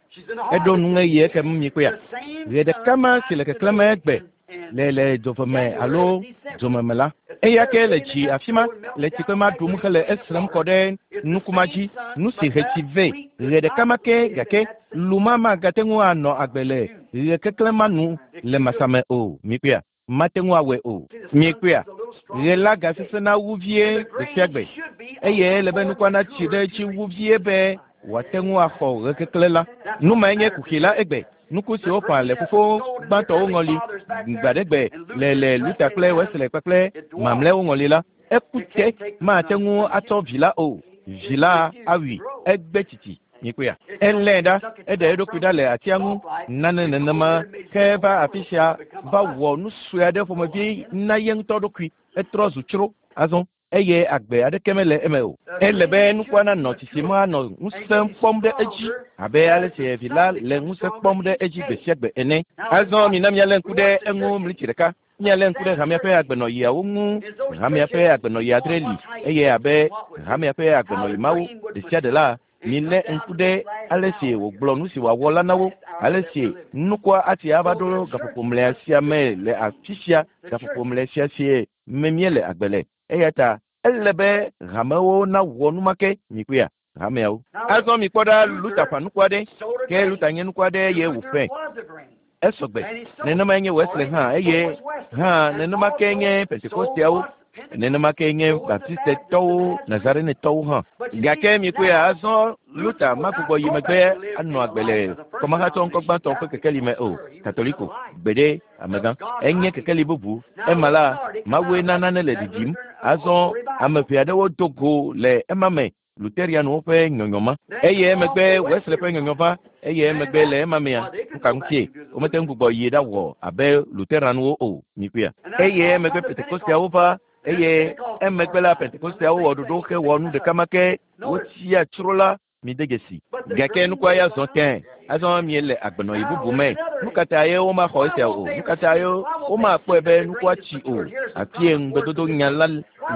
eɖo nuŋeɣi ekem mikpɔea. Ɣe ɖeka ma si le keklẽm egbe le le dzoveme alo dzomeme la eya ke le dzi afi ma le tsikpe ma ɖum hele esrem kɔ ɖe nuku ma dzi nu si he tsi vɛ ɣe ɖeka ma ke gake lu ma magate ŋu anɔ agbe le ɣe keklẽ ma nu le masame o. Mikpɔea, mate ŋu awɔe o. Mikpɔea, ɣe la gasesẽna wu vie gbe sia gbe eye ele be nukua natsi ɖe edzi wu vie be wòate ŋu axɔ ɣe keklẽ la. Nu mae nye kuxi la egbe. Nuku siwo ƒã le fofo gbãtɔwo ŋɔli gbaɖegbe le le Luther kple Wesley kpakple mamlɛawo ŋɔli la, eku te mate ŋu atsɔ vi la o. Vi la awui egbe tsitsi. Mikpɔea, elé ɖa eɖe eɖokui ɖa le atia ŋu nane nenema ke va afi sia va wɔ nu sue aɖe ƒomevi na ye ŋutɔ ɖokui etrɔ zu tsro azɔ eye agbe aɖeke mele eme o. Ele be nukua nanɔ tsitsim anɔ ŋusẽ kpɔm ɖe edzi abe ale si vi la le ŋusẽ kpɔm ɖe edzi gbe sia gbe ene. Azɔ mina míalé ŋku ɖe eŋu mlitsi ɖeka. Míalé ŋku ɖe hamea ƒe agbenɔɣiawo ŋu. Hamea ƒe agbenɔɣi adre li eye abe hamea ƒe agbenɔɣi mawo ɖe sia ɖe la milé ŋku ɖe ale si wògblɔ nu si wòawɔ la na wo, ale si nukua ati ava ɖo gaƒoƒo mlɔea sia me le afi sia gaƒoƒo mlɔe sia sie me míele agbe le. Eya ta ele be hamewo nawɔ nu ma ke mikpɔea. Hameawo. Azɔ mi kpɔ ɖa Luther ƒã nuku aɖe, ke Luther nye nuku aɖe ye wòƒãe. Esɔgbe. Nenema nye Wesley hã eye hã nenema ke nye Pentekosteawo, nenema ke nye Baptistetɔwo, Nazarenetɔwo hã. Gake mi kpɔe azɔ Luther magbugbɔ yi megbe anɔ agbe le kɔmahatsɔ ŋkɔ gbãtɔ ƒe kekeli me o. Katoliko, gbeɖe, amegã. Enye kekeli bubu. Ema la, Mawue na nane le ɖiɖim. Azɔ ame ʋɛ aɖewo do go le ema me. Lutherianwo ƒe nyɔnyɔ ma. Eye emegbe Wesley ƒe nyɔnyɔ va. Eye emegbe le ema mea, nuka ŋutie womete ŋu gbugbɔ yi ɖawɔ abe Lutheranwo o. Mikpɔea. Eye emegbe Pentekosteawo va. Eye emegbe la Pentekosteawo wɔ ɖoɖo hewɔ nu ɖeka ma ke wotsia tsro la mi de dzesi. Gake nukua ya zɔ tẽ. Azɔ miele agbenɔyi bubu me. Nu ka ta ye womaxɔ esia o? Nu ka ta ye womakpɔe be nukua tsi o? Afie ŋugbedodo nya la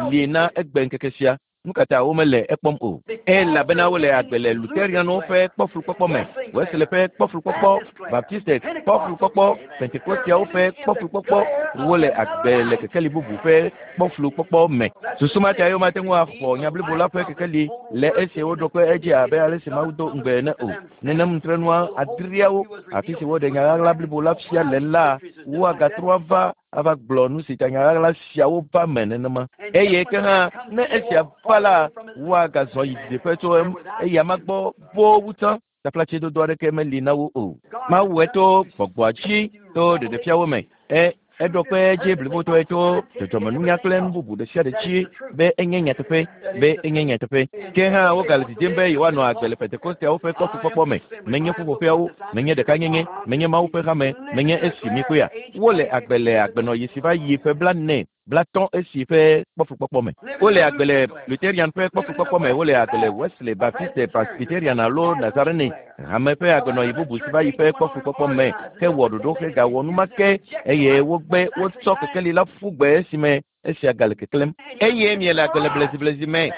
li na egbe ŋkeke sia. Nu ka ta womele ekpɔm o? Elabena wole agbe le Lutherianwo ƒe kpɔflukpɔkpɔ me, Wesley ƒe kpɔflukpɔkpɔ, Baptiste kpɔflukpɔkpɔ, Pentekosteawo ƒe kpɔflukpɔkpɔ. Wole agbe le kekeli bubu ƒe kpɔflukpɔkpɔ me. Susu ma ta ye womate ŋu axɔ nya blibo la ƒe kekeli le esi woɖo kpe edzi abe ale si Mawu do ŋugbe ene o. Nenem nutrenua adreawo, afi si woɖe nya ɣaɣla blibo la fia le la, woagatrɔ ava ava gblɔ nu si ta nya ɣaɣla siawo va me nenema. Eye ke hã ne esia va la, woagazɔ yi didiƒe tso eya ma gbɔ boo wu tsã. Taflatsedodo aɖeke meli na wo o. Mawu to gbɔgbɔa dzi to ɖeɖefiawo me. E eɖo kpe edzi blibotɔe to dzɔdzɔmenunya kple nu bubu ɖe sia ɖe dzi be enye nyateƒe, be enye nyateƒe. Ke hã wogale didim be yewoanɔ agbe le Pentekosteawo ƒe kɔfukpɔkpɔ me. Menye ƒuƒoƒeawo, menye ɖekanyenye, menye Mawu ƒe hame, menye esi mi kpɔea. Wole agbe le agbenɔyi si va yi ƒe blaene, blatɔ̃ esi ƒe kpɔfukpɔkpɔ me. Wole agbe le Lutherian ƒe kpɔfukpɔkpɔ me, wole agbe le Wesley, Baptiste, Presbyterian alo Nazarene hame ƒe agbenɔyi bubu si va yi ƒe kpɔfukpɔkpɔ me hewɔ ɖoɖo hegawɔ nu ma ke eye wogbe wotsɔ kekeli la ƒu gbe esime esia gale keklẽm. Eye miele agbe le bleziblezi me.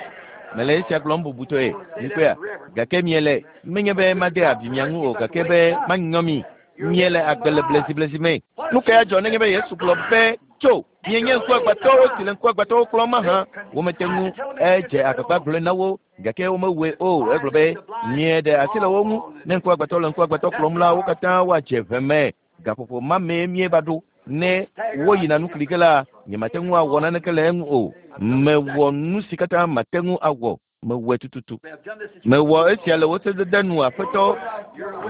Mele esia gblɔm bubutɔe, mikpɔea. Gake miele menye be made abi mia ŋu o, gake be manyɔ mi. Miele agbe le bleziblezi me. Nu ka adzɔ nenye be Yesu gblɔ be tso mienye ŋkuagbãtɔwo si le ŋkuagbãtɔwo kplɔm mahã? Womete ŋu edze agbagba gblɔe na wo gake womewɔe o. Egblɔ be mieɖe asi le wo ŋu. Ne ŋkuagbãtɔ le ŋkuagbãtɔ kplɔm la, wo katã woadze ʋe me. Gaƒoƒo ma mee mieva ɖo. Ne woyina nu kli ge la, nyemate ŋu awɔ naneke le eŋu o. Mewɔ nu si katã mate ŋu awɔ. Mewɔe tututu. Mewɔ esia le wò sedede nu, Aƒetɔ.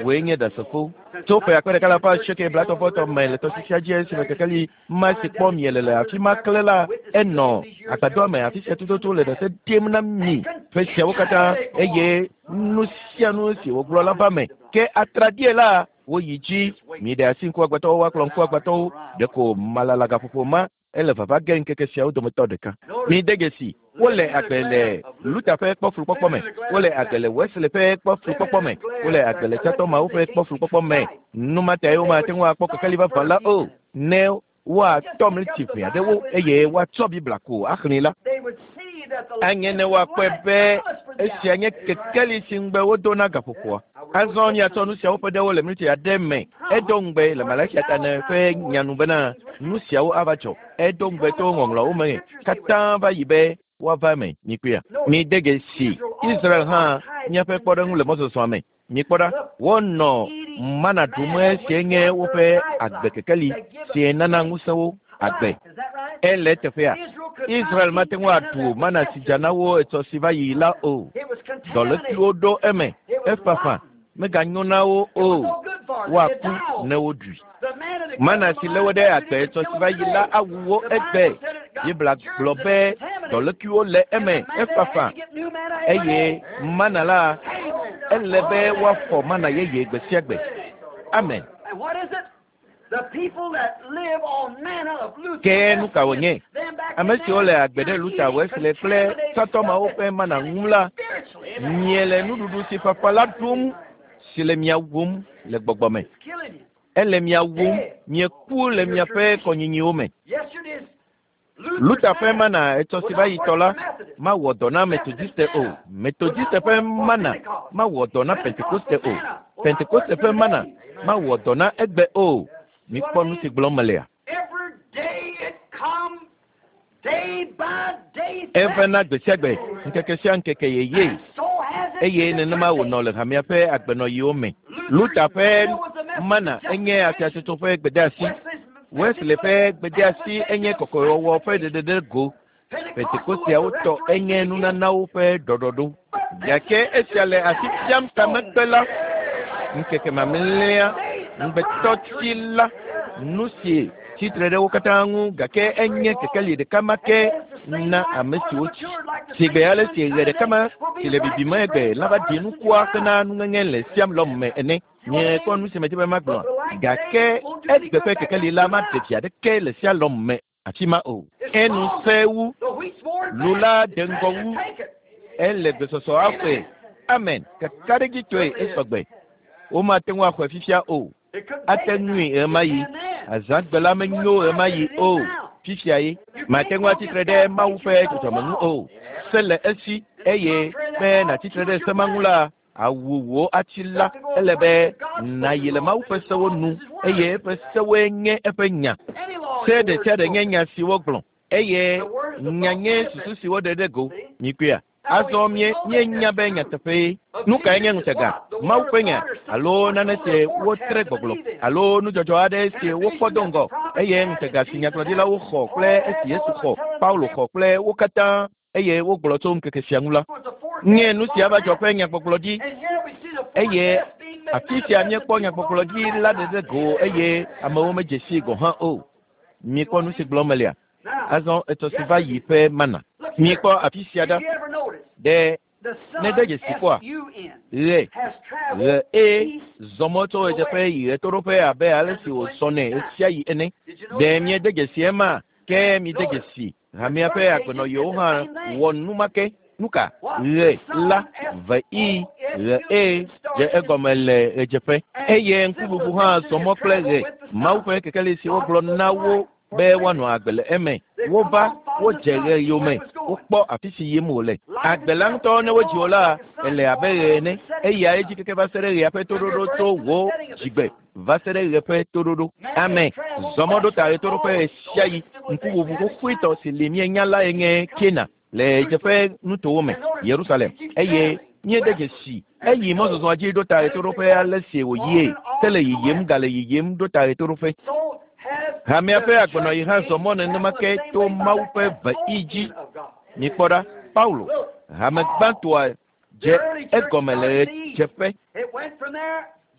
Wòe nye ɖasefo. Tso ƒe akpe ɖeka le alafa asieke blaetɔ̃ me le tɔsisia dzi esime kekeli ma si kpɔ miele le afi ma klẽ la, enɔ agbadɔa me afi sia tututu le ɖase ɖem na mi ƒe siawo katã eye nu sia nu si wògblɔ la va me. Ke atraɖie la, woyi dzi. Miɖe asi ŋkuagbãtɔwo woakplɔ ŋkuagbãtɔwo. Ɖeko malala gaƒoƒo ma ele vava ge ŋkeke siawo dometɔ ɖeka. Mide dzesi, wole agbe le Luther ƒe kpɔflukpɔkpɔ me, wole agbe le Wesley ƒe kpɔflukpɔkpɔ me, wole agbe le tsãtɔ mawo ƒe kpɔflukpɔkpɔ me. Nu ma tae womate ŋu akpɔ kekeli vavã la o. Ne woatɔ mlitsi ʋɛ aɖewo eye woatsɔ Biblia ko axlẽe la, anye ne woakpɔe be esia nye kekeli si ŋugbe wodo na gaƒoƒoa. Azɔ miatsɔ nu siawo ƒe ɖewo le mlitsi aɖe me. Edo ŋugbe le Malakia tane ƒe nyanu bena nu siawo ava dzɔ. Edo ŋugbe to ŋɔŋlɔawo me katã va yi be woava eme. Mikpɔea. Mide dzesi Israel hã míaƒe kpɔɖeŋu le mɔzɔzɔa me. Mikpɔ ɖa, wonɔ mana ɖum esie nye woƒe agbekekeli si nana ŋusẽ wo agbe. Ele teƒea. Israel mate ŋu aɖu mana si dza na wo etsɔ si va yi la o. Dɔlékuiwo ɖo eme. Efafa meganyo na wo o. Woaku ne woɖui. Mana si lé wo ɖe agbe etsɔ si va yi la awu wo egbe. Biblia gblɔ be dɔlékuiwo le eme. Efafa eye mana la ele be woafɔ mana yeye gbe sia gbe. Amen. Ke nu ka wònye? Ame siwo le agbe ɖe Luther, Wesley kple tsãtɔ mawo ƒe mana ŋu la, miele nuɖuɖu si fafa la ɖum si le mia wum le gbɔgbɔ me. Ele mia wum, mieku le miaƒe kɔnyinyiwo me. Luther ƒe mana etsɔ si va yi tɔ la mawɔ dɔ na Methodiste o. Methodiste ƒe mana mawɔ dɔ na Pentekoste o. Pentekoste ƒe mana mawɔ dɔ na egbe o. Mikpɔ nu si gblɔm melea. Evena gbe sia gbe, ŋkeke sia ŋkeke yeye. Eye nenema wònɔ le hamea ƒe agbenɔɣiwo me. Luther ƒe mana enye afiatsotso ƒe gbedeasi. Wesley ƒe gbedeasi enye kɔkɔewɔwɔ ƒe ɖeɖeɖe go. Pentekosteawo tɔ enye nunanawo ƒe ɖɔɖɔɖo. Gake esia le asi fiam tamegbe la, ŋkeke mamlɛa, ŋugbetɔtsi la, nu si tsitre ɖe wo katã ŋu gake enye kekeli ɖeka ma ke na ame siwo tsi. Sigbe ale si ɣe ɖeka ma si le bibim egbe la va ɖi nukua hena nuŋeŋe le siam lɔm me ene. Nye kpɔ nu si medi be magblɔ. Gake egbe ƒe kekeli la maɖe vi aɖeke le sialɔm me afi ma o. Enu sẽ wu, lu la de ŋgɔ wu, ele gbesɔsɔ axɔe. Amen. Kakaɖedzitɔe esɔgbe. Womate ŋu axɔe fifia o. Ate ŋui ɣemaɣi. Azãgbe la menyo ɣemaɣi o. Fifia ye. Mate ŋu atsitre ɖe Mawu ƒe dzɔdzɔme ŋu o. Se le esi eye be nàtsitre ɖe se ma ŋu la, awu wò atsi la, ele be nàyi le Mawu ƒe sewo nu eye eƒe sewoe nye eƒe nya. Se ɖe sia ɖe nye nya si wogblɔ eye nya nye susu si woɖe ɖe go. Mikpɔea? Azɔ mie míenya be nyateƒee. Nu kae nye ŋutega? Mawu ƒe nya alo nane si wotre gbɔgblɔ alo nudzɔdzɔ aɖe si wokpɔ do ŋgɔ eye ŋutega si nyagblɔɖilawo xɔ kple esi Yesu xɔ, Paulo xɔ kple wo katã eye wogblɔ tso ŋkeke sia ŋu la. Nye nu sia va dzɔ ƒe nyagbɔgblɔɖi eye afi sia míekpɔ nyagbɔgblɔɖi la ɖe ɖe go eye amewo medze sii gɔ̃ hã o. Mikpɔ nu si gblɔm melia. Azɔ etɔ si va yi ƒe mana. Mikpɔ afi sia ɖa. Ɖe ne de dzesi kpɔa, ɣe, ɣe eye zɔmɔ tso ɣedzeƒe yi ɣetoɖoƒe abe ale si wòzɔnɛ ɣesiaɣi ene. Ɖe miede dzesi ema? Ke miede dzesi hamea ƒe agbenɔɣiwo hã wɔ nu ma ke. Nu ka? Ɣe la ve i ɣe e dze egɔme le ɣedzeƒe eye ŋkuʋuʋu hã zɔmɔ kple ɣe. Mawu ƒe kekeli si wogblɔ na wo be woanɔ agbe le eme. Wova, wodze ɣe yome, wokpɔ afi si yim wòle. Agbe la ŋutɔ ne wodzi wò la, ele abe ɣe ene. Eya edzi keke va se ɖe ɣea ƒe toɖoɖo tso wò dzigbe va se ɖe ɣe ƒe toɖoɖo. Ame zɔmɔ ɖo ta ɣetoɖoƒe ɣesiaɣi. Ŋkuʋuʋu xoxoetɔ si li míenya lae nye Kena le ɣedzeƒe nutowo me, Yerusalem. Eye míede dzesi eyi mɔzɔzɔa dzi ɖo ta ɣetoɖoƒe ale si wòyie. Ke le yiyim gale yiyim ɖo ta ɣetoɖoƒe. Hamea ƒe agbenɔɣi hã zɔ mɔ nenema ke to Mawu ƒe veɣi dzi. Mikpɔ ɖa, Paulo, hame gbãtɔa dze egɔme le ɣedzeƒe.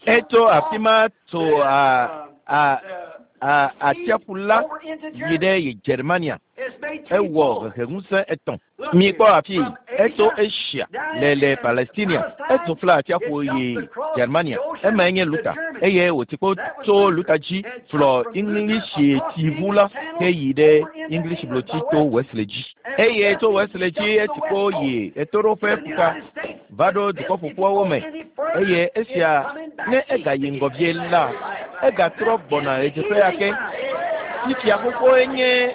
Etso afi ma tso a a a atsiaƒu la yi ɖe Germania. Ewɔ heheŋusẽ etɔ̃. Mikpɔ afi etso Asia le le Palestinia. Etso fla atsiaƒu yi Germania. Emae nye Luther eye wòti kpo tso Luther dzi flɔ English tsiʋu la ke yi ɖe English blotsi to Wesley dzi. Eye tso Wesley dzi eti kpo yi ɣetoɖoƒe ƒuta va ɖo dukɔ ƒoƒuawo me eye esia ne egayi ŋgɔ vie la, egatrɔ gbɔna ɣedzeƒe ake. Fifia xoxoe nye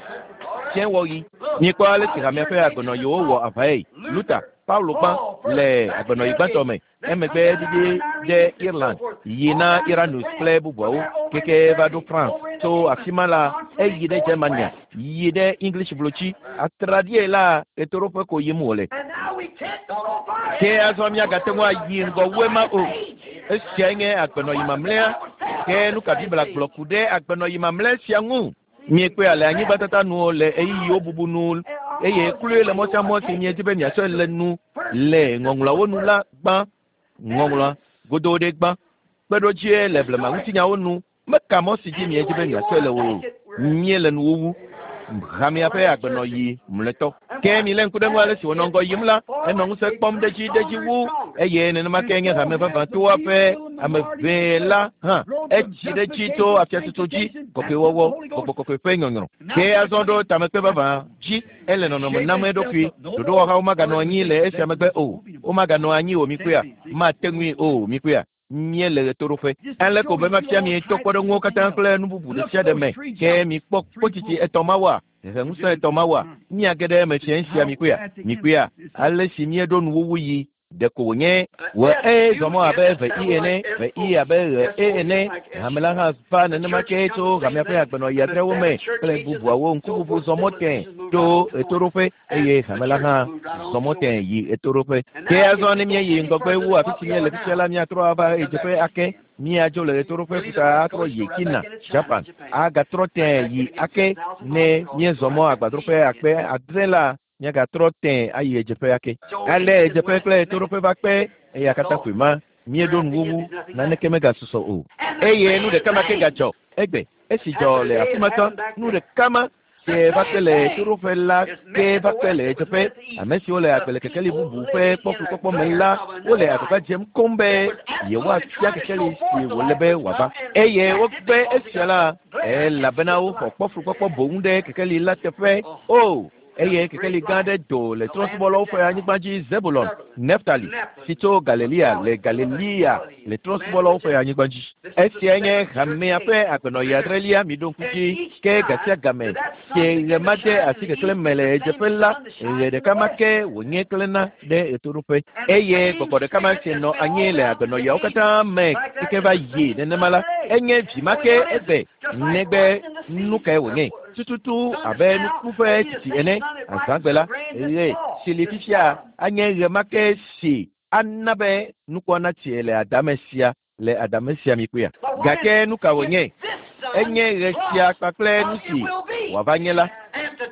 tiɛwɔɣi. Mikpɔ ale si hamea ƒe agbenɔɣiwo wɔ aʋae. Luther, Paulo gbã le agbenɔɣi gbãtɔ me. Emegbe ɖiɖi ɖe Ireland, yi na Iranus kple bubuawo keke va ɖo France. Tso afi ma la, eyi ɖe Germania, yi ɖe English blotsi. Atraɖie la ɣetoɖoƒe ko yim wòle. Ke azɔ míagate ŋu ayi ŋgɔ wu ema o. Esiae nye agbenɔɣi mamlɛa. Ke nu ka Biblia gblɔ ku ɖe agbenɔɣi mamlɛ sia ŋu? Miekpɔe le anyigbatata nu le ɣeyiɣiwo bubu nu eye kloe le mɔ sia mɔ si miedi be miatsɔe le nu le ŋɔŋlɔawo nu la gbã. Ŋɔŋlɔa godo ɖe gbã. Kpeɖodzie le blema ŋutinyawo nu. Meka mɔ si dzi miedi be miatsɔe le o. Míele nuwuwu. Hamea ƒe agbenɔɣi mlɔetɔ. Ke milé ŋku ɖe ŋu ale si wònɔ ŋgɔ yim la, enɔ ŋusẽ kpɔm ɖe dzi ɖe dzi wu eye nenema ke nye hame vavãtoa ƒe ame ʋee la hã. Etsi ɖe dzi tso afiatsotso dzi, kɔkɔewɔwɔ, gbɔgbɔ kɔkɔe ƒe nyɔnyrɔ. Ke azɔ ɖo tamekpe vavã dzi, ele nɔnɔme nam eɖokui. Ɖoɖowɔhawo maganɔ anyi le esia megbe o. Womaganɔ anyi o mikpɔea? Mate ŋui o mikpɔea? Míele ɣetoɖoƒe. Ale ko be mafia mi to kpɔɖeŋuwo katã kple nu bubu ɖe sia ɖe me. Ke mikpɔ kpotsitsi etɔ̃ mawoa, heheŋusẽ etɔ̃ mawoa, míage ɖe eme fiẽ sia mikpɔea? Mikpɔea? Ale si míeɖo nuwuwu yi Ɖeko wònye wɔ e zɔmɔ abe ve i ene, ve i abe ɣe e ene. Hame la hã va nenema ke tso hamea ƒe agbenɔɣi adrewo me kple bubuawo ŋkuʋuʋu zɔmɔ tẽ tso ɣetoɖoƒe eye hame la hã zɔmɔ tẽ yi ɣetoɖoƒe. Ke azɔ ne míeyi ŋgɔgbe wu afi si míele fifia la, míatrɔ ava ɣedzeƒe ake. Míadzo le ɣetoɖoƒe ƒuta atrɔ yi China, Japan, agatrɔ tẽ yi ake. Ne míezɔ mɔ agbadroƒe akpe adre la, míagatrɔ tẽ ayi ɣedzeƒe ake. Ale ɣedzeƒe kple ɣetoɖoƒe va kpe eya katã koe ma. Míeɖo nuwuwu, naneke megasusɔ o. Eye nu ɖeka ma ke gadzɔ egbe. Esi dzɔ le afi ma tsã, nu ɖeka ma ke va kpe le ɣetoɖoƒe la ke va kpe le ɣedzeƒe. Ame siwo le agbe le kekeli bubu ƒe kpɔflukpɔkpɔ me la, wole agbagba dzem koŋ be yewoafia kekeli si wòle be wòava. Eye wogbe esia la, elabena woxɔ kpɔflukpɔkpɔ boŋ ɖe kekeli la teƒe. O, eye kekeli gã aɖe do le trɔ̃subɔlawo ƒe anyigba dzi Zebulon, Neftali, si tso Galilea le Galilea le trɔ̃subɔlawo ƒe anyigba dzi. Esia nye hamea ƒe agbenɔɣi adrelia, miɖo ŋku dzi ke gasia game si ɣe ma de asi keklẽ me le ɣedzeƒe la, ɣe ɖeka ma ke wònye klẽna ɖe ɣetoɖoƒe. Eye gbɔgbɔ ɖeka ma si nɔ anyi le agbenɔɣiawo katã me keke va yi nenema la, enye vi ma ke egbe negbe nu kae wònye. Tututu abe nuku ƒe tsitsi ene, azãgbe la, ɣe si li fifia anye ɣe ma ke si ana be nukua natsi le adame sia le adame sia mi kpea. Gake nu ka wònye? Enye ɣe sia kpakple nu si wòava nye la.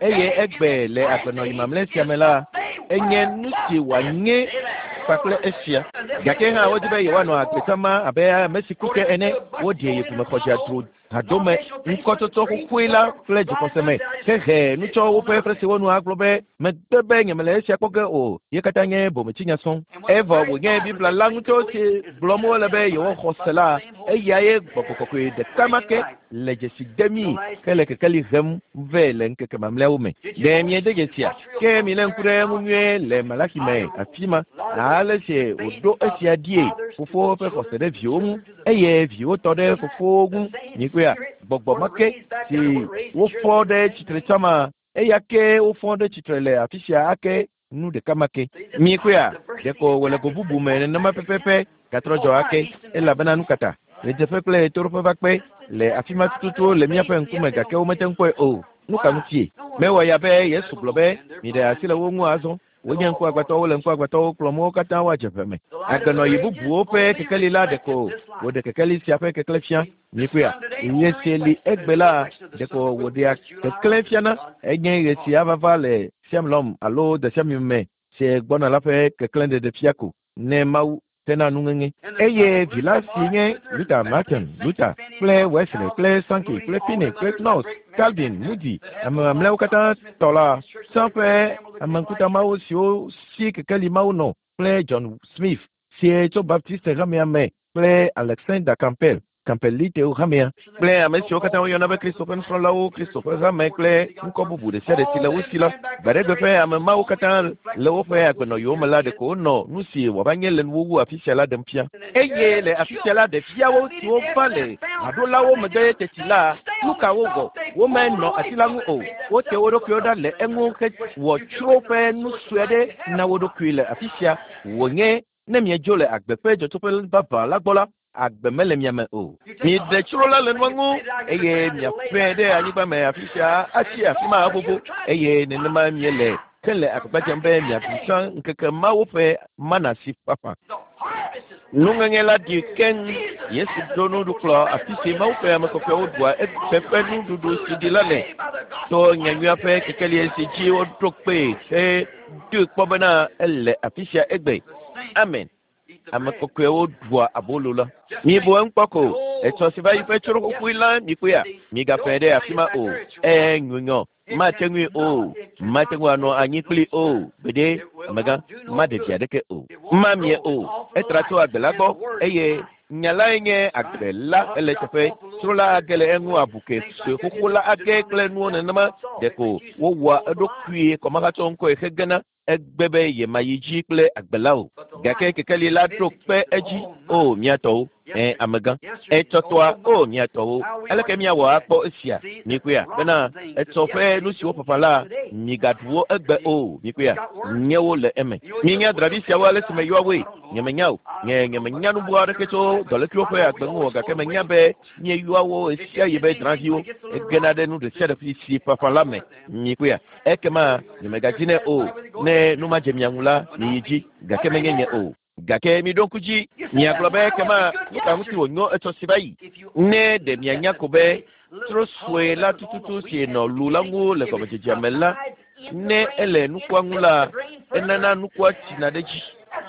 Eye egbe le agbenɔɣi mamlɛ sia me la, enye nu si wòanye kpakple esia. Gake hã wodi be yewoanɔ agbe sama abe ame si ku ke ene. Woɖe yi ʋumexɔdzadzro hadome ŋkɔtsɔtsɔ xoxoe la kple dzixɔse me hehe nutsɔ woƒe fresiwo nu agblɔ be megbe be nyemele esia kpɔ ge o. Ye katã nye bometsinya sɔŋ. Evɔ wònye Biblia la ŋutɔ si gblɔm wole be yewoxɔ se la, eya ye gbɔgbɔ kɔkɔe ɖeka ma ke le dzesi dem hele kekeli hem vɛ le ŋkeke mamlɛawo me. Ɖe miede dzesia? Ke milé ŋku ɖe eŋu nyuie le Malaki me afi ma, ale si wòɖo esia ɖie. Fofowo ƒe xɔse ɖe viwo ŋu eye viwo tɔ ɖe fofowo ŋu. Mikpɔea, gbɔgbɔ ma ke si wofɔ ɖe tsitre tsã ma, eya ke wofɔ ɖe tsitre le afi sia ake nu ɖeka ma ke. Mikpɔea, ɖeko wòle go bubu me nenema pɛpɛpɛ gatrɔ dzɔ ake elabena nu kata ɣedzeƒe kple ɣetoɖoƒe va kpe le afi ma tututu le míaƒe ŋkume gake womete ŋu kpɔe o. Nu ka ŋutie? Mewɔ ya be Yesu gblɔ be miɖe asi le wo ŋu azɔ. Wonye ŋkuagbãtɔwo le ŋkuagbãtɔwo kplɔm wo katã woadze ʋe me. Agbenɔɣi bubuwo ƒe kekeli la ɖeko wòɖe kekeli sia ƒe keklẽ fia. Mikpɔea, ɣe si li egbe la ɖeko wòɖea keklẽ fiana. Enye ɣe si ava va le Siamlɔm alo Desiami me si gbɔna la ƒe keklẽ ɖeɖe fia ko ne Mawu tena nuŋeŋe. Eye vi la si nye Luther, Martin Luther kple Wesley kple Sankey kple Finney kple Knox, Calvin, Moody, ame mamlɛawo katã tɔ la, tsã ƒe ame ŋkuta mawo siwo si kekeli mawo nɔ kple John Smith si tso Baptiste hamea me kple Alexander Campbell, Campbellitewo hamea kple ame siwo katã woyɔna be Kristo ƒe nusrɔ̃lawo, Kristo ƒe hame kple ŋkɔ bubu ɖe sia ɖe si le wo si la. Gbaɖegbe ƒe ame mawo katã le woƒe agbenɔɣiwo me la, ɖeko wonɔ nu si wòava nye le nuwuwu afi sia la ɖem fia. Eye le afi sia la, ɖeviawo siwo va le haɖolawo megbe teti la, nu ka wowɔ? Womenɔ ati la ŋu o. Wote wo ɖokuiwo ɖa le eŋu hewɔ tsro ƒe nu sue aɖe na wo ɖokui le afi sia. Wònye ne miedzo le agbe ƒe dzɔtsoƒe vavã la gbɔ la, agbe mele mia me o. Miɖe tsro la le nua ŋu eye miaƒe ɖe anyigba me afi sia atsi afi ma vovo eye nenema miele ke le agbagba dzem be miaɖu tsã ŋkeke mawo ƒe mana si ƒaƒã. Nuŋeŋe la ɖi keŋ. Yesu ɖo nuɖukplɔ afi si Mawu ƒe ame kɔkɔewo ɖua eƒe ƒe nuɖuɖu si ɖi la le. To nyanyuia ƒe kekeli si dzi woɖo kpee hedoe kpɔ bena ele afi sia egbe. Amen. Ame kɔkɔewo ɖua abolo la. Mibu eŋu kpɔ ko. Etsɔ si va yi ƒe tsro xoxoe la mikpɔea, migafẽ ɖe afi ma o. Ee nyunyɔ, mate ŋui o. Mate ŋu anɔ anyi kpli o. Gbeɖe, amegã, maɖe vi aɖeke o. Mamie o. Etra tso agbe la gbɔ eye nya lae nye agbe la ele teƒe. Tsro la age le eŋu abu ke sue xoxo la age kple nuwo nenema ɖeko wowɔa eɖokui kɔmahatsɔ ŋkɔe hegena egbe be yemayi dzi kple agbe la o. Gake kekeli la ɖo kpe edzi. O mía tɔwo. Ẽ amegã. Etsɔtɔa o miatɔwo. Aleke miawɔ akpɔ esia? Mikpɔea bena etsɔ ƒe nu siwo ƒaƒã la migaɖu wo egbe o. Mikpɔea nyewo le eme. Mienya dravi siawo ale si meyɔa woe. Nyemenya o. Nye nyemenya nu boo aɖeke tso dɔlékuiwo ƒe agbe ŋu o gake menya be mieyɔa wo ɣesia ɣi be drãviwo. Egena ɖe nu ɖe sia ɖe si ƒaƒã la me. Mikpɔea ekema nyemegadzi nɛ o. Ne nu madze mia ŋu la miyi dzi gake menye nye o. Gake miɖo ŋku dzi miagblɔ be ekema nu ka ŋuti wònyo etsɔ si va yi. Ne ɖe mianya ko be tro sue la tututu si nɔ lu la ŋu le gɔmedzedzea me la, ne ele nukua ŋu la, enana nukua tsina ɖe dzi.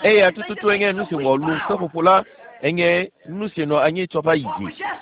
Eya tututu enye nu si wɔ lu seƒoƒo la, enye nu si nɔ anyi tsɔ va yi.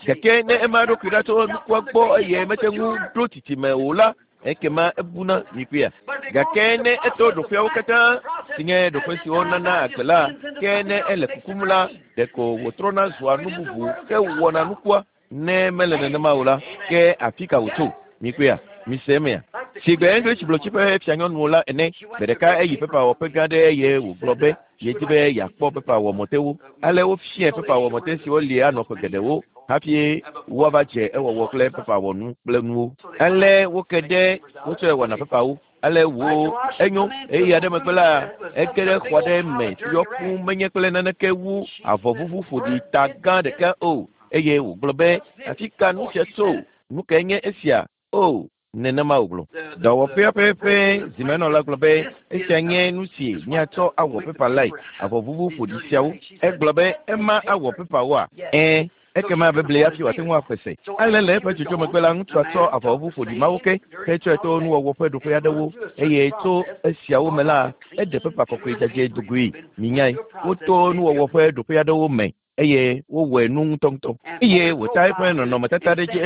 Gake ne ema eɖokui ɖa tso nukua gbɔ eye mete ŋu ɖo tsitsime o la, ekema ebuna mikpɔea. Gake ne eto ɖoƒeawo katã si nye ɖoƒe siwo nana agbe la, ke ne ele kukum la, ɖeko wòtrɔna zua nu bubu ke wɔna nukua. Ne mele nenema o la, ke afi ka wòtso? Mikpɔea, mise emea. Sigbe English blotsi ƒe fianyɔnu la ene, gbe ɖeka eyi pepawɔƒe gã ɖe eye wògblɔ be yedi be yeakpɔ pepawɔmɔtewo. Ale wofiae pepawɔmɔte siwo li anɔ ƒe geɖewo hafi woava dze ewɔwɔ kple pepawɔnu kple nuwo. Ale woke ɖe wotsɔe wɔna pepawo. Ale wo enyo eye aɖe megbe la ege ɖe xɔ aɖe me si yɔ fũu menye kple naneke wu avɔ vuvu ƒoɖi ta gã ɖeka o. Eye wògblɔ be afi ka nu sia tso? Nu kae nye esia? O, nenema wògblɔ. Dɔwɔƒea ƒe ƒe zimenɔla gblɔ be esia nye nu si míatsɔ awɔ pepa lae, avɔ vuvu ƒoɖi siawo. Egblɔ be ema awɔ pepawoa? Ẽ, ekema beble hafi wòate ŋu axɔe se. Ale le eƒe dzodzo megbe la, ŋutsua tsɔ avɔ vuvu ƒoɖi mawo ke hetsɔe to nuwɔwɔ ƒe ɖoƒe aɖewo eye tso esiawo me la, eɖe pepa kɔkɔe dzadzɛ dogoe. Minyae, woto nuwɔwɔ ƒe ɖoƒe aɖewo me eye wowɔe nu ŋutɔŋutɔ. Eye wòta eƒe nɔnɔmetata ɖe dzi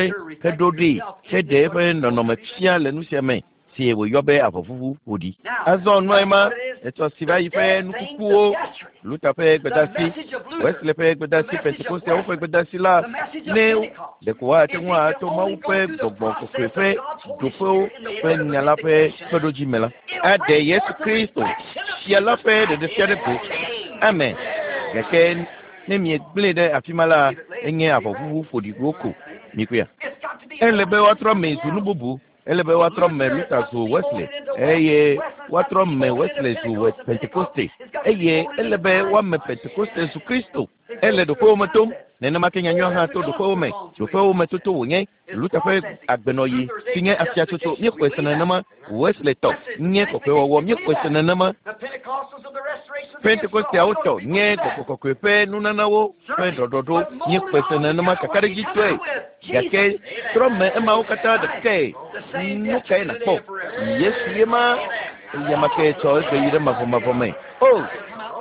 heɖo ɖee heɖe eƒe nɔnɔme fia le nu sia me si wòyɔ be avɔ vuvu ƒoɖi. Azɔ nua ema etsɔ si va yi ƒe nukukuwo, Luther ƒe gbedasi, Wesley ƒe gbedasi, Pentekosteawo ƒe gbedasi la, ne ɖeko woate ŋu ato Mawu ƒe gbɔgbɔ kɔkɔe ƒe ɖoƒewo ƒe nya la ƒe kpeɖodzi me la, aɖe Yesu Kristo fia la ƒe ɖeɖefia ɖe go. Amen. Gake ne miegblẽe ɖe afi ma la, enye avɔ vuvu ƒoɖiwo ko. Mikpɔea. Ele be woatrɔ me zu nu bubu. Ele be woatrɔ me Luther zu Wesley eye woatrɔ me Wesley zu Pentekoste eye ele be woame Pentekoste zu Kristo. Ele ɖoƒewo me tom. Nenema ke nyanyua hã to ɖoƒewo me. Ɖoƒewo me toto wònye. Luther ƒe agbenɔɣi si nye afiatsotso míexɔe se nenema. Wesley tɔ nye kɔkɔewɔwɔ míexɔe se nenema. Pentekosteawo tɔ nye gbɔgbɔ kɔkɔe ƒe nunanawo ƒe ɖɔɖɔɖo míexɔe se nenema kakaɖedzitɔe. Gake trɔ me emawo katã ɖekae. Nu kae nàkpɔ? Yesu ye ma eya ke tsɔ egbe yi ɖe mavɔmavɔ me. O,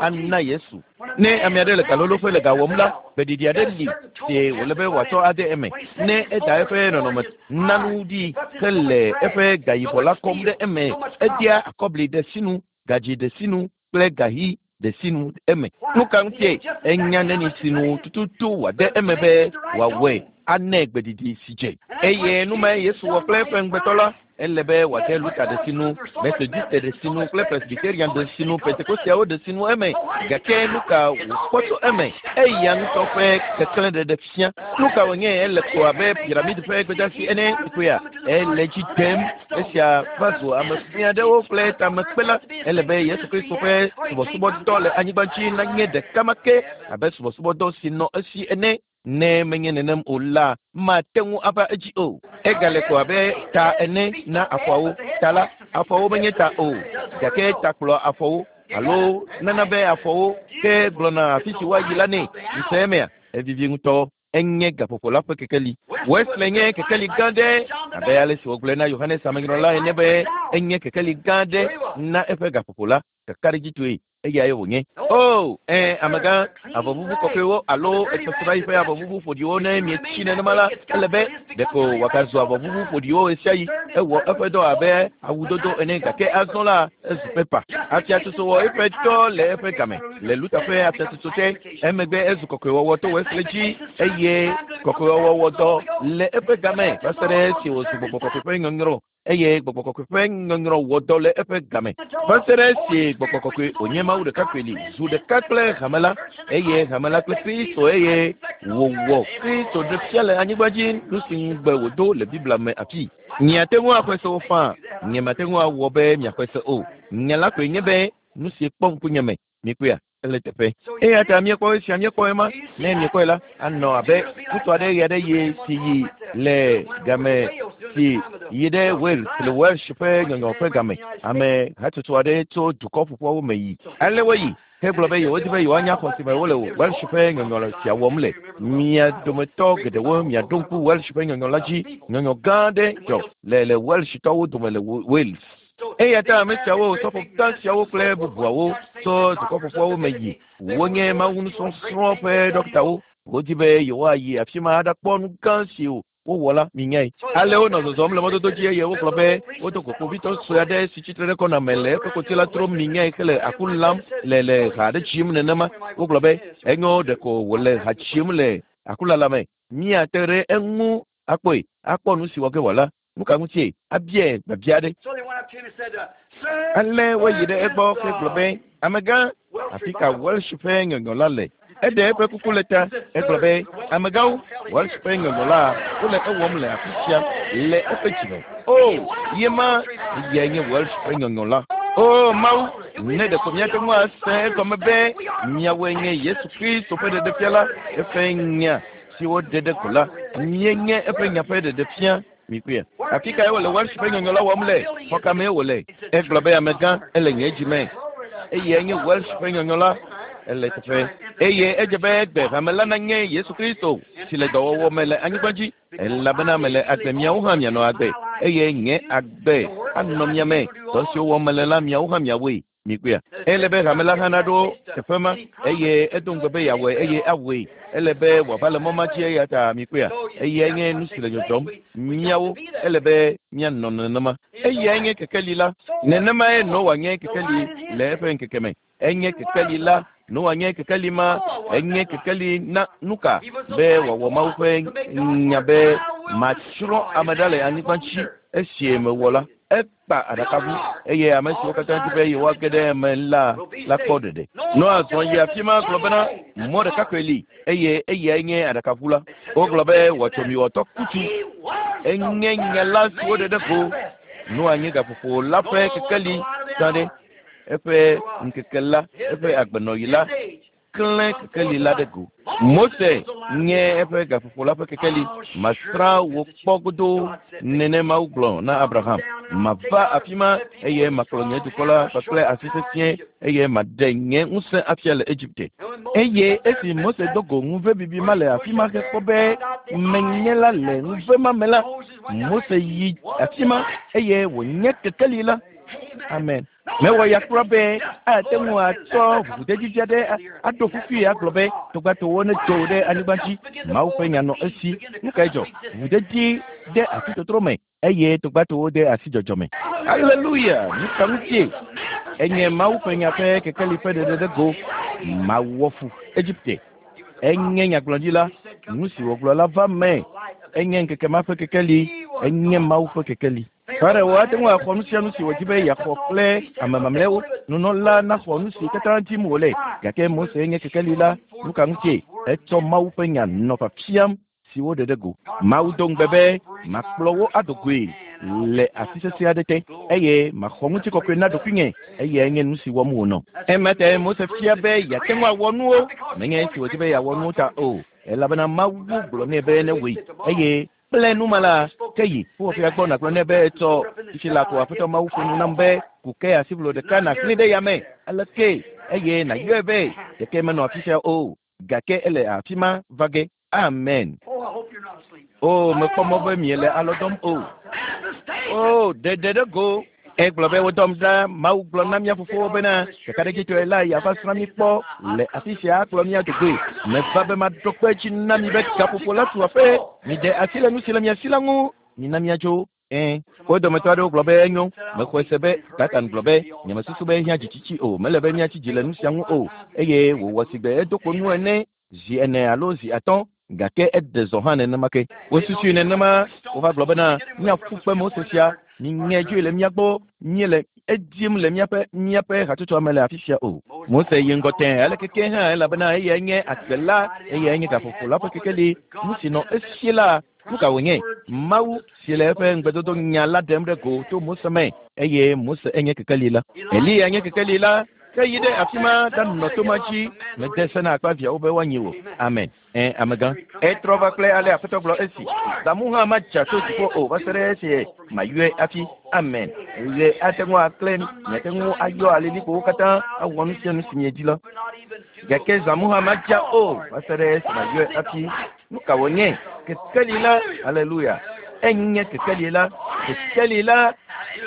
ana Yesu. Ne ame aɖe le galoloƒe le ga wɔm la, gbeɖiɖi aɖe li si wòle be wòatsɔ ade eme. Ne eda eƒe nɔnɔme nanu ɖi hele eƒe gayibɔ la kɔm ɖe eme, edea akɔbli ɖe sinu, gadzi ɖe sinu kple gahi ɖe sinu eme. Nu ka ŋutie enya neni sinu tututu wòade eme be wòawɔe anɛ gbeɖiɖi si dze. Eye nu mae Yesu wɔ kple eƒe ŋugbetɔ la. Ele be wòade Luther ɖe sinu, Methodiste ɖe sinu kple Presbyterian ɖe sinu, Pentekosteawo ɖe sinu eme. Gake nu ka wòkpɔ tso eme? Eya ŋutɔ ƒe keklẽ ɖeɖe fia. Nu ka wònye ele ko abe piramidi ƒe gbedasi ene kpea? Ele dzi dem. Esia va zu ame fia aɖewo kple tamekpela. Ele be Yesu Kristo ƒe subɔsubɔdɔ le anyigba dzi nanye ɖeka ma ke abe subɔsubɔdɔ si nɔ esi ene. Ne menye nenem o la, mate ŋu ava edzi o. Egale ko abe ta ene na afɔawo. Ta la, afɔwo menye ta o, gake ta kplɔ afɔwo alo nana be afɔwo ke gblɔna afi si woayi la nɛ. Mise emea? Evivi ŋutɔ. Enye gaƒoƒo la ƒe kekeli. Wesley nye kekeli gã ɖe abe ale si wògblɔe na Yohanes Amenyrɔla ene be enye kekeli gã ɖe na eƒe gaƒoƒo la. Kakaɖedzitɔe eyae wònye. O, ẽ, amegã, avɔ vuvu kɔkɔewo alo etsɔsrã yi ƒe avɔ vuvu ƒoɖiwo ne mietsi nenema la, ele be ɖeko wòagazu avɔ vuvu ƒoɖiwo ɣesiaɣi. Ewɔ eƒe dɔ abe awudodo ene gake azɔ la ezu pepa. Afiatsotso wɔ eƒe dɔ le eƒe game le Luther ƒe afiatsotso te. Emegbe ezu kɔkɔewɔwɔ to Wesley dzi eye kɔkɔewɔwɔ wɔ dɔ le eƒe game va se ɖe esi wòzu gbɔgbɔ kɔkɔe ƒe nyɔnyrɔ. Eye gbɔgbɔ kɔkɔe ƒe nyɔnyrɔ wɔ dɔ le eƒe game. Va se ɖe esi gbɔgbɔ kɔkɔe wònye Mawu ɖekakpui li zu ɖeka kple hame la eye hame la kple Kristo eye wòwɔ Kristo ɖe fia le anyigba dzi nu si ŋugbe wòdo le Biblia me afi. Miate ŋu axɔe se o faa, nye mate ŋu awɔ be miaxɔe se o. Nya la koe nye be nu si kpɔ ŋkunye me. Mikpɔea? Ele teƒe. Eya ta míekpɔ esia míekpɔ ema. Ne miekpɔe la, anɔ abe ŋutsu aɖe ɣe aɖe yi si yi le game si yi ɖe Wales le Welsh ƒe nyɔnyɔ ƒe game. Ame hatsotso aɖe tso dukɔ ƒoƒuawo me yi. Ale woyi hegblɔ be yewodi be yewoanya xɔ si me wole Welsh ƒe nyɔnyɔ sia wɔm le. Mia dometɔ geɖewo miaɖo ŋku Welsh ƒe nyɔnyɔ la dzi. Nyɔnyɔ gã aɖe dzɔ le le Welshtɔwo dome le Wales. Eya ta ame siawo sɔfo gã siawo kple bubuawo tso dukɔ ƒoƒuawo me yi. Wonye Mawu nusɔsrɔ̃ ƒe ɖɔktawo. Wodi be yewoayi afi ma aɖakpɔ nu gã si wowɔ la minyae. Ale wonɔ zɔzɔm le mɔdodo dzi eye wogblɔ be wodo go kpovitɔ sue aɖe si tsitre ɖe kɔna me le eƒe koti la trom minyae hele aku lam le le ha aɖe dzim nenema. Wogblɔ be enyo ɖeko wòle ha dzim le akulala me. Míate ɖe eŋu akpɔe akpɔ nu si wɔ ge wòala. Nu ka ŋutie abiae biabia aɖe. Ale woyi ɖe egbɔ hegblɔ be amegã afi ka Welsh ƒe nyɔnyɔ la le. Eɖe eƒe kuku le ta. Egblɔ be amegãwo Welsh ƒe nyɔnyɔ la wole ewɔm le afi sia le eƒe dzime. O ye ma eyae nye Welsh ƒe nyɔnyɔ la. O Mawu ne ɖeko míate ŋu ase egɔme be miawoe nye Yesu Kristo ƒe ɖeɖefia la eƒe nya si woɖe ɖe go la míenye eƒe nya ƒe ɖeɖefia. Mikpɔe. Afi kae wòle Welsh ƒe nyɔnyɔ la wɔm le? Xɔ ka mee wòle? Egblɔ be amegã ele nye dzime. Eyae nye Welsh ƒe nyɔnyɔ la. Ele teƒe. Eye edze be egbe hame la nanye Yesu Kristo si le dɔwɔwɔ me le anyigba dzi. Elabena mele agbe miawo hã mianɔ agbe. Eye nye agbe anɔ mia me. Dɔ siwo wɔm mele la miawo hã miawoe. Mikpɔea. Ele be hame la hã naɖo teƒe ma eye edo ŋugbe be yeawɔe eye awɔe. Ele be wòava le mɔ ma dzi eya ta mikpɔea. Eyae nye nu si le dzɔdzɔm. Míawo ele be míanɔ nenema. Eyae nye kekeli la. Nenemae Noa nye kekeli le eƒe ŋkeke me. Enye kekeli la. Noa nye kekeli ma. Enye kekeli na nuka be wòawɔ Mawu ƒe nya be matsrɔ̃ ame ɖa le anyigba dzi esi mewɔ la. Ekpa aɖakaʋu eye ame siwo katã di be yewoage ɖe eme la la kpɔ ɖeɖe. Noa zɔ yi afi ma gblɔ bena mɔ ɖeka koe li eye eyae nye aɖakaʋu la. Wogblɔ be wɔtsomiwɔtɔ kutsu enye nya la si woɖe ɖe go. Noa nye gaƒoƒo la ƒe kekeli gã ɖe. Eƒe ŋkeke la, eƒe agbenɔɣi la klẽ kekeli la ɖe go. Mose nye eƒe gaƒoƒo la ƒe kekeli. Masrã wò kpɔ godoo nene Mawu gblɔ na Abraham. Mava afi ma eye makplɔ nye dukɔ la kpakple asi sesĩe eye maɖe nye ŋusẽ afia le Egipte. Eye esi Mose do go ŋuvebibi ma le afi ma hekpɔ be menye la le ŋuve ma me la, Mose yi afi ma eye wònye kekeli la. Amen. Mewɔ ya kura be ate ŋu atsɔ ʋuʋudedi aɖe aɖo fufui agblɔ be togbatowo nedzo ɖe anyigba dzi. Mawu ƒe nya nɔ esi. Nu kae dzɔ? Ʋuʋudedi de asi totro me eye togbatowo de asi dzɔdzɔ me. Aleluya! Nu ka ŋutie? Enye Mawu ƒe nya ƒe kekeli ƒe ɖeɖe ɖe go. Mawɔ fu Egipte. Enye nyagblɔɖila. Nu si wògblɔ la va me. Enye ŋkeke ma ƒe kekeli. Enye Mawu ƒe kekeli. Farao ate ŋu axɔ nu sia nu si wòdi be yeaxɔ kple ame mamlɛawo. Nunɔla naxɔ nu si katã dim wòle. Gake Mose nye kekeli la. Nu ka ŋutie? Etsɔ Mawu ƒe nya nɔ fiafiam si woɖe ɖe go. Mawu do ŋugbe be makplɔ wo ado goe le asi sesẽ aɖe te eye maxɔ ŋutikɔkɔe na ɖokuinye. Eyae nye nu si wɔm wònɔ. Ema tae Mose fia be yeate ŋu awɔ nuwo. Menye esi wòdi be yeawɔ nuwo ta o. Elabena Mawu gblɔ nɛ be newɔe eye kple nu ma la ke yi ƒuƒoƒea gbɔ nàgblɔ nɛ be etsɔ fifi la ko Aƒetɔ Mawu ƒo nu nam be ku ke asiblo ɖeka nàxlẽ ɖe yame aleke eye nàyɔe be ɖeke menɔ afi sia o gake ele afi ma va ge. Amen. O mekpɔ mɔ be miele alɔ dɔm o. O ɖeɖe ɖe go. Egblɔ be wodɔm ɖa Mawu gblɔ na mía fofowo bena ɖekaɖedzitɔe la yeava srã mí kpɔ le afi sia akplɔ mía dogoe. Meva be maɖo kpe edzi na mi be gaƒoƒo la tu aƒe. Miɖe asi le nu si le mia si la ŋu. Mina míadzo. Ɛ̃. Wo dometɔ aɖewo gblɔ be enyo. Mexɔe se be Satan gblɔ be nyemesusu be ehiã dzitsitsi o. Mele be míatsi dzi le nu sia ŋu o. Eye wòwɔ sigbe edo kpo nu ene zi ene alo zi atɔ̃ gake eɖe zɔ hã nenema ke. Wosusui nenema wova gblɔ bena míaƒu kpe Mose sia. Miŋe dzoe le mía gbɔ míele edim le míaƒe míaƒe hatsotsoa me le afi sia o. Mose yi ŋgɔ tẽ aleke ke hã elabena eyae nye agbe la, eyae nye gaƒoƒo la ƒe kekeli. Nu si nɔ esi la, nu ka wònye? Mawu si le eƒe ŋugbedodo nya la ɖem ɖe go to Mose me eye Mose enye kekeli la. Eliya nye kekeli la. Ke yi ɖe afi ma ɖanɔ to ma dzi mede se na akpaviawo be woanyi wò. Amen. Ɛ amegã. Etrɔ va kple ale Aƒetɔ gblɔ esi. Zamu hã madza tso dziƒo o va se ɖe esi mayɔe hafi. Amen. Ɣe ate ŋu aklẽ, miate ŋu ayɔ alilikpowo katã awɔ nu sia nu si miedi la. Gake zamu hã madza o va se ɖe esi mayɔe hafi. Nu ka wònye? Kekeli la. Aleluya. Enye kekeli la. Kekeli la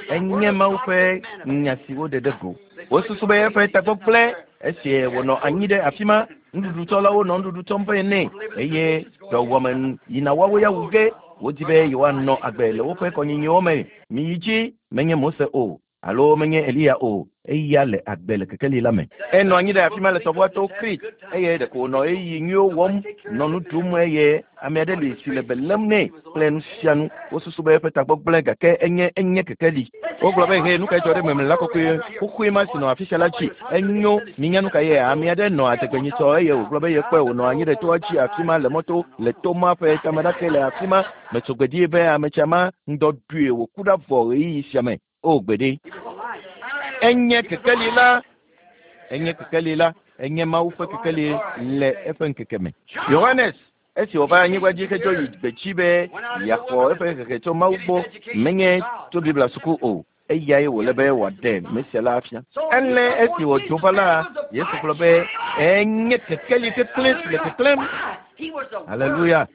enye Mawu ƒe nya si woɖe ɖe go. Wosusu be eƒe tagbɔ gblẽ esi wònɔ anyi ɖe afi ma. Nuɖuɖutsɔlawo nɔ nuɖuɖu tsɔm vɛ nɛ eye dɔwɔame yina woawo ya wu ge. Wodi be yewoanɔ agbe le woƒe kɔnyinyiwo me. Miyi dzi menye Mose o alo menye Eliya o. Eya le agbe le kekeli la me. Enɔ anyi ɖe afi ma le tɔʋua to Krit eye ɖeko wònɔ ɣeyiɣi nyuiwo wɔm nɔ nu ɖum eye ame aɖe li si le be lém nɛ kple nu sia nu. Wosusu be eƒe tagbɔ gblẽ gake enye enye kekeli. Wogblɔ be he nu kae dzɔ ɖe memle la kɔkɔe xoxoe ma si nɔ afi sia la dzi. Enyo minya nu ka ye ame aɖe nɔ adegbenyitsɔ eye wògblɔ be yekpɔe wònɔ anyi ɖe toa dzi afi ma le mɔto le to ma ƒe tameɖake le afi ma. Metso gbe ɖi be ame tsia ma ŋdɔ ɖui wòku ɖa vɔ ɣeyiɣi sia me. O gbeɖe. Enye kekeli la. Enye kekeli la. Enye Mawu ƒe kekeli le eƒe ŋkeke me. Yohanes esi wòva anyigba dzi hedzo yi gbedzi be yeaxɔ eƒe hehe tso Mawu gbɔ menye tso Biblia suku o. Eyae wòle be wòaɖe Mesia la afia. Ele esi wòdzo va la, Yesu gblɔ be enye kekeli keklẽ si le keklẽm. Aleluya.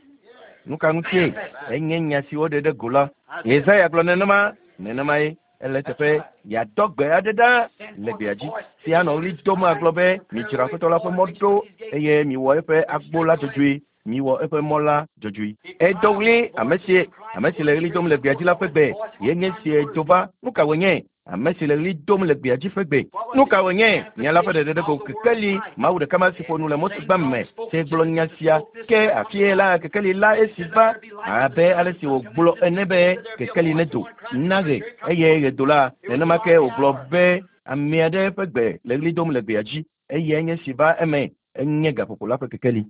Nu ka ŋutie? Enye nya si woɖe ɖe go la. Yesaya gblɔ nenema, nenema ye. Ele teƒe yeadɔ gbe aɖe ɖa le gbea dzi si anɔ ɣli dom agblɔ be midzra Aƒetɔ la ƒe mɔ ɖo eye miwɔ eƒe agbo la dzɔdzɔe. Miwɔ eƒe mɔ la dzɔdzɔe. Edo ɣli ame si ame si le ɣli dom le gbea dzi la ƒe gbe ye nye si dzo va. Nu ka wònye? Ame si le ɣli dom le gbea dzi ƒe gbe. Nu ka wònye? Nya la ƒe ɖeɖe ɖe go kekeli. Mawu ɖeka ma si ƒo nu le Mose gbã me si gblɔ nya sia ke afie la kekeli la esi va abe ale si wògblɔ ene be kekeli nedo na ɣe eye ɣe do la nenema ke wògblɔ be ame aɖe ƒe gbe le ɣli dom le gbea dzi eye nye si va eme enye gaƒoƒo la ƒe kekeli.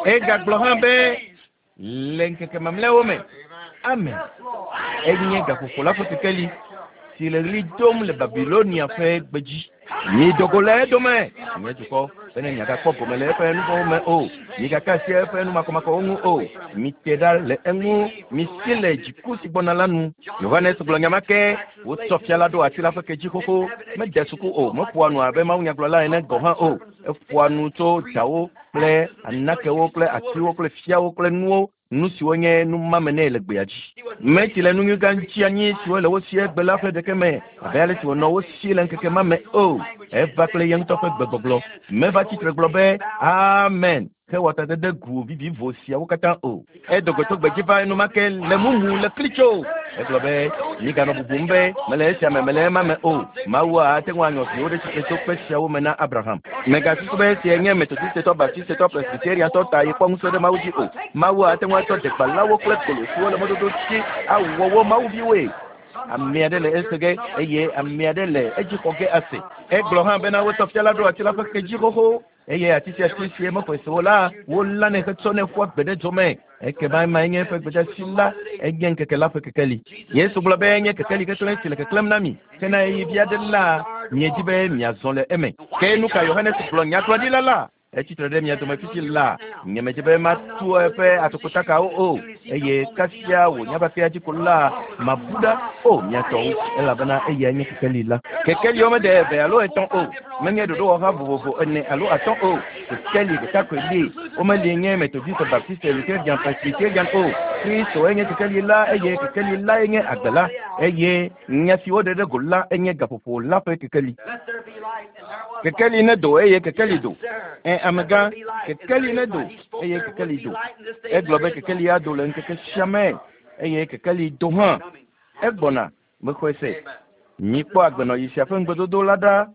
Egagblɔ hã be le ŋkeke mamlɛawo me. Amen. Enye gaƒoƒo la ƒe kekeli si le ɣli dom le Babilonia ƒe gbedzi. Mido go le edome, nye dukɔ, bene miagakpɔ gome le eƒe nuvɔ̃wo me o. Migaka asi eƒe numakɔmakɔwo ŋu o. Mite ɖa le eŋu. Misi le dziku si gbɔna la nu. Yohanes gblɔ nya ma ke. Wotsɔ fia la ɖo ati la ƒe ke dzi xoxo. Mede suku o. Meƒoa nu abe mawunyagblɔla ene gɔ̃ hã o. Eƒoa nu tso dawo kple anakewo kple atiwo kple fiawo kple nuwo. Nu siwo nye numame nɛ le gbea dzi. Metsi le nu nyui gã ŋuti anyi siwo le wo si egbe la ƒe ɖeke me abe ale si wònɔ wo si le ŋkeke ma me o. Eva kple ye ŋutɔ ƒe gbegbɔgblɔ. Meva tsitre gblɔ be amen. Hewɔ tadede gu vivivo siawo katã o. Edo go tso gbedzi va enumake le mumu le klitso. Egblɔ be miganɔ bubum be mele esia me mele ema me o. Mawu ate ŋu anyɔ viwo ɖe tsitre tso kpe siawo me na Abraham. Megasusu be esia nye Metodistetɔ, Baptistetɔ, Presbyteriantɔ ta yekpɔ ŋusẽ ɖe Mawu dzi o. Mawu ate ŋu atsɔ degbalawo kple kolo siwo le mɔdodo dzi awɔ wo mawuviwoe. Ame aɖe le ese ge eye ame aɖe le edzi xɔ ge ase. Egblɔ hã bena wotsɔ fia la ɖo ati la ƒe ke dzi xoxo eye ati sia ati si mexɔe se o la wolãnɛ hetsɔnɛ ƒua gbe ɖe dzo me. Ekema ema nye eƒe gbedeasi la enye ŋkeke la ƒe kekeli. Yesu gblɔ be enye kekeli keklẽ si le keklẽm na mi. Ke na ɣeyiɣi vi aɖe la miedi be miazɔ le eme. Ke nu ka Yohanes gblɔ nyagblɔɖila la? Etsitre ɖe mia dome fifi la. Nyemedze be matu eƒe atokotakawo o. Eye kasia wò nyabakea dzi ko la mabu ɖa o mia tɔwo elabena eyae nye kekeli la. Kekeliwo mede eve alo etɔ̃ o. Menye ɖoɖowɔha vovovo ene alo atɔ̃ o. Kekeli ɖeka koe li. Womeli nye Metodiste, Baptiste, Lutherian, Presbyterian o. Kristo enye kekeli la eye kekeli la enye agbe la eye nya si woɖe ɖe go la enye gaƒoƒo la ƒe kekeli. Kekeli nedo eye kekeli do. Ɛ amegã, kekeli nedo eye kekeli do. Egblɔ be kekeli ado le ŋkeke sia me eye kekeli do hã. Egbɔna mexɔe se. Mikpɔ agbenɔɣi sia ƒe ŋugbedodo la ɖa.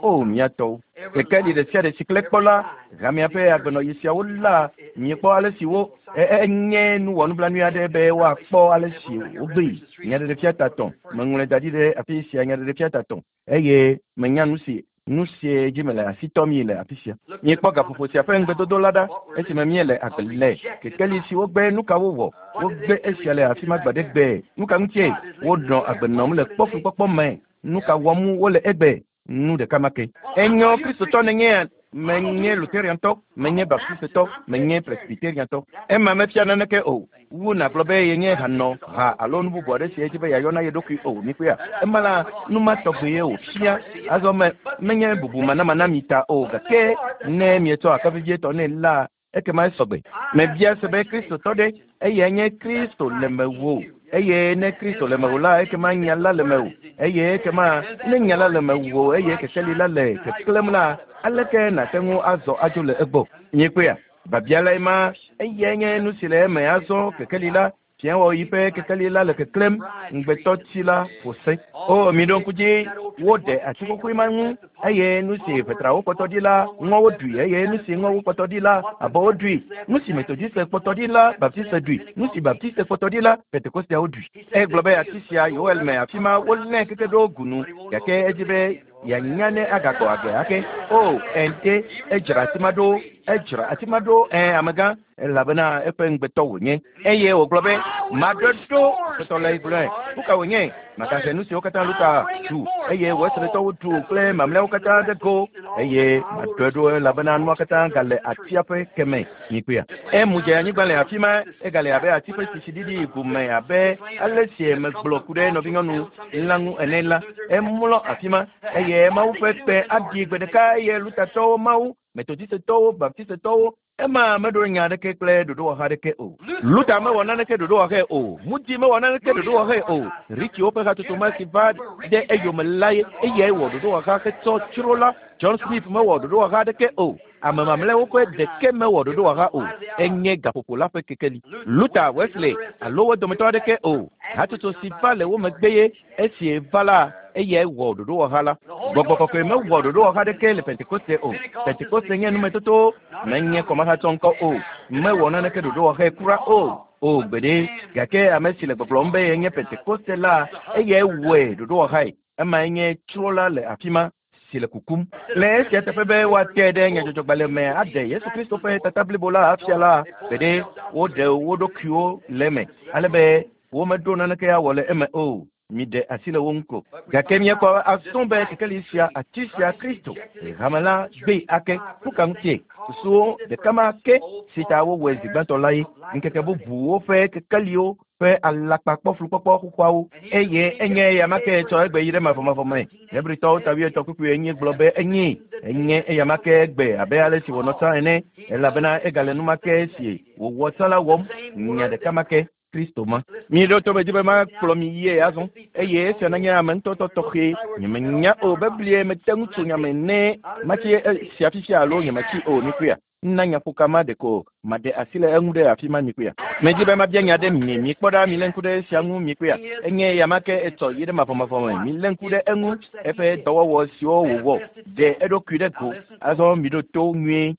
O mía tɔwo. Kekeli ɖe sia ɖe si klẽ kpɔ la, hamea ƒe agbenɔɣi siawo la, miekpɔ ale si wo enye nuwɔnublanui aɖe be woakpɔ ale si wogbee. Nyaɖeɖefia tatɔ̃. Meŋlɔe da ɖi ɖe afi sia nyaɖeɖefia tatɔ̃ eye menya nu si nu sie dzi mele asi tɔm yi le afi sia. Miekpɔ gaƒoƒo sia ƒe ŋugbedodo la ɖa esime míele agbe le. Kekeli si wogbe nu ka wowɔ? Wogbe esia le afi ma gbe ɖe gbe. Nu ka ŋutie wonɔ agbe nɔm le kpɔfukpɔkpɔ me? Nu ka wɔm wole egbe? Nu ɖeka ma ke. Enyo Kristotɔ nenye menye Lutheriantɔ, menye Baptistetɔ, menye Presbyteriantɔ. Ema mefia naneke o. Wu nàgblɔ be yenye hanɔ ha alo nu bubu aɖe si edzi be yeayɔ na ye ɖokui o. Mikpɔea? Ema la nu ma tɔgbe ye wòfia. Azɔ me menye bubu manamana mi ta o gake ne mietsɔ akavivietɔ nɛ la ekema esɔgbe. Mebia se be Kristotɔ ɖe eyae nye Kristo le mewò. Eye ne Kristo le mewò la ekema nya la le mewò. Eye ekema ne nya la le mewò eye kekeli la le keklẽm la aleke nàte ŋu azɔ adzo le egbɔ? Miekpɔea? Babia lae ma eyae nye nu si le eme azɔ kekeli la fiawɔɣi ƒe kekeli la le keklẽm ŋugbetɔtsi la ƒo se. O miɖo ŋku dzi woɖe ati xoxoe ma ŋu eye nu si ʋetrawo kpɔtɔ ɖi la ŋɔwo ɖui eye nu si ŋɔwo kpɔtɔ ɖi la abɔwo ɖui. Nu si Metodiste kpɔtɔ ɖi la Baptiste ɖui. Nu si Baptiste kpɔtɔ ɖi la Pentekosteawo ɖui. Egblɔ be ati sia Yoel me afi ma wolé keke ɖo gunu gake edzi be yeanya ne agagbɔ agbe ake. O ente edzra ati ma ɖo edzra ati ma ɖo ɛ amegã elabena eƒe ŋugbetɔ wònye. Eye wògblɔ be maɖo ɖo ƒetɔ la gblɔe. Nu ka wònye? Magahe nu siwo katã Luta ɖu eye Wesleytɔwo ɖu kple mamlɛawo katã ɖe go eye maɖɔe ɖo elabena nua katã gale atia ƒe keme. Mikpɔea? Emu dze anyigba le afi ma egale abe ati ƒe sisiɖiɖi gome abe ale si megblɔ ku ɖe nɔvinyɔnu la ŋu ene la. Emlɔ afi ma eye Mawu ƒe kpe aɖi gbe ɖeka eye Lutatɔwo Mawu, Metodistetɔwo, Baptistetɔwo ema meɖo nya aɖeke kple ɖoɖowɔha aɖeke o. Luther mewɔ naneke ɖoɖowɔhae o. Moody mewɔ naneke ɖoɖowɔhae o. Richiwo ƒe hatsotso ma si va ɖe eyome la ye eyae wɔ ɖoɖowɔha hetsɔ tsro la. John Smith mewɔ ɖoɖowɔha aɖeke o. Ame mamlɛawo ƒe ɖeke mewɔ ɖoɖowɔha o. Enye gaƒoƒo la ƒe kekeli. Luther, Wesley alo wo dometɔ aɖeke o. Hatsotso si va le wo megbe ye esi va la eyae wɔ ɖoɖowɔha la. Gbɔgbɔ kɔkɔe mewɔ ɖoɖowɔha aɖeke le Pentekoste o. Pentekoste nye numetoto menye kɔmahatsɔ ŋkɔ o. Mewɔ naneke ɖoɖowɔhae kura o. O gbeɖe gake ame si le gbɔgblɔm be yenye Pentekoste la eyae wɔe ɖoɖowɔhae. Emae nye tsro la le afi ma si le kukum. Le esia teƒe be woate ɖe nyadzɔdzɔgbalẽ me aɖe Yesu Kristo ƒe tata blibo la afia la gbeɖe woɖe wo ɖokuiwo le eme ale be womeɖo naneke awɔ le eme o. Miɖe asi le wo ŋu ko. Gake míekpɔ azɔ be kekeli sia ati sia Kristo hame la gbee ake. Nu ka ŋutie? Susuwo ɖeka ma ke si ta wowɔe zi gbãtɔ la ye. Ŋkeke bubuwo ƒe kekeliwo ƒe alakpakpɔflukpɔkpɔ xoxoawo eye enye eya ma ke tsɔ egbe yi ɖe mavɔmavɔ me. Hebritɔwo ta wuietɔ̃ kpukpui enyi gblɔ be enyi enye eya ma ke egbe abe ale si wònɔ tsã ene elabena egale nu ma ke si wòwɔ tsã la wɔm nya ɖeka ma ke. Kristo ma. Miɖo to me dzi be makplɔ mi yie azɔ eye esia nanye ame ŋutɔtɔ tɔxɛ. Nyemenya o beblie mete ŋu tso nyame ne matsi sia fifia alo nyemetsi o mikpɔea. Nna nyaƒoka ma ɖeko maɖe asi le eŋu ɖe afi ma mikpɔea. Medzi be mabia nya ɖe mi mikpɔ ɖa milé ŋku ɖe esia ŋu mikpɔea. Enye eya ma ke etsɔ yi ɖe mavɔmavɔ me. Milé ŋku ɖe eŋu eƒe dɔwɔwɔ siwo wòwɔ ɖe eɖokui ɖe go. Azɔ miɖo to nyuie.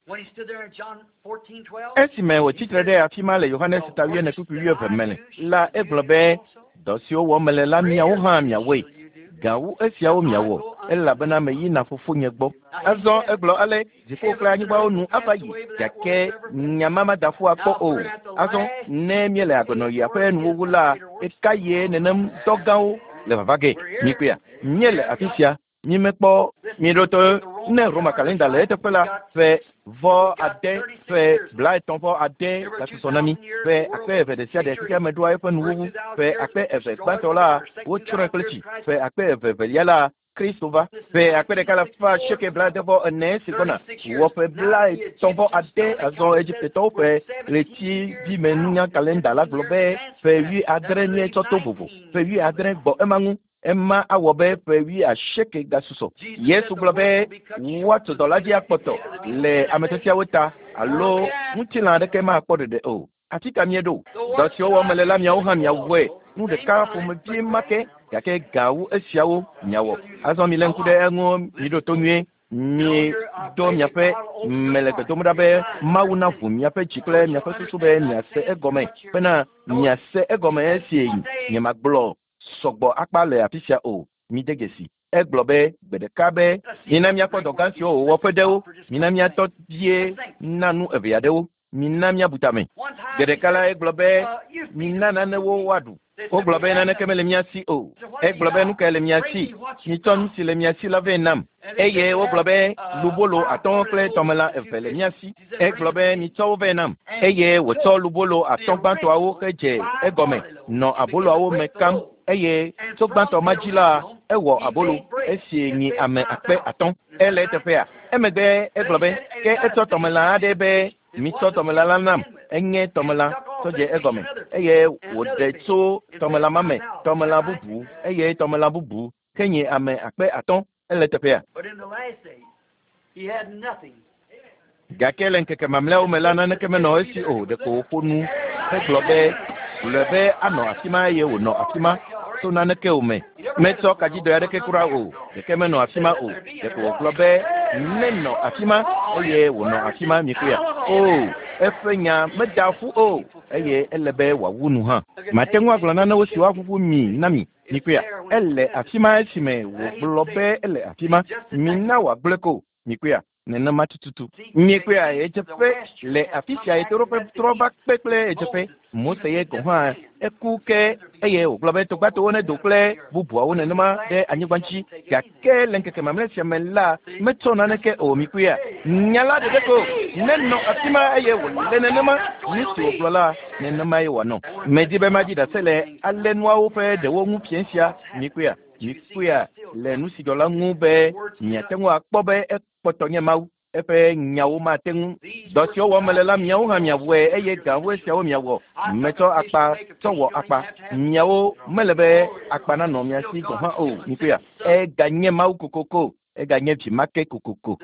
Esime wòtsi tre ɖe afi ma le Yohanes ta wuiene kpukpui wuieve me la egblɔ be dɔ siwo wɔm mele la miawo hã miawɔe. Gawu esiawo miawɔ elabena meyina fofonye gbɔ. Azɔ egblɔ ale dziƒo kple anyigbawo nu ava yi gake nya ma mada ƒu akpɔ o. Azɔ ne míele agbenɔɣia ƒe nuwuwu la eka ye nenem dɔ gãwo le vava ge. Mikpɔea? Míele afi sia mímekpɔ miɖo to ne Roma kalenda le eteƒe la ƒe vɔ ade ƒe blaetɔ̃ vɔ ade gasusɔ na mi ƒe akpe eve ɖe sia ɖe xexea me ɖoa eƒe nuwuwu ƒe akpe eve gbãtɔ la wotsrɔ̃e kple tsi ƒe akpe eve evelia la Kristo va ƒe akpe ɖeka la fa asieke blaade vɔ ene si gbɔna wɔ ƒe blaetɔ̃ vɔ ade azɔ Egiptetɔwo ƒe ɣletivimenunya kalenda la gblɔ be ƒe wuiadre míetsɔ to vovo ƒe wuiadre gbɔ ema ŋu ema awɔ be ƒe wuiasieke gasusɔ. Yesu gblɔ be woatso dɔ la dzi akpɔtɔ le ame tiatiawo ta alo ŋutilã aɖeke makpɔ ɖeɖe o. Afi ka míeɖo? Dɔ siwo wɔm mele la miawo hã miawɔe. Nu ɖeka ƒomevie ma ke. Gake gawu esiawo miawɔ. Azɔ mi le ŋku ɖe eŋu miɖo to nyuie. Mi do miaƒe mele gbe dom ɖa be Mawu naʋu miaƒe dzi kple miaƒe susu be miase egɔme bena miase egɔme esi nyemagblɔ sɔgbɔ akpa le afi sia o. Mide dzesi. Egblɔ be gbe ɖeka be mina miakpɔ dɔ gã siwo wòwɔ ƒe ɖewo, mina miatɔ vie na nu eve aɖewo, mina miabu tame. Gbe ɖeka la egblɔ be mina nanewo woaɖu. Wogblɔ be naneke mele mía si o. Egblɔ be nu kae le mía si? Mitsɔ nu si le mía si la vɛ nam. Eye wogblɔ be lubolo atɔ̃ kple tɔmelã eve le mía si. Egblɔ be mitsɔ wo vɛ nam. Eye wòtsɔ lubolo atɔ̃ gbãtɔawo hedze egɔme nɔ aboloawo me kam. Eye tso gbãtɔ ma dzi la ewɔ abolo esi nyi ame akpe atɔ̃. Ele eteƒea. Emegbe egblɔ be ke etsɔ tɔmelã aɖe be mitsɔ tɔmelã la nam. Enye tɔmelã tsɔ dze egɔme eye wòɖe tso tɔmelã ma me tɔmelã bubu eye tɔmelã bubu ke nye ame akpe atɔ̃. Ele teƒea. But in the last days, he had nothing. Gake le ŋkeke mamlɛawo me la naneke menɔ esi o. Ɖeko wòƒo nu hegblɔ be gblɔe be anɔ afi ma eye wònɔ afi ma to naneke o me. Metsɔ kadzidɔ aɖeke kura o. Ɖeke menɔ afi ma o. Ɖeko wògblɔ be nenɔ afi ma eye wònɔ afi ma mikuya. O, eƒe nya meda ƒu o eye ele be wòawu nu hã. Mate ŋu agblɔ nanewo si woaʋuʋu mi na mi. Mikuya. Ele afi ma esime wògblɔ be ele afi ma. Mina wòagblɔe ko. Mikuya. Nenema tututu. Miekpea ɣedzeƒe le afi sia ɣetoɖoƒe trɔ va kpe kple ɣedzeƒe. Mose ye gɔ̃ hã eku ke eye wògblɔ be togbatowo nedo kple bubuawo nenema ɖe anyigba dzi. Gake le ŋkeke mamlɛ sia me la metsɔ naneke o. Mikpɔea nya la ɖeɖe ko nenɔ afi ma eye wòle nenema. Nu si wògblɔ la nenema ye wòanɔ. Medi be madzi ɖase le ale nuawo ƒe ɖewo ŋu fiẽ sia. Mikpɔea mikpɔea le nu si dzɔ la ŋu be miate ŋu akpɔ be ekpɔtɔ nye Mawu. Eƒe nyawo mate ŋu. Dɔ siwo wɔm mele la miawo hã miawɔe eye gawo esiawo miawɔ. Metsɔ akpa tsɔ wɔ akpa. Miawo mele be akpa nanɔ mia si gɔ̃ hã o. Mikpɔea eganye Mawu kokoko. Eganye vi ma ke kokoko.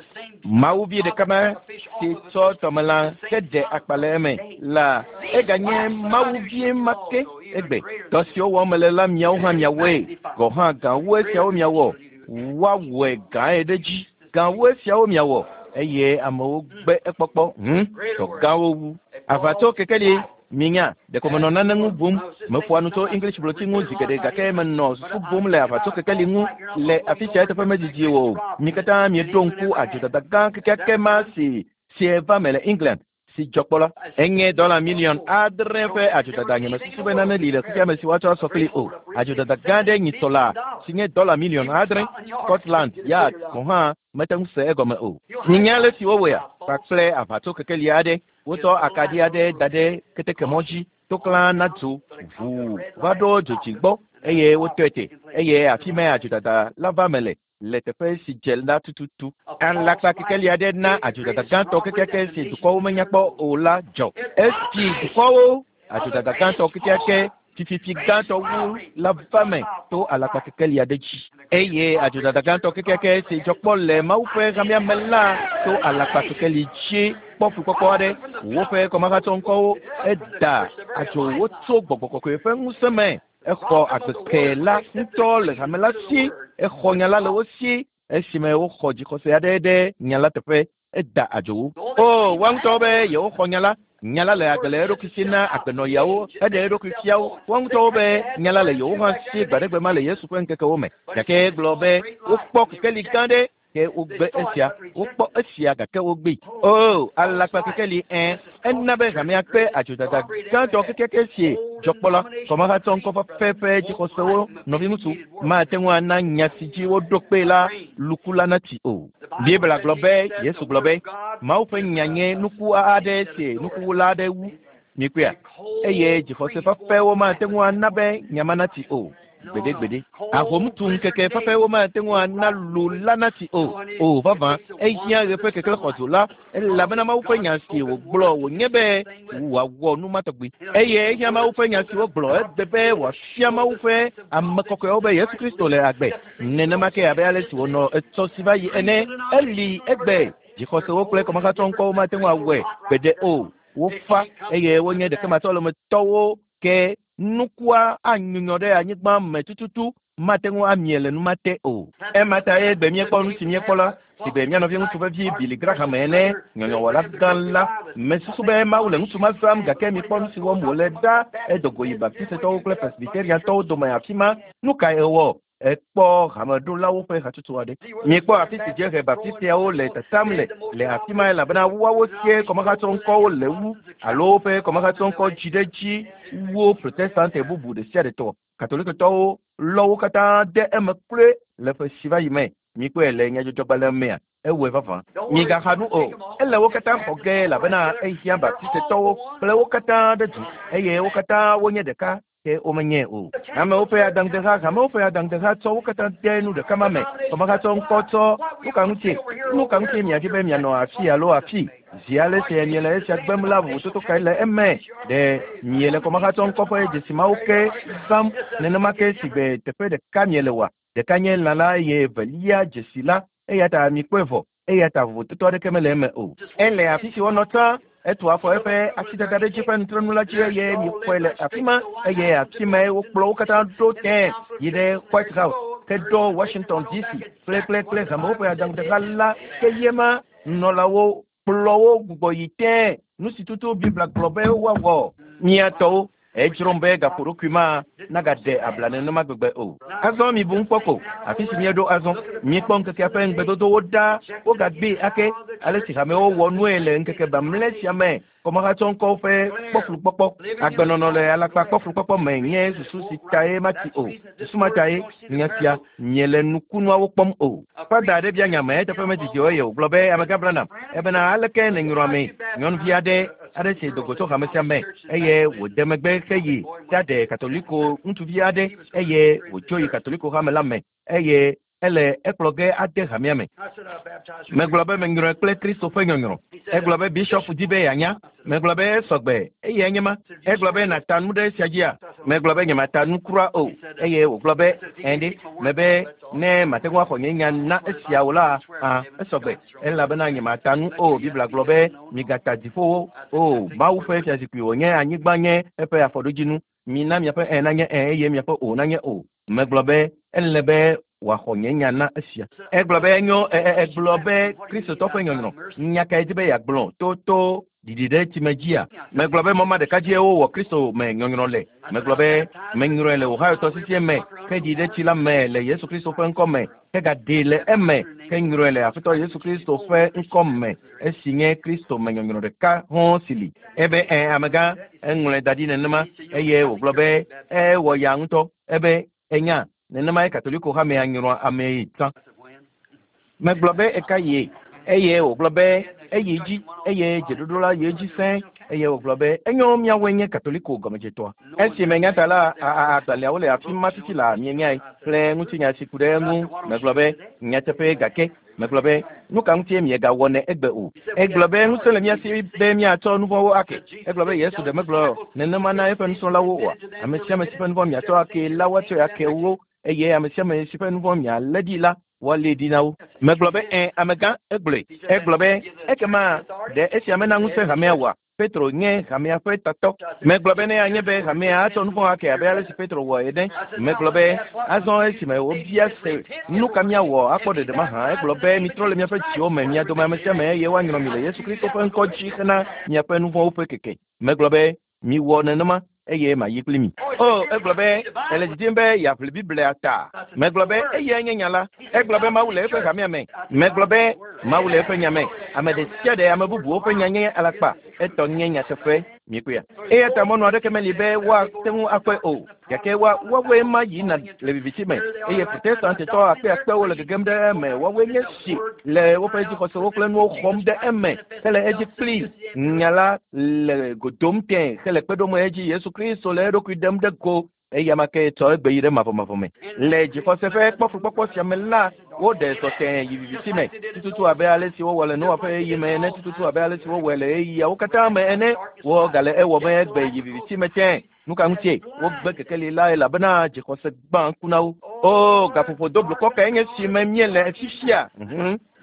Mawu vi ɖeka ma si tsɔ tɔmelã heɖe akpa le eme la eganye Mawu vie ma ke egbe. Dɔ siwo wɔm mele la miawo hã miawɔe. Gɔ̃ hã gawo esiawo miawɔ. Woawɔe gãe ɖe dzi. Gawo esiawo miawɔ. Eye amewo gbe ekpɔkpɔ. Hm, dɔ gãwo wu. Aʋatso kekeli minya ɖeko menɔ nane ŋu bum. Meƒoa nu tso English blotsi ŋu zi geɖe gake menɔ susu bum le aʋatso kekeli ŋu le afi sia eteƒe medidi o. Mi katã mieɖo ŋku adzodada gã kekeake ma si si eva me le England si dzɔ kpɔ la. Enye dɔla miliɔn adre ƒe adzodada. Nyemesusu be nane li le xexea me si woatsɔ asɔ kpli o. Adzodada gã ɖe nyitsɔ la si nye dɔla miliɔn adre. Scotland Yard gɔ̃ hã mete ŋu se egɔme o. Minya ale si wowɔea kpakple aʋatso kekeli aɖe. Wotsɔ akaɖi aɖe da ɖe ketekemɔ dzi toklã na dzo ʋuu va ɖo dzodzi gbɔ eye wotɔe te eye afi mae adzodada la va me le le teƒe si dze la tututu. Alakpa kekeli aɖe na adzodada gãtɔ kekeake si dukɔwo menya kpɔ o la dzɔ. Esi dukɔwo adzodada gãtɔ kekeake fififi gãtɔ wu la va me to alakpa kekeli aɖe dzi. Eye adzodada gãtɔ kekeake si dzɔ kpɔ le Mawu ƒe hamea me la to alakpa kekeli dzi kpɔ fukpɔkpɔ aɖe. Woƒe kɔmahatsɔŋkɔwo eda adzo wo tso gbɔgbɔ kɔkɔe ƒe ŋusẽ me. Exɔ agbeke la ŋutɔ le hame la si. Exɔ nya la le wo si esime woxɔ dzixɔse aɖe ɖe nya la teƒe. Eda adzo wo. O, woa ŋutɔwo be yewoxɔ nya la. Nya la le agbe le eɖokui si na agbenɔyawo heɖe eɖokui fia wo. Woa ŋutɔwo be nya la le yewo hã si gbaɖegbe ma le Yesu ƒe ŋkekewo me. Gake egblɔ be wokpɔ kekeli gã ɖe ke wogbe esia. Wokpɔ esia gake wogbee. O, alakpa kekeli ẽ ena be hamea kpe adzodada gãtɔ kekeake si dzɔ kpɔ la. Kɔmahatsɔ ŋkɔfafa ƒe dzixɔsewo nɔviŋutsu mate ŋu ana nya si dzi woɖo kpee la luku la natsi o. Biblia gblɔ be Yesu gblɔ be Mawu ƒe nya nye nuku aɖe si nukuwula aɖe wu. Mikpɔea eye dzixɔse fafɛwo mate ŋu ana be nya ma natsi o. Gbeɖegbeɖe. Ahomtu ŋkeke fafɛwo mate ŋu ana lu la natsi o. O vavã ehiã ɣe ƒe keklẽ xɔdzo la elabena Mawu ƒe nya si wògblɔ wònye be wòawɔ nu ma tɔgbi. Eye ehiã Mawu ƒe nya si wogblɔ egbe be wòafia Mawu ƒe ame kɔkɔewo be Yesu Kristo le agbe. Nenema ke abe ale si wònɔ etsɔ si va yi ene eli egbe. Dzixɔsewo kple kɔmahatsɔŋkɔwo mate ŋu awɔe gbeɖe o. Wofa eye wonye ɖekematsɔlemetɔwo ke nukua anyunyɔ ɖe anyigba me tututu Mate ŋu amie le numa te o. Ema ta ye gbe míekpɔ nu si míekpɔ la, si gbe mía nɔvi ŋutsu vevi Billy Graham ene, nyɔnyɔwɔla gã la. Mesusu be Mawu le ŋutsu ma zãm gake mikpɔ nu si wɔm wòle ɖa. Edo go yi Baptistetɔwo kple Presbyteriantɔwo dome afi ma. Nu kae ewɔ? Ekpɔ hameɖolawo ƒe hatsotso aɖe. Mikpɔ afi si dziehe Baptisteawo le tatam le le afi ma elabena woawo sie kɔmehatsɔŋkɔwo le wu alo woƒe kɔmehatsɔŋkɔ dzi ɖe dzi wu Protestante bubu ɖe sia ɖe tɔ. Katolikotɔwo lɔ wo katã de eme kloe le ƒe si va yi me. Mikpɔe le nyadzɔdzɔgbalẽ mea, ewɔe vavã. Migaxa nu o. Ele wo katã xɔ ge elabena ehiã Baptistetɔwo kple wo katã ɖe du eye wo katã wonye ɖeka ke womenye o. Amewo ƒe adaŋudeha, hamewo ƒe adaŋudeha tsɔ wo katã de nu ɖeka ma me. Kɔmehatsɔ ŋkɔ tsɔ nu ka ŋutie? Nu ka ŋutie miadi be mianɔ afi alo afi? Zi ale si miele esia gbem la, vovototo kae le eme? Ɖe miele kɔmehatsɔ ŋkɔ ƒe dzesi mawo ke zãm nenema ke si gbe teƒe ɖeka miele oa? Ɖeka nye lã la eye evelia dzesi la. Eya ta mikpɔe vɔ. Eya ta vovototo aɖeke mele eme o. Ele afi si wonɔ tsã. Etu afɔ eƒe asidada ɖe dzi ƒe nutrenu la dzi eye mikpɔe le afi ma eye afi mae wokplɔ wo katã ɖo tẽ yi ɖe White House ke ɖo Washington D C kple kple kple hamewo ƒe adaŋudeha la ke ye ma nunɔlawo kplɔ wo gbugbɔ yi tẽ nu si tutu Biblia gblɔ be woawɔ. Mía tɔwo edzrom be gaƒoɖokui ma nagaɖe abla nenema gbegbe o. Azɔ mibu ŋu kpɔ ko afi si míeɖo azɔ. Míekpɔ ŋkekea ƒe ŋugbedodowo ɖa wogagbee ake ale si hamewo wɔ nue le ŋkeke mamlɛ sia me. Kɔmehatsɔŋkɔwo ƒe kpɔflukpɔkpɔ, agbenɔnɔ le alakpa kpɔflukpɔkpɔ me nye susu si tae mati o. Susu ma tae nya sia miele nukunuawo kpɔm o. Fada aɖe bia nya me eteƒe medidi o eye wògblɔ be amegã Branham ebena aleke nènyrɔ ame nyɔnuvi aɖe aɖe si do go tso hame sia me eye wòde megbe heyi ɖaɖe Katoliko ŋutsuvi aɖe eye wòtso yi Katoliko hame la me eye ele ekplɔ ge ade hamea me. Megblɔ be menyrɔe kple Kristo ƒe nyɔnyrɔ. Egblɔ be bishɔpu di be yeanya. Megblɔ be esɔgbe eye enye ma. Egblɔ be nàta nu ɖe esia dzia? Megblɔ be nyemata nu kura o. Eye wògblɔ be ɛ̃ mebe ne mate ŋu axɔ nye nya na esia o la, hã esɔgbe elabena nyemata nu o. Biblia gblɔ be migata dziƒowo o. Mawu ƒe fiazikpui wònye, anyigba nye eƒe afɔɖodzinu. Mina miaƒe ẽ nanye ẽ eye miaƒe o nanye o. Megblɔ be ele be wòaxɔ nye nya na esia. Egblɔ be enyo egblɔ be Kristotɔ ƒe nyɔnyrɔ nya kae di be yeagblɔ to to ɖiɖi ɖe tsime dzia? Megblɔ be mɔ ma ɖeka dzie wowɔ Kristo me nyɔnyrɔ le. Megblɔ be menyrɔe le Ohio tɔsisi me ke ɖi ɖe tsi la me le Yesu Kristo ƒe ŋkɔ me ke gaɖee le eme ke nyrɔe le Aƒetɔ Yesu Kristo ƒe ŋkɔ me esi nye Kristo me nyɔnyrɔ ɖeka hɔ̃ si li. Ebe ẽ amegã eŋlɔe da ɖi nenema eye wògblɔ be ewɔ ya ŋutɔ ebe enya nenema ye Katoliko hamea nyrɔa amee tsã. Megblɔ be eka ye eye wògblɔ be eyi dzi eye dzeɖoɖo la yi edzi sẽ eye wògblɔ be enyo míawoe nye Katoliko gɔmedzetɔa. Esi menya ta la agbalẽawo le afi ma fifi la mienyae kple ŋutinya si ku ɖe eŋu. Megblɔ be nyateƒe gake megblɔ be nu ka ŋutie miegawɔnɛ egbe o. Egblɔ be ŋusẽ le mía si be míatsɔ nu vɔ̃wo ake. Egblɔ be Yesu ɖe megblɔ nenema na eƒe nusrɔ̃lawo oa? Ame sia ame si ƒe nu vɔ̃ miatsɔ ake la woatsɔe ake wo eye ame sia ame si ƒe nu vɔ̃ mialé ɖi la woalé ɖi na wo. Megblɔ be ẽ amegã egblɔe. Egblɔ be ekema ɖe esia mena ŋusẽ hamea oa? Petro nye hamea ƒe tatɔ. Megblɔ be ne anye be hamea atsɔ nu vɔ̃ ake abe ale si Petro wɔ ene. Megblɔ be azɔ esime wobia se nu ka míawɔ akpɔ ɖeɖe mahã. Egblɔ be mitrɔ le miaƒe dziwo me mia dome ame sia ame eye woanyrɔ mi le Yesu Kristo ƒe ŋkɔ dzi hena miaƒe nu vɔ̃wo ƒe keke. Megblɔ be miwɔ nenema eye mayi kpli mi. O, egblɔ be ele didim be yeaʋli Biblia ta. Megblɔ be eyae nye nya la. Egblɔ be Mawu le eƒe hamea me. Megblɔ be Mawu le eƒe nya me. Ame ɖe sia ɖe ame bubuwo ƒe nya nye alakpa. Etɔ nye nyateƒe. Mikpɔea? Eya ta mɔnu aɖeke meli be woate ŋu akpɔe o. Gake wa woawoe ma yina le viviti me eye Protestantetɔ akpeakpewo le gegem ɖe eme. Woawoe nye si le woƒe dzixɔsewo kple nuwo xɔm ɖe eme hele edzi kpli nya la le godom tẽ hele kpe ɖom edzi Yesu Kristo le eɖokui ɖem ɖe go eya ma ke tsɔ egbe yi ɖe mavɔmavɔ me. Le dzixɔse ƒe kpɔflukpɔkpɔ sia me la, woɖe zɔ tẽ yi viviti me tututu abe ale si wowɔ le Noa ƒe ɣeyiɣi me ene, tututu abe ale si wowɔe le ɣeyiɣiawo katã me ene. Wogale ewɔm egbe yi viviti me tẽ. Nu ka ŋutie wogbe kekeli la elabena dzixɔse gbã ŋku na wo. O, gaƒoƒo do blukɔ kae nye si me míele fifia?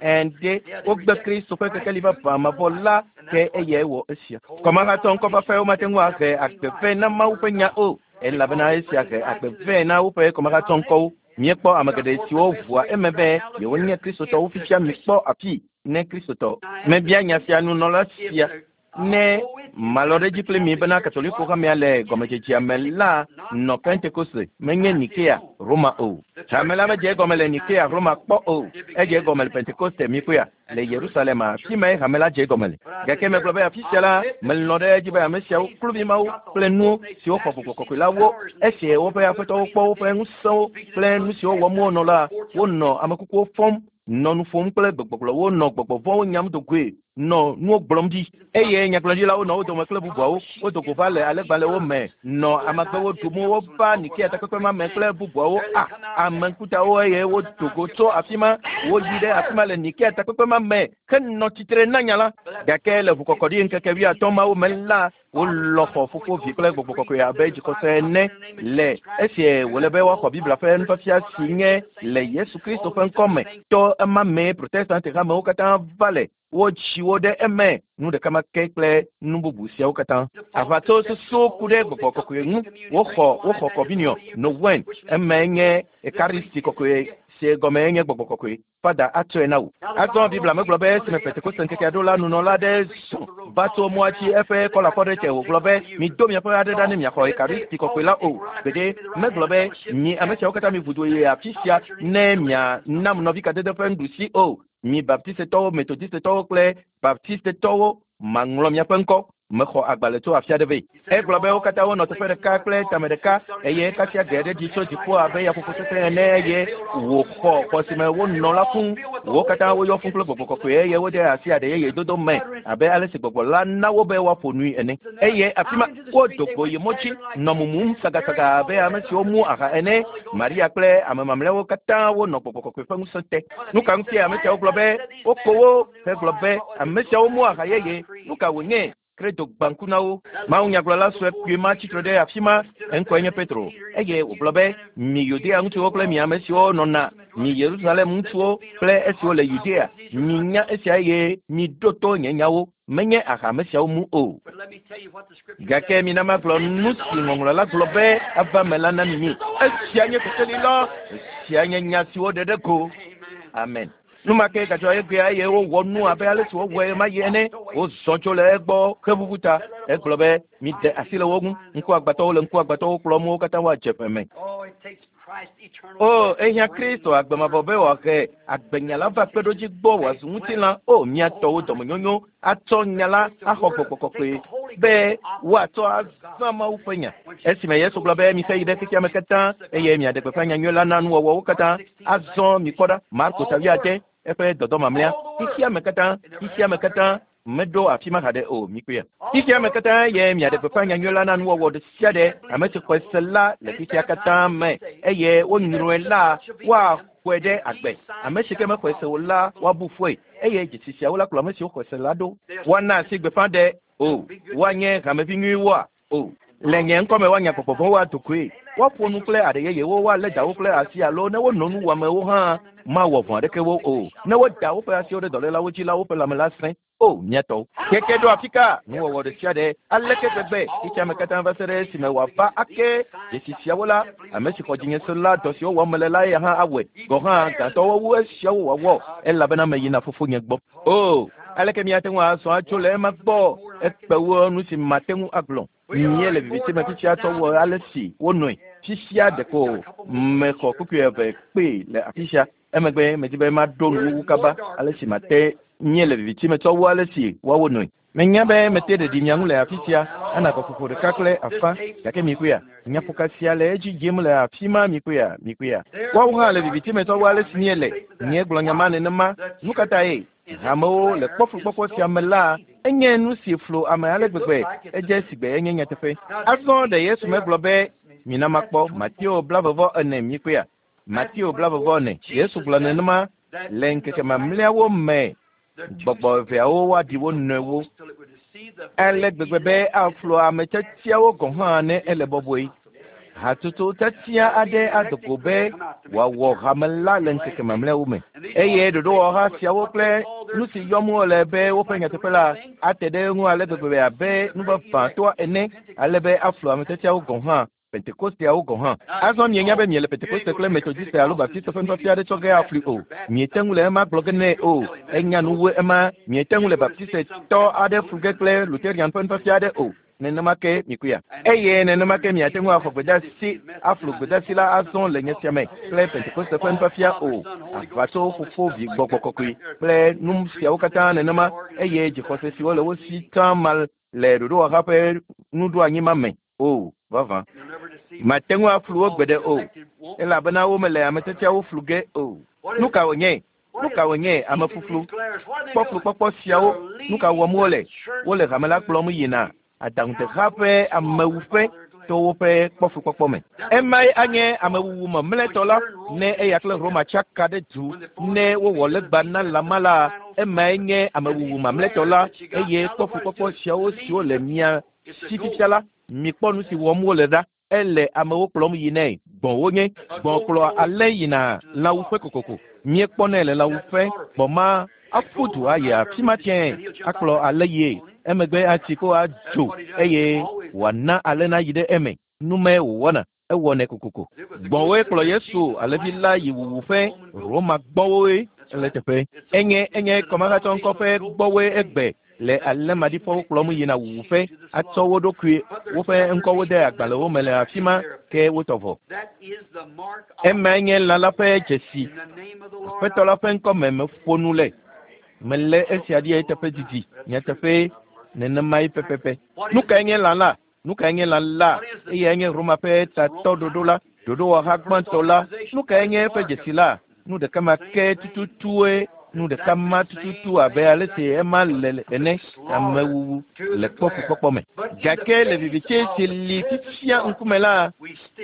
Ɛnde wogbe Kristo ƒe kekeli vavã mavɔ la ke eyae wɔ esia. Kɔmahatɔ ŋkɔfafɛwo mate ŋu ahe agbe vɛ na Mawu ƒe nya o elabena esia he agbe vɛ na woƒe kɔmahatsɔ ŋkɔwo. Míekpɔ ame geɖe siwo ʋua eme be yewonye kristotɔwo fifia mikpɔ afi ne kristotɔ. Mebia nya sia nunɔla sia ne malɔ ɖe edzi kple mi bena katoliko hamea le gɔmedzedzea me la nɔ Pentekoste menye Nikea Roma o. Hame la medze egɔme le Nikea Roma kpɔ o. Edze egɔme le Pentekoste mikpɔea le Yerusalem afi mae hame la dze egɔme le. Gake megblɔ be afi sia la melɔ̃ ɖe edzi be ame siawo kluvi mawo kple nuwo siwo xɔ gbɔgbɔ kɔkɔe la wo esi woƒe aƒetɔwo kpɔ woƒe ŋusẽwo kple nu siwo wɔm wonɔ la wonɔ amekukuwo fɔm nɔ nu ƒom kple gbegbɔgblɔwo nɔ gbɔgbɔ vɔ̃wo nyam do goe nɔ nuwo gblɔm ɖi eye nyagblɔɖilawo nɔ wo dome kple bubuawo wodo go va le alẽgbalẽwo me nɔ amagbewo ɖum wova Nikea takpekpe ma me kple bubuawo a ame ŋkutawo eye wodo go tso afi ma woyi ɖe afi ma le Nikea takpekpe ma me henɔ tsitre na nya la gake le ʋukɔkɔɖi ŋkeke wuiatɔ̃ mawo me la wolɔ xɔ fofo vi kple gbɔgbɔ kɔkɔe abe dzixɔse ene le esie wòle be woaxɔ Biblia ƒe nufiafia si nye le Yesu Kristo ƒe ŋkɔ me to ema mee Protestant hamewo katã va le wotsi wo ɖe eme nu ɖeka ma ke kple nu bubu siawo katã. Aʋatso susu ku ɖe gbɔgbɔ kɔkɔe ŋu woxɔ woxɔ communion no wine eme nye Ekaristi kɔkɔe si gɔme nye gbɔgbɔ kɔkɔe fada atsɔe na wò. Azɔ Biblia megblɔ be esime Pentekoste ŋkekea ɖo la nunɔla aɖe zɔ va tso mɔa dzi eƒe kɔlafɔ ɖe te wògblɔ be mido miaƒe aɖe ɖa ne miaxɔ Ekaristi kɔkɔe la o. Gbeɖe megblɔ be mi ame siawo katã mi vudo yi afi sia ne mianam nɔvi kadede ƒe nuɖusi o. Mi baptistetɔwo, metodistetɔwo kple baptistetɔwo maŋlɔ miaƒe ŋkɔ mexɔ agbalẽ tso afi aɖe vɛ. Egblɔ be wo katã wonɔ teƒe ɖeka kple tame ɖeka eye kasia ge ɖe dzi tso dziƒo abe yaƒoƒo sesẽ ene eye wòxɔ xɔ si me wonɔ la fũu. Wo katã woyɔ fũu kple gbɔgbɔ kɔkɔe eye wode asi aɖe yeye dodo me abe ale si gbɔgbɔ la na wo be woaƒo nui ene. Eye afi ma wodo go yi mɔ dzi nɔ mumum sagasaga abe ame siwo mu aha ene. Maria kple ame mamlɛawo katã wonɔ gbɔgbɔ kɔkɔe ƒe ŋusẽ te. Nu ka ŋutie ame siawo gblɔ be woko wo hegblɔ be ame siawo mu aha yeye? Nu ka wònye? Credo gbãku na wo. Mawunyagblɔla sue kpui ma tsitre ɖe afi ma eŋkɔe nye Petro eye wògblɔ be mi Yudea ŋutsuwo kple mi ame siwo nɔna mi Yerusalem ŋutsuwo kple esiwo le Yudea minya esia eye miɖo to nye nyawo menye aha ame siawo mu o. Gake mina magblɔ nu si ŋɔŋlɔ la gblɔ be ava me la na mi. Esia nye kekeli la, esia nye nya siwo ɖe ɖe go. Amen. Nu ma ke gadzɔ egbea eye wowɔ nu abe ale si wowɔe ma yi ene. Wozɔ tso le egbɔ heʋuʋu ta. Egblɔ be mide asi le wo ŋu. Ŋkuagbãtɔwo le ŋkuagbãtɔwo kplɔm wo katã woadze ƒe me. O ehiã Kristo agbemavɔ be wòahe agbenya la va kpeɖodzi gbɔ wòazu ŋutilã. O mía tɔwo dɔmenyonyo atsɔ nya la axɔ gbɔgbɔ kɔkɔe be woatsɔ azã Mawu ƒe nya. Esime Yesu gblɔ be mixe yi ɖe xexea me katã eye miaɖe gbeƒã nyanyui la na nuwɔwɔwo katã. Azɔ mikpɔ ɖa Marko ta wuiade eƒe dɔdɔ mamlɛa xexea me katã xexea me katã meɖo afi ma haɖe o mikpɔea. Xexea me katã ye miaɖe gbeƒã nyanyui la na nuwɔwɔ ɖe sia ɖe ame si xɔe se la le xexea katã me eye wonyrɔe la woaxɔe ɖe agbe. Ame si ke mexɔe se o la woabu fɔe eye dzesi siawo la kplɔ ame siwo xɔe se la ɖo. Woana asi gbeƒã ɖe o woanye hamevi nyuiwoa o. Le nye ŋkɔme woanya gbɔgbɔ vɔ̃wo ado goe. Woaƒo nu kple aɖe yeyewo woalé dawo kple asi alo ne wono nu wɔamewo hã mawɔ vɔ̃ aɖeke wo o. Ne woda woƒe asiwo ɖe dɔlélawo dzi la woƒe lãme la sẽ. O mía tɔwo. Keke ɖo afi ka nuwɔwɔ ɖe sia ɖe aleke gbegbe xexea me katã va se ɖe esime wòava ake dzesi siawo la ame si xɔ dzinye se la dɔ siwo wɔm mele la eya hã awɔe gɔ̃ hã gãtɔwo wu esiawo wòawɔ elabena meyina fofonye gbɔ. O aleke míate ŋu azɔ atso le ema gbɔ ekpe wu nu si mate ŋu agblɔ. Míele viviti me fifia tsɔ wɔ ale si wonɔe. Fifia ɖeko mexɔ kpukpui eve kpee le afi sia. Emegbe medi be maɖo nuwuwu kaba ale si mate míele viviti me tsɔ wu ale si woawo nɔe. Menya be mete ɖeɖi mia ŋu le afi sia ana gaƒoƒo ɖeka kple afã gake mikpɔea nyaƒoka sia le edzi dzem le afi ma mikpɔea mikpɔea. Woawo hã le viviti me tsɔ wu ale si míele. Míegblɔ nya ma nenema. Nu ka tae hamewo le kpɔflukpɔkpɔ sia me la enye nu si flo ame ale gbegbe edze sigbe enye nyateƒe. Azɔ ɖe Yesu megblɔ be mina makpɔ Mateo blavevɔ ene mikpɔea. Mateo blavevɔ ene. Yesu gblɔ nenema le ŋkeke mamlɛawo me gbɔgbɔ eveawo woaɖi wo nɔewo ale gbegbe be aflo ame tiatiawo gɔ̃ hã ne ele bɔbɔe. Hatsotso tiatia aɖe ado go be wòawɔ hame la le ŋkeke mamlɛawo me eye ɖoɖowɔha siawo kple nu si yɔm wole be woƒe nyateƒe la ate ɖe eŋu ale gbegbe abe nuvavãtɔa ene ale be aflo ame tiatiawo gɔ̃ hã Pentekosteawo gɔ̃ hã. Azɔ mienya be miele Pentekoste kple Metodiste alo Baptiste ƒe nufiafia aɖe tsɔ ge afli o. Miete ŋu le ema gblɔ ge nɛ o. Enya nu wu ema. Miete ŋu le Baptistetɔ aɖe flu ge kple Lutherian ƒe nufiafia aɖe o. Nenema ke mikuya. Eye nenema ke miate ŋu axɔ gbedeasi aflu gbedeasi la azɔ le nye sia me kple Pentekoste ƒe nufiafia o. Aʋatso fofo vi gbɔgbɔ kɔkɔe kple nu siawo katã nenema eye dzixɔse siwo le wo si tsã ma le ɖoɖowɔha ƒe nuɖoanyi ma me o. Vavã. Mate ŋu aflu wo gbeɖe o elabena womele ame tiatiawo flu ge o. Nu ka wònye? Nu ka wònye amefuflu? Kpɔflukpɔkpɔ siawo nu ka wɔm wole? Wole hame la kplɔm yina aɖaŋudeha ƒe amewuƒe to woƒe kpɔflukpɔkpɔ me. Emae anye amewuwu mamlɛtɔ la ne eya kple Roma tsaka ɖe du ne wowɔ legba na lãma la. Emae nye amewuwu mamlɛtɔ la eye kpɔflukpɔkpɔ siawo siwo le mia si fifia la mikpɔ nu si wɔm wole ɖa. Ele amewo kplɔm yinae. Gbɔ̃ wonye. Gbɔ̃ kplɔ alẽ yina lãwuƒe kokoko. Míekpɔnɛ le lãwuƒe. Gbɔ̃ ma aƒu du ayi afi ma tiɛ akplɔ alẽ yie. Emegbe atsi ko adzo eye wòana alẽ nayi ɖe eme. Numae wòwɔna. Ewɔnɛ kokoko. Gbɔ̃woe kplɔ Yesu alẽvi la yi wuwuƒe. Roma gbɔ̃woe le teƒe. Enye enye kɔmahatsɔ ŋkɔ ƒe gbɔwoe egbe le alẽ maɖifɔwo kplɔm yina wuwuƒe atsɔ wo ɖokui woƒe ŋkɔwo de agbalẽwo me le afi ma ke wotɔ vɔ. Emae nye lã la ƒe dzesi. Aƒetɔ la ƒe ŋkɔme meƒo nu le. Melé esia ɖi eteƒe didi. Nyateƒe nenemae pɛpɛpɛ. Nu kae nye lã la? Nu kae nye lã la? Eyae nye Roma ƒe tatɔ ɖoɖo la, ɖoɖowɔha gbãtɔ la. Nu kae nye eƒe dzesi la? Nu ɖeka ma ke tututue. Nu ɖeka ma tututu abe ale si ema le ene amewuwu le kpɔfukpɔkpɔ me. Gake le viviti si li fifia ŋkume la,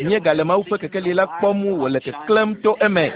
míegale Mawu ƒe kekeli la kpɔm wòle keklẽm to eme.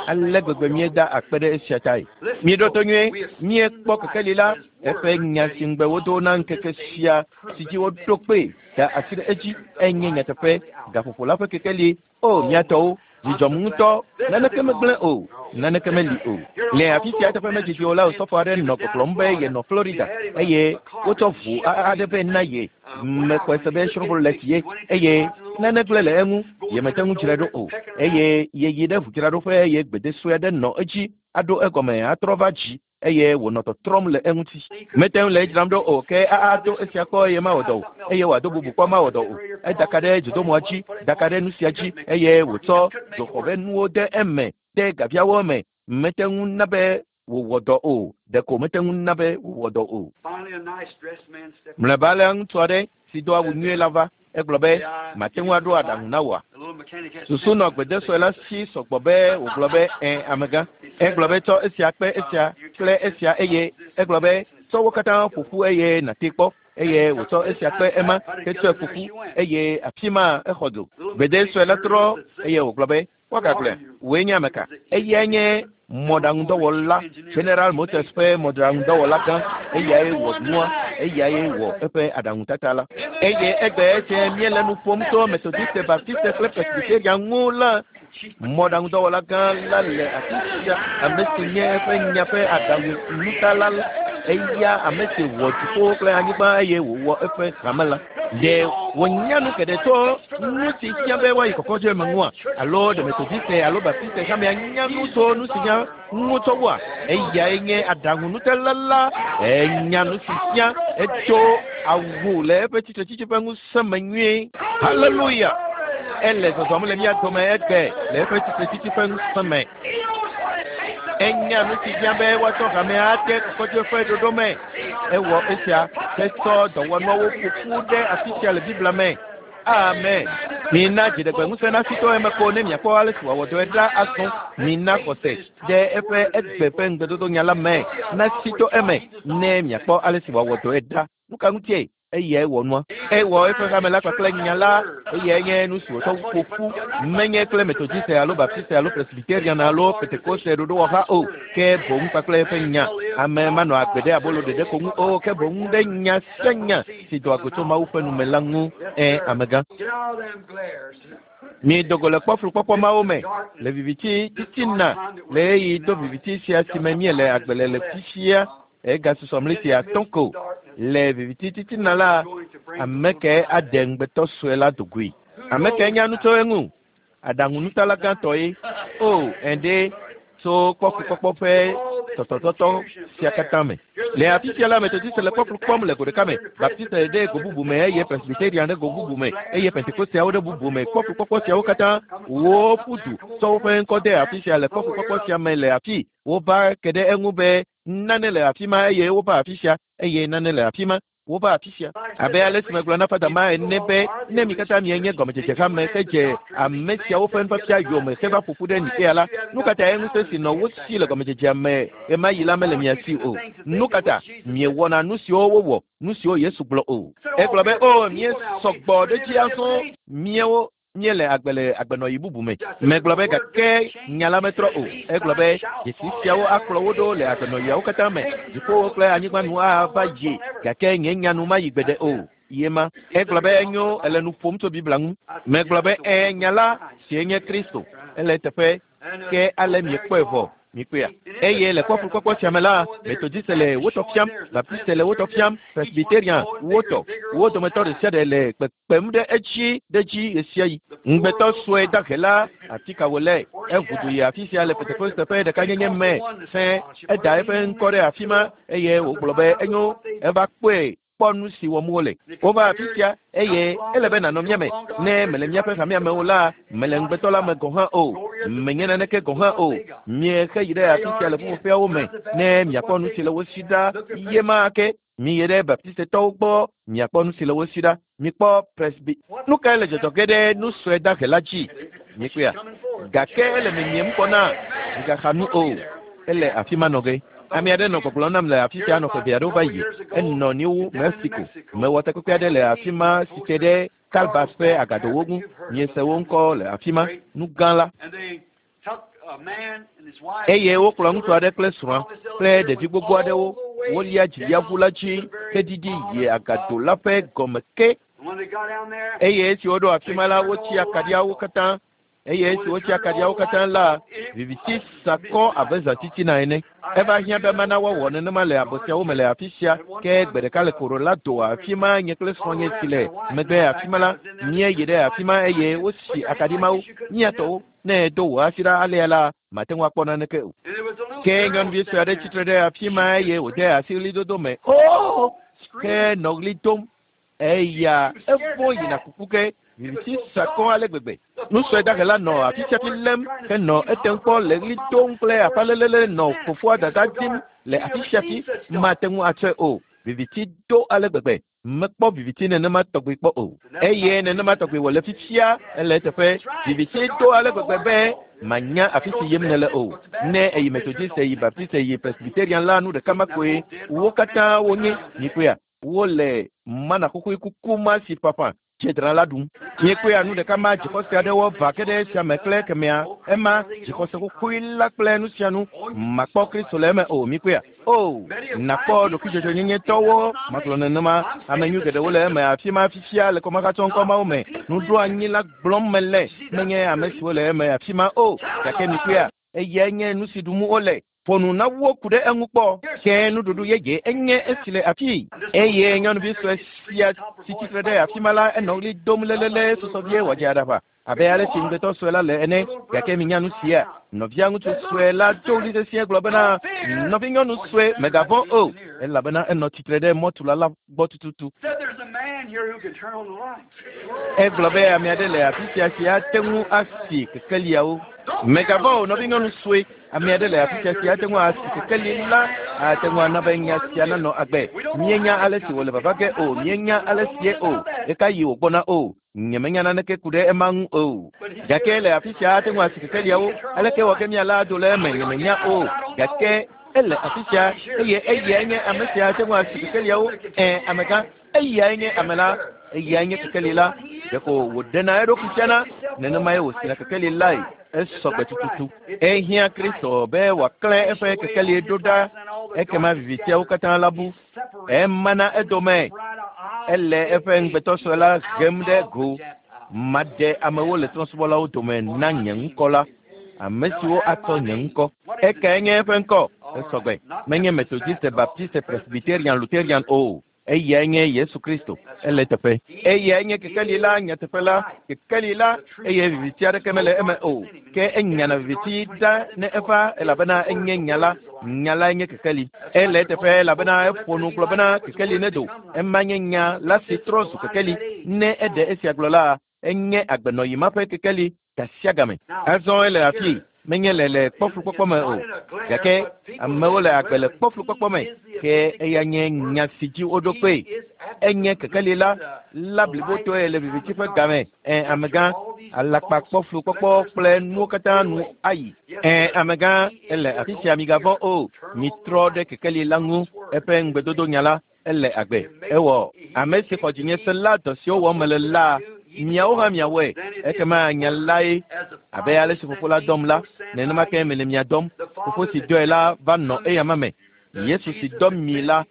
Ale gbegbe míeda akpe ɖe esia tae. Míeɖo to nyuie, míekpɔ kekeli la, eƒe nya si ŋugbe wodo na ŋkeke sia si dzi woɖo kpee da asi ɖe edzi enye nyateƒe. Gaƒoƒo la ƒe kekeli. O míatɔwo, dzidzɔm ŋutɔ. Naneke megblẽ o. Naneke meli o. Le afi sia teƒe medzidzi o la, osɔfo aɖe nɔ gbɔgblɔm be yenɔ Florida eye wotsɔ ʋu aɖe vɛ na ye. Mexɔe se be Chevrolet ye eye nane gblẽ le eŋu yemete ŋu dzrae ɖo o. Eye yeyi ɖe ʋudzraɖoƒe eye gbede sue aɖe nɔ edzi aɖo egɔme atrɔ va dzi eye wònɔ tɔtrɔm le eŋuti. Mete ŋu le edzram ɖo o ke ado esia kpɔ eye mawɔ dɔ o eye wòado bubu kpɔ mawɔ dɔ o. Edaka ɖe dzodomɔa dzi, daka ɖe nu sia dzi eye wòtsɔ dzoxɔ ƒe nuwo de eme, de gaviawo me. Mete ŋu na be wòwɔ dɔ o. Ɖeko mete ŋu na be wòwɔ dɔ o. Mlɔeba la ŋutsu aɖe si do awu nyuie la va. Egblɔ be, mate ŋu aɖo aɖaŋu na wòa? Susu nɔ gbedesɔe la si sɔgbɔ be wògblɔ be, ẽ amegã. Egblɔ be tsɔ esia kpe esia kple esia eye egblɔ be tsɔ wo katã ƒo ƒu eye nàte kpɔ. Eye wòtsɔ esia kpe ema hetsɔe ƒo ƒu eye afi ma exɔ dzo. Gbedesɔe la trɔ eye wògblɔ be, woagagblɔe, wòe nye ame ka? Eyae nye mɔɖaŋudɔwɔla, General Motors ƒe mɔɖaŋudɔwɔla gã. Eyae wɔ nua, eyae wɔ eƒe aɖaŋutata la. Eye egbe esia míele nu ƒom tso Methodiste, Baptiste kple Presbyterian ŋu la, mɔɖaŋudɔwɔla gã la le afi sia, ame si nye eƒe nya ƒe aɖaŋunutala la. Eya ame si wɔ dziƒo kple anyigba eye wòwɔ eƒe hame la. Ɖe wònya nu geɖe tso nu si fia be woayi kɔkɔdze me ŋua? Alo ɖe Methodiste alo Baptiste hamea nya nu tso nu si nya ŋu tsɔ wua? Eyae nye aɖaŋunutala la. Enya nu si fia etso awu le eƒe tsitretsitsi ƒe ŋusẽ me nyuie. Haleluya! Ele zɔzɔm le mía dome egbe le eƒe tsitretsitsi ƒe ŋusẽ me. Enya nu si fia be woatsɔ hamea ade kɔkɔdze ƒe ɖoɖo me. Ewɔ esia hetsɔ dɔwɔnuawo ƒo ƒu ɖe afi sia le Biblia me. Amen. Mina dziɖegbe ŋusẽ nasi to eme ko ne miakpɔ ale si wòawɔ dɔe ɖa azɔ. Mina xɔse ɖe eƒe egbe ƒe ŋugbedodo nya la me nasi to eme ne miakpɔ ale si wòawɔ dɔe ɖa. Nu ka ŋutie? Eyae wɔ nua. Ewɔ eƒe hame la kpakple nya la. Eyae nye nu si wòtsɔ ƒo ƒu. Menye kple Methodiste alo Baptiste alo Presbyterian alo Pentekoste ɖoɖowɔha o, ke boŋ kpakple eƒe nya. Ame manɔ agbe ɖe abolo ɖeɖe ko ŋu o, ke boŋ ɖe nya sia nya si doa go tso Mawu ƒe nume la ŋu. Ẽ, amegã. Miedo go le kpɔflukpɔkpɔ mawo me le viviti titina le ɣeyiɣi do viviti sia si me míele agbe le le fifia. Egasusɔ mleti atɔ̃ ko le viviti titina la, ame ke ade ŋugbetɔ sue la dogoe. Ame kae nya nu tso eŋu? Aɖaŋunutala gãtɔ ye. O, ɛɖe tso kpɔkpɔkpɔ ƒe tɔtɔtɔtɔ sia katã me. Le afi sia la, Methodiste le kpɔkplɔ kpɔm le go ɖeka me, Baptiste ɖe go bubu me eye Presbyterian ɖe go bubu me eye Pentekosteawo ɖe bubu me. Kpɔkplɔkpɔkpɔ siawo katã woƒu du tsɔ woƒe ŋkɔ de afi sia le kpɔkplɔkpɔkpɔ sia me le afi. Wova ke ɖe eŋu be nane le afi ma eye wova afi sia eye nane le afi ma. Wova afi sia. Abe ale si megblɔ na Fada ma ene be ne mi katã mienye gɔmedzedze hame hedze ame siawo ƒe nufiafia yome heva ƒo ƒu ɖe Nikea la, nu ka tae ŋusẽ si nɔ wo si le gɔmedzedzea me ɣemaɣi la mele mia si o? Nu ka ta miewɔna nu siwo wowɔ, nu siwo Yesu gblɔ o? Egblɔ be, o, míesɔ gbɔ ɖe edzi azɔ, míawo míele agbe le agbenɔɣi bubu me. Megblɔ be gake nya la metrɔ o. Egblɔ be dzesi siawo akplɔ wo ɖo le agbenɔɣiawo katã me. Dziƒowo kple anyigba nu ava yi gake nye nya nu mayi gbeɖe o. Ye ma. Egblɔ be enyo ele nu ƒom tso Biblia ŋu. Megblɔ be ẽ nya la sie nye Kristo. Ele teƒe ke ale miekpɔe vɔ. Mikpɔea. Eye le kpɔkplɔkpɔkpɔ sia me la, Methodiste le wo tɔ fiam, Baptiste le wo tɔ fiam, Presbyterian wo tɔ. Wo dometɔ ɖe sia ɖe le kpekpem ɖe edzi ɖe edzi ɣesiaɣi. Ŋugbetɔ sue dahe la, afi ka wòle? Eʋu du yi afi sia le Pentekoste ƒe ɖekanyenye me. Fẽ, eda eƒe ŋkɔ ɖe afi ma eye wògblɔ be enyo, eva kpɔe kpɔ nu si wɔm wole. Wova afi sia eye ele be nànɔ mía me. Ne mele míaƒe hamea me o la, mele ŋugbetɔ la me gɔ̃ hã o. Menye naneke gɔ̃ hã o. Miexe yi ɖe afi sia le ƒuƒoƒeawo me ne miakpɔ nu si le wo si ɖa ye ma ke. Miyi ɖe Baptistetɔwo gbɔ miakpɔ nu si le wo si ɖa. Mikpɔ Presby. Nu kae le dzɔdzɔ ge ɖe nu sue dahe la dzi? Mikpɔea? Gake ele miemiem gbɔna. Migaxa nu o. Ele afi ma nɔ ge. Ame aɖe nɔ gbɔgblɔm nam le afi sia nɔ ƒe eve aɖewo va yi. Enɔ New Mexico. Mewɔ takpekpe aɖe le afi ma si te ɖe Calabas ƒe agadowo ŋu. Miese wo ŋkɔ le afi ma. Nu gã la. Eye wokplɔ ŋutsu aɖe kple srɔ̃a kple ɖevi gbogbo aɖewo. Wolia dziliaʋu la dzi heɖiɖi yi agado la ƒe gɔme ke. Eye esi woɖo afi ma la, wotsi akaɖiawo katã. Eye esi wotsi akaɖiawo katã la, viviti sakɔ abe zãtitina ene. Eva hiã be mana woawɔ nenema le abɔ siawo me le afi sia. Ke gbe ɖeka le Colorado afi ma nye kple srɔ̃nye si le megbe afi ma la, míeyi ɖe afi ma eye wosi akaɖi mawo. Míatɔwo, ne edo wò asi ɖa alea la, mate ŋu akpɔ naneke o. Ke nyɔnuvi sue aɖe tsitre ɖe afi ma eye wòde asi ɣlidodo me. O! Ke nɔ ɣli dom. Eya evɔ̃ yina kuku ke viviti sakɔ ale gbegbe. Nu sue dahe la nɔ afi sia fi lém henɔ etem kpɔ le ɣli dom kple aƒalelele nɔ fofoa dada dim le afi sia fi mate ŋu atsɔe o. Viviti do ale gbegbe. Mekpɔ viviti nenema tɔgbi kpɔ o. Eye nenema tɔgbi wòle fifia ele eteƒe. Viviti do ale gbegbe be manya afi si yim nele o. Ne eyi Methodiste, eyi Baptiste, eyi Presbyterian la, nu ɖeka ma koe wo katã wonye. Mikpɔea? Wole mana xoxoe kuku ma si ƒaƒã dzedra la ɖum. Miekpɔea nu ɖeka ma dzixɔse aɖewo va ke ɖe esia me kple kemea. Ema dzixɔse xoxoe la kple nu sia nu. Makpɔ Kristo le eme o. Mikpɔea? O, nakpɔ ɖokuidzɔdzɔnyenyetɔwo magblɔ nenema. Ame nyui geɖewo le eme afi ma fifia le kɔmahatsɔŋkɔ mawo me. Nuɖoanyi la gblɔm mele. Menye ame siwo le eme afi ma o. Gake mikpɔea? Eyae nye nu si ɖum wole. Ƒo nu na wo ku ɖe eŋu kpɔ. Ke nuɖuɖu yeye enye esi le afii. Eye nyɔnuvi sue sia si tsitre ɖe afi ma la, enɔ ɣli dom lelele susɔ vie wòadze aɖaʋa abe ale si ŋugbetɔ sue la le ene. Gake minya nu sia. Nɔvia ŋutsu sue la do ɣli sesĩe gblɔ bena, nɔvinyɔnu sue, mègavɔ̃ o, elabena enɔ tsitre ɖe mɔtula la gbɔ tututu. Egblɔ be ame aɖe le afi sia si ate ŋu asi kekeliawo. Mègavɔ̃ o, nɔvinyɔnu sue. Ame aɖe le afi sia si ate ŋu asi kekeli la, ate ŋu ana be nya sia nanɔ agbe. Míenya ale si wòle vava ge o, míenya ale sie o, ɣekaɣi wògbɔna o. Nyemenya naneke ku ɖe ema ŋu o. Gake le afi sia ate ŋu asi kekeliawo. Aleke wɔ ke míala ado le eme? Nyemenya o. Gake ele afi sia eye eyae nye ame sia ate ŋu asi kekeliawo. Ẽ, amegã, eyae nye ame la. Eyae nye kekeli la. Ɖeko wòɖena eɖokui fiana, nenemae wòsina kekeli lae. Esɔ gbe tututu. Ehiã Kristo be wòaklẽ eƒe kekeli ɖo ɖa. Ekema vivitiawo katã la bu. Emana edome. Ele eƒe ŋugbetɔ sue la hem ɖe go. Maɖe amewo le trɔ̃subɔlawo dome na nye ŋkɔ la. Ame siwo atsɔ nye ŋkɔ. Ekae nye eƒe ŋkɔ? Esɔ gbe. Menye Methodiste, Baptiste, Presbyterian, Lutherian o. Eyae nye Yesu Kristo. Ele teƒe. Eyae nye kekeli la, nyateƒe la, kekeli la, eye viviti aɖeke mele eme o. Ke enyana viviti ɖa ne eva elabena enye nya la. Nya lae nye kekeli. Ele teƒe elabena eƒo nu gblɔ bena kekeli nedo. Ema nye nya la si trɔ zu kekeli. Ne eɖe esia gblɔ la, enye agbenɔyi ma ƒe kekeli gasiagame. Azɔ ele afi. Menye le le kpɔflukpɔkpɔ me o. Gake amewo le agbe le kpɔflukpɔkpɔ me. Ke eya nye nya si dzi woɖo kpee. Enye kekeli la la blibotɔe le viviti ƒe game. Ẽ amegã, alakpa kpɔflukpɔkpɔ kple nuwo katã nu ayi. Ẽ amegã, ele afi sia migavɔ̃ o. Mitrɔ ɖe kekeli la ŋu. Eƒe ŋugbedodo nya la ele agbe. Ewɔ ame si xɔ dzinye se la dɔ siwo wɔm mele la, miawo hã miawɔe. Ekema nya lae abe ale si fofo la dɔm la, nenema ke mele mia dɔm. Fofo si dɔe la va nɔ eyama me. Yesu si dɔ mi la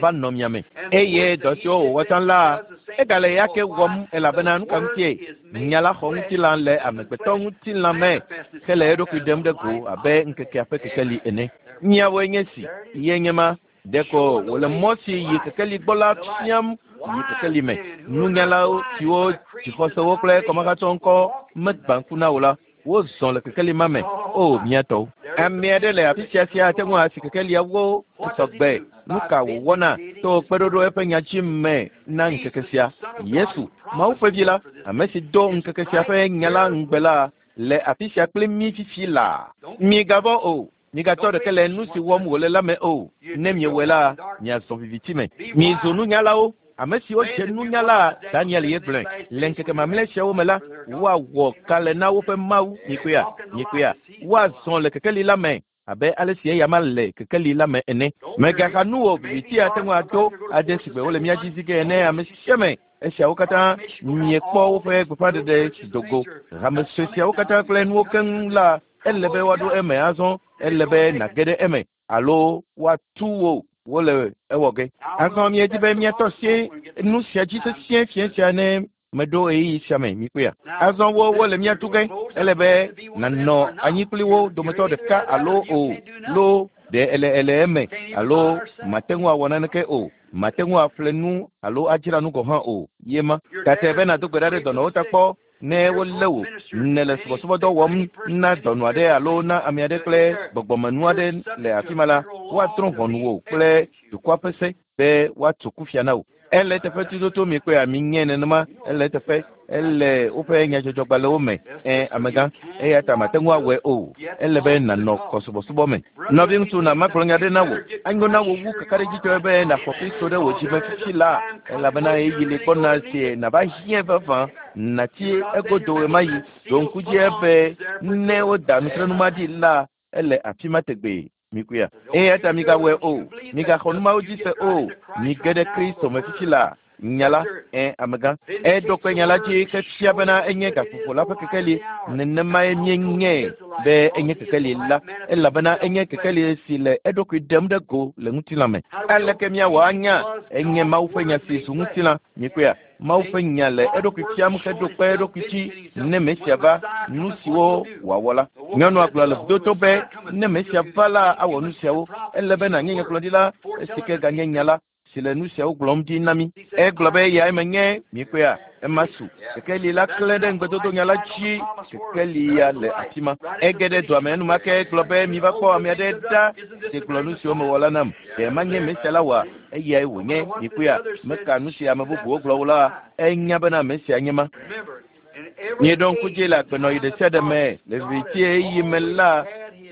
va nɔ mia me. Eye dɔ siwo wòwɔ tsã la, egale ya ke wɔm elabena nu ka ŋutie? Nya la xɔ ŋutilã le amegbetɔ ŋutilã me hele eɖokui ɖem ɖe go abe ŋkekea ƒe kekeli ene. Miawoe nye si, ye nye ma. Ɖeko wòle mɔ si yi kekeli gbɔ la fiam yi kekeli me. Nunyalawo siwo dzixɔsewo kple kɔmahatsɔ ŋkɔ megbã ŋku na wo la, wozɔ le kekeli ma me. O mía tɔwo. Ame aɖe le afi sia sia ate ŋu asi kekeliawo sɔgbe. Nu ka wòwɔna to kpeɖoɖo eƒe nya dzi me na ŋkeke sia? Yesu, Mawu ƒe vi la, ame si do ŋkeke sia ƒe nya la ŋugbe la, le afi sia kpli mí fifi laa. Migavɔ̃ o. Migatsɔ ɖeke le nu si wɔm wòle la me o. Ne miewɔe la, miazɔ viviti me. Mizu nunyalawo. Ame siwo dze nunyala, Daniel ye gblɔe. Le ŋkeke mamlɛ siawo me la, woawɔ kalẽ na woƒe Mawu. Mikpɔea? Mikpɔea? Woazɔ le kekeli la me abe ale si eyama le kekeli la me ene. Mègaxa nu o, viviti ate ŋu ado ade sigbe wole mía dzi zi ge ene. Ame sia ame esiawo katã miekpɔ woƒe gbeƒãɖeɖe si do go. Hame sue siawo katã kple nuwo keŋ la, ele be woaɖo eme azɔ. Ele be nàge ɖe eme alo woatu wò wole ewɔ ge. Azɔ miedi be miatɔ asi nu sia dzi sesĩe fiẽ sia ne meɖo ɣeyiɣi sia me. Mikpɔea? Azɔ wo wole mía tu ge. Ele be nànɔ anyi kpli wo dometɔ ɖeka alo o. Lo ɖe ele ele eme alo mate ŋu awɔ naneke o. Mate ŋu aƒle nu alo adzra nu gɔ̃ hã o. Ye ma. Gake be nàdo gbe ɖa ɖe dɔnɔwo ta kpɔ ne wolé wò nèle subɔsubɔdɔ wɔm na dɔnɔ aɖe alo na ame aɖe kple gbɔgbɔmenu aɖe le afi ma la, woadrɔ̃ ʋɔnu wò kple dukɔa ƒe se be woatu kufia na wò. Ele teƒe tututu mikpɔea? Minyɛ nenema. Ele teƒe. Ele woƒe nyadzɔdzɔgbalẽwo me. Ẽ amegã, eya ta mate ŋu awɔe o. Ele be nànɔ kɔsubɔsubɔ me. Nɔviŋutsu, na magblɔ nya ɖe na wò. Anyo na wò wu kakaɖedzitɔe be nàxɔ Kristo ɖe wò dzime fifi la, elabena ɣeyiɣi li gbɔna si nàva hiãe vavã. Nàtsi egodo ɣemaɣi. Ɖo ŋku dzi be ne woda nutrenu ma ɖi la, ele afi ma tegbee. Mikpɔea? Eya ta migawɔe o. Migaxɔ nu mawo dzi se o. Mige ɖe Kristo me fifi la. Nya la, ẽ amegã. Eɖo kpe nya la dzi ke fia bena enye gaƒoƒo la ƒe kekeli. Nenemae míenyae be enye kekeli la, elabena enye kekeli si le eɖokui ɖem ɖe go le ŋutilã me. Aleke míawɔ anya? Enye Mawu ƒe nya si zu ŋutilã. Mikpɔea? Mawu ƒe nya le eɖokui fiam heɖo kpe eɖokui dzi ne Mesia va, nu siwo wòawɔ la. Nyɔnua gblɔ le vudoto be ne Mesia va la, awɔ nu siawo. Ele be nànye nyagblɔɖila esi ke ganye nya la si le nu siawo gblɔm ɖi na mí. Egblɔ be eyae menye. Mikpɔea? Ema su. Kekeli la klẽ ɖe ŋugbedodo nya la dzi. Kekeli ya le afi ma. Ege ɖe dua me enumake gblɔ be miva kpɔ ame aɖe ɖa si gblɔ nu siwo mewɔ la nam. Ɖe manye Mesia la oa? Eyae wònye. Mikpɔea? Meka nu si ame bubuwo gblɔ o la, enya bena Mesia nye ma. Mieɖo ŋku dzi le agbenɔɣi ɖe sia ɖe me le viviti ɣeyiɣi me la,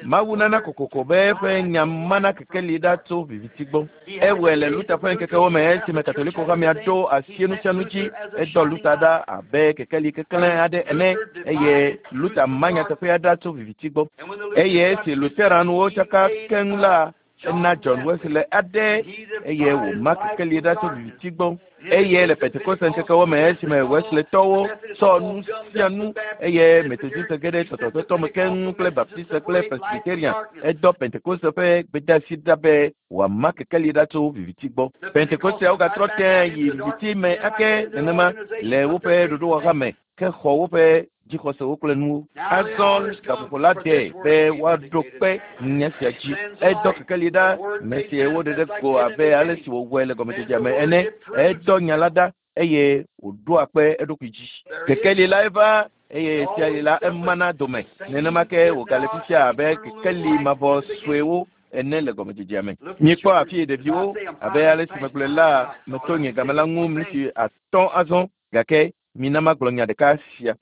Mawu nana kokoko be eƒe nya mana kekeli ɖa tso viviti gbɔ. Ewɔe le Luther ƒe ŋkekewo me esime Katoliko hamea ɖo asi nu sia nu dzi. Edɔ Luther ɖa abe kekeli keklẽ aɖe ene eye Luther ma nyateƒea ɖa tso viviti gbɔ. Eye esi Lutheranwo tsaka keŋ la, ena John Wesley aɖe eye wòma kekeli ɖa tso viviti gbɔ. Eye le Pentekoste ŋkekewo me esime Wesleytɔwo tsɔ nu sia nu eye Methodiste ge ɖe tɔtɔtɔtɔ me keŋ kple Baptiste kple Presbyterian, edɔ Pentekoste ƒe gbedeasi ɖa be wòama kekeli ɖa tso viviti gbɔ. Pentekosteawo gatrɔ tẽ yi viviti me ake nenema le woƒe ɖoɖowɔha me ke xɔ woƒe dzixɔsewo kple nuwo. Azɔ gaƒoƒo la de be woaɖo kpe nya sia dzi. Edɔ kekeli ɖa me si woɖe ɖe go abe ale si wòwɔe le gɔmedzedzea me ene. Edɔ nya la ɖa eye wòɖoa kpe eɖokui dzi. Kekeli la eva eye sia la emana dome. Nenema ke wògale fifia abe kekeli mavɔ suewo ene le gɔmedzedzea me. Míekpɔ afi ɖeviwo abe ale si megblɔe la meto nye game la ŋu miniti atɔ̃ azɔ gake mina magblɔ nya ɖeka sia.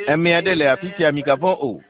Ame aɖe le afi sia migavɔ̃ o.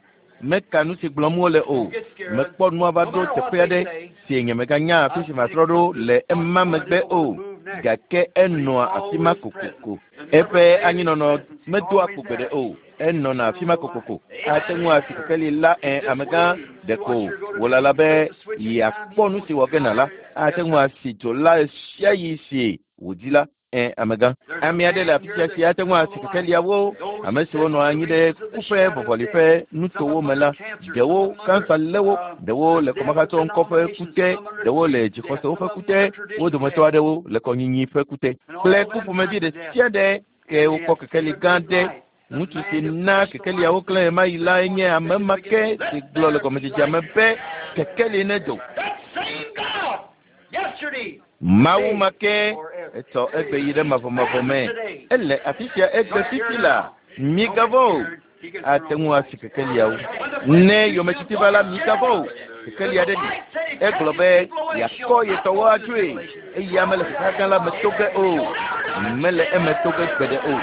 Meka nu si gblɔm wole o. Mekpɔ nua va ɖo teƒe aɖe si nye meganya afi si matrɔ ɖo le ema megbe o. Gake enɔa afi ma kokoko. Eƒe anyinɔnɔ medoa kpo gbeɖe o. Enɔna afi ma kokoko. Ate ŋu asi kekeli la ẽ amegã ɖeko wòlala be yeakpɔ nu si wɔ ge na la. Ate ŋu asi dzo la ɣe sia ɣi si wòdi la. Ẽ amegã. Ame aɖe le afi sia si ate ŋu asi kekeliawo. Ame siwo nɔ anyi ɖe ku ƒe vɔvɔli ƒe nutowo me la, ɖewo kansa lé wo, ɖewo le kɔmahatsɔ ŋkɔ ƒe ku te, ɖewo le dzixɔsewo ƒe ku te, wo dometɔ aɖewo le kɔnyinyi ƒe ku te. Kple ku ƒomevi ɖe sia ɖe ke wokpɔ kekeli gã ɖe. Ŋutsu si na kekeliawo klẽ ɣemaɣi lae nye ame ma ke si gblɔ le gɔmedzedzea me be kekeli nedo. Mawu ma ke etsɔ egbe yi ɖe mavɔmavɔ me. Ele afi sia egbe fifi la. Migavɔ̃ o. Ate ŋu asi kekeliawo. Ne yometiti va la, migavɔ̃ o. Kekeli aɖe li. Egblɔ be yeakɔ ye tɔwo adzoe eye ame le xexa gã la me to ge o. Mele eme to ge gbeɖe o.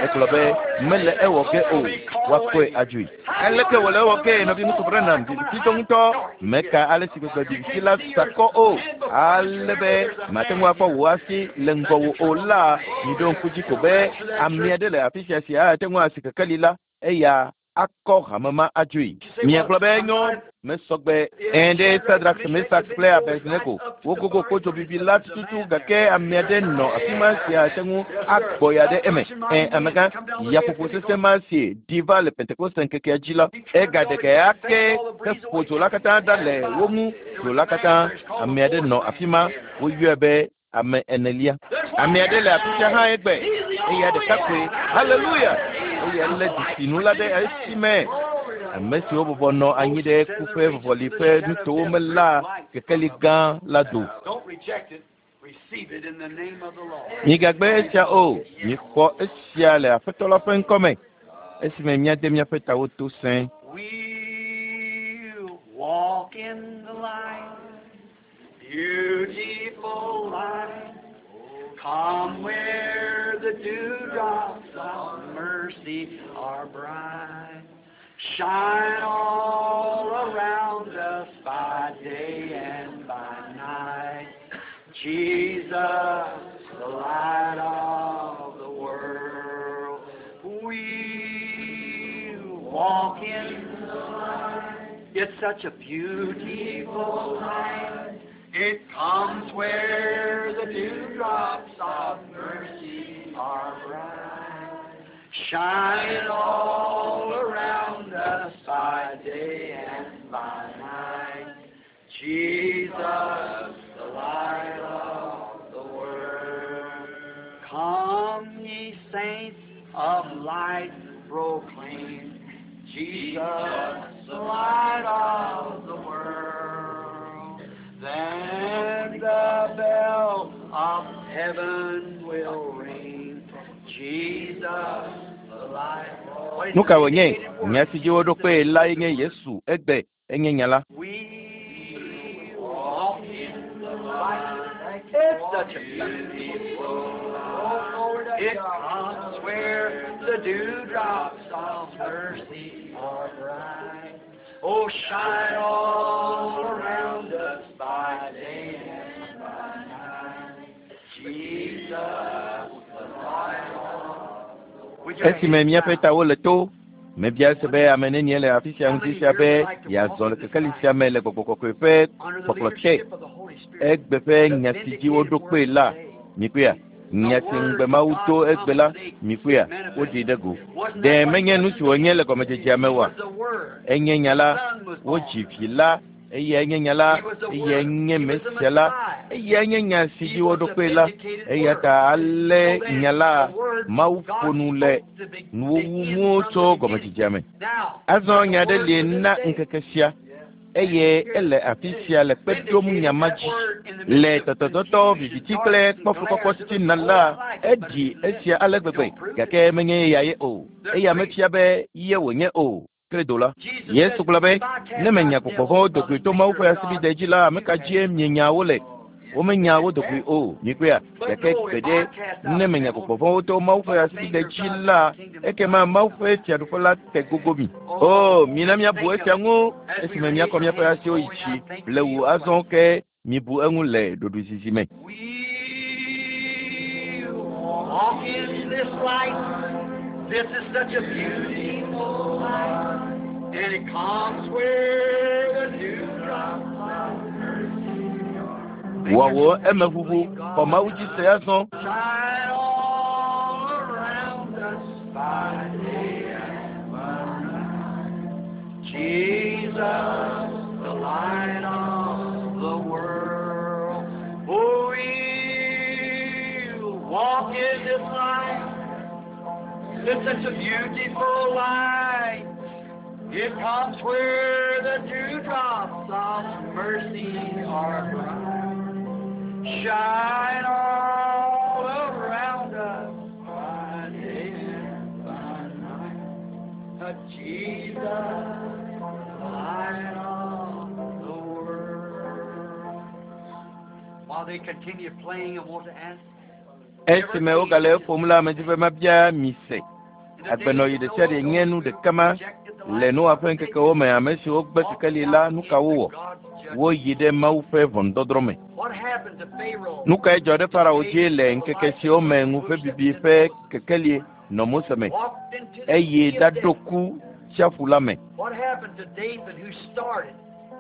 Egblɔ be mele ewɔ ge o. Woakɔe adzoe. Aleke wòle ewɔ ge nɔvi ŋutsu Branham vivititɔ ŋutɔ meka ale si gbegbe viviti la sakɔ o. Ale be mate ŋu akpɔ wò asi le ŋgɔwò o la, miɖo ŋku dzi ko be ame aɖe le afi sia si ate ŋu asi kekeli la eya akɔ hame ma adzoe. Miagblɔ be enyo mesɔgbe ẽ ɖe Sadrak, Mesak kple Abednego wogogo kpodzo bibi la tututu gake ame aɖe nɔ afi ma si ate ŋu agbɔ ya ɖe eme. Ẽ amegã yaƒoƒo sesẽ ma si ɖi va le Pentekoste ŋkekea dzi la, egaɖe ge ake heƒo dzo la katã ɖa le wo ŋu. Dzo la katã ame aɖe nɔ afi ma woyɔe be ame enelia. Ame aɖe le afi sia hã egbe eya ɖeka koe. Haleluya! Eya lé dzesinu la ɖe esi me. Ame siwo bɔbɔ nɔ anyi ɖe ku ƒe vɔvɔli ƒe nutowo me la kekeli gã la do. Don't reject it. Receive it in the name of the Lord. Migagbe esia o. Mixɔ esia le Aƒetɔ la ƒe ŋkɔme. Esime míade míaƒe tawo to sẽe. We walk in the light, beautiful light. Come where the dewdrops of mercy are bright. Shine all around us by day and by night. Jesus, the light of the world. We walk in the light. It's such a beautiful light. It comes where the dewdrops of mercy are bright. Shine all around us by day and by night. Jesus, the light of the world. Come, ye saints of light, proclaim Jesus, the light of the world. Then the bell of heaven will ring. Jesus, the light. Nu ka wònye? Nya si dzi woɖo kpee lae nye Yesu egbe enye nya la. We walk in the light. It's such a beautiful light. It comes where the dewdrops of mercy are bright. Oh, shine all around us by day and by night. Jesus, the light of the world. Esime míaƒe tawo le to, mebia se be ame nenie le afi sia ŋuti sia be yeazɔ le kekeli sia me le gbɔgbɔ kɔkɔe ƒe Under the kpɔkplɔ te. leadership of the Holy Spirit. Egbe ƒe nya si dzi woɖo kpee la, mikpɔea? Nya si ŋugbe Mawu to egbe la, mikpɔea? Woɖee ɖe go. Ɖe menye nu si wònye le gɔmedzedzea me oa? Enye nya la, wodzi vi la, eyae nye nya la, eyae nye Mesia la, Eya nye nya si dzi woɖo kpe la. Eya ta ale nya la Mawu ƒo nu le nuwuwuwo tso gɔmedzedzea me. Azɔ nya aɖe li na ŋkeke sia eye ele afi sia le kpe ɖom nya ma dzi. Le tɔtɔtɔtɔ viviti kple kpɔfukɔkɔ titina la, eɖi esia ale gbegbe gake menye eya ye o. Eya mefia be ye wònye o. Credo la. Yesu gblɔ be ne menya gbɔgbɔ vɔ̃wo do goe to Mawu ƒe asibide dzi la, ame ka dzie mienya wo le? Womenya wo do goe o. Mikpɔea? Gake gbeɖe ne menya gbɔgbɔ vɔ̃wo to Mawu ƒe asibide dzi la, ekema Mawu ƒe fiaɖuƒe la te gogo mi. O, mina míabu esia ŋu esime míakɔ míaƒe asiwo yi dzi blewu azɔ ke mibu eŋu le ɖoɖoezizi me. We walk in this light. This is such a beautiful light, and it comes where the dewdrops of mercy are. Wɔ wò emeʋuʋu xɔ Mawu dzi se azɔ. Shine all around us by day and by night. Jesus, the light of the world. Oh, we'll walk in this light. It's such a beautiful light. It comes where the dewdrops of mercy are bright. Shine all around us by day and by night. Uh, Jesus, the light of the world. While they continue playing, I want to ask. Esime wogale eƒom la, medi be mabia mi se. Agbenɔɣi ɖe sia ɖe nye nu ɖeka ma le Noa ƒe ŋkekewo me. Ame siwo gbe kekeli la, nu ka wowɔ? Woyi ɖe Mawu ƒe ʋɔnudɔdrɔ̃ me. What happened to Pharaoh? Nu kae dzɔ ɖe Farao dzi le ŋkeke siwo me ŋuƒebibi ƒe kekeli nɔ Mose me Walked into the eye sea of ɖaɖo death. ku tsiaƒu la me? What happened to Dathan who started?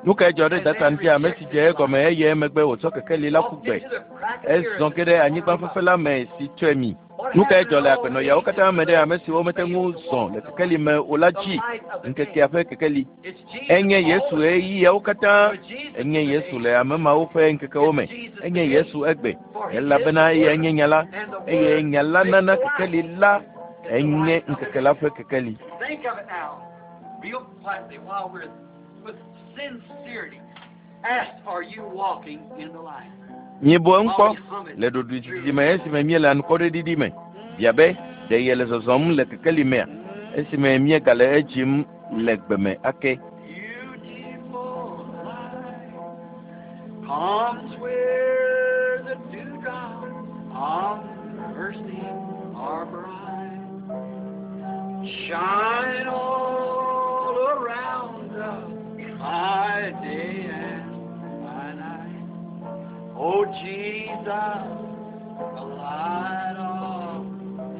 Nu kae dzɔ ɖe Datan dzi ame si dze egɔme eye emegbe wòtsɔ kekeli la ƒu Walked gbe? into the crack of the Ezɔ earth ge ɖe anyigba fefe la me si tsɔe mi. Nu kae dzɔ le agbenɔyawo katã me ɖe ame siwo mete ŋu zɔ le kekeli me o la dzi? Ŋkekea ƒe kekeli. It's Jesus Enye Yesu always. ɣeyiɣiawo katã. But Jesus Enye Yesu today. le ame mawo ƒe ŋkekewo me. Enye Yesu egbe. Elabena eyae nye nya la eye nya la nana kekeli la enye ŋkeke la ƒe kekeli. Think of it now, real quietly, while we're with sincerity. Ask, are you walking in the light? Mibu eŋu kpɔ le ɖoɖoezizi me esime míele anukwareɖiɖi me. Bia be ɖe yele zɔzɔm le kekeli mea esime míegale edzim le gbeme ake. Beautiful light comes where the dewdrops of mercy are bright. Shine all around us by day and by night. Oh Jesus, the light of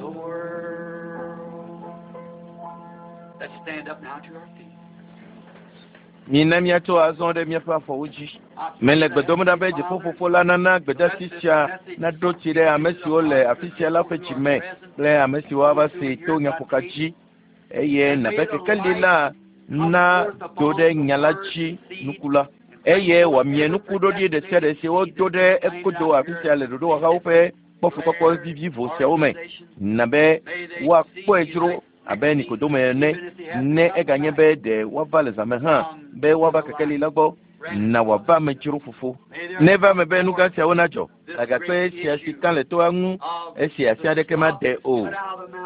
the world. Let's stand up now to our feet. Mina míatso azɔ ɖe míaƒe afɔwo dzi. Mele gbe dom ɖa be dziƒofofo la nana gbedeasi sia naɖo tsi ɖe ame siwo le afi sia la ƒe dzi me kple ame siwo ava see to nyaƒoka dzi eye nabe kekeli la na do ɖe nya la dzi nuku la eye wòamie nukuɖoɖi ɖe sia ɖe si wodo ɖe ekodo afi sia le ɖoɖowɔhawo ƒe kpɔfukpɔkpɔ vivivo siawo me na be woakpɔe dzro abe Nikodemo ene ne eganye be ɖe woava le zãme hã be woava kekeli la gbɔ na wòava ame dzro fofo. Neva eme be nu gã siawo nadzɔ agakpe sia si ka le toa ŋu esi asi aɖeke made o.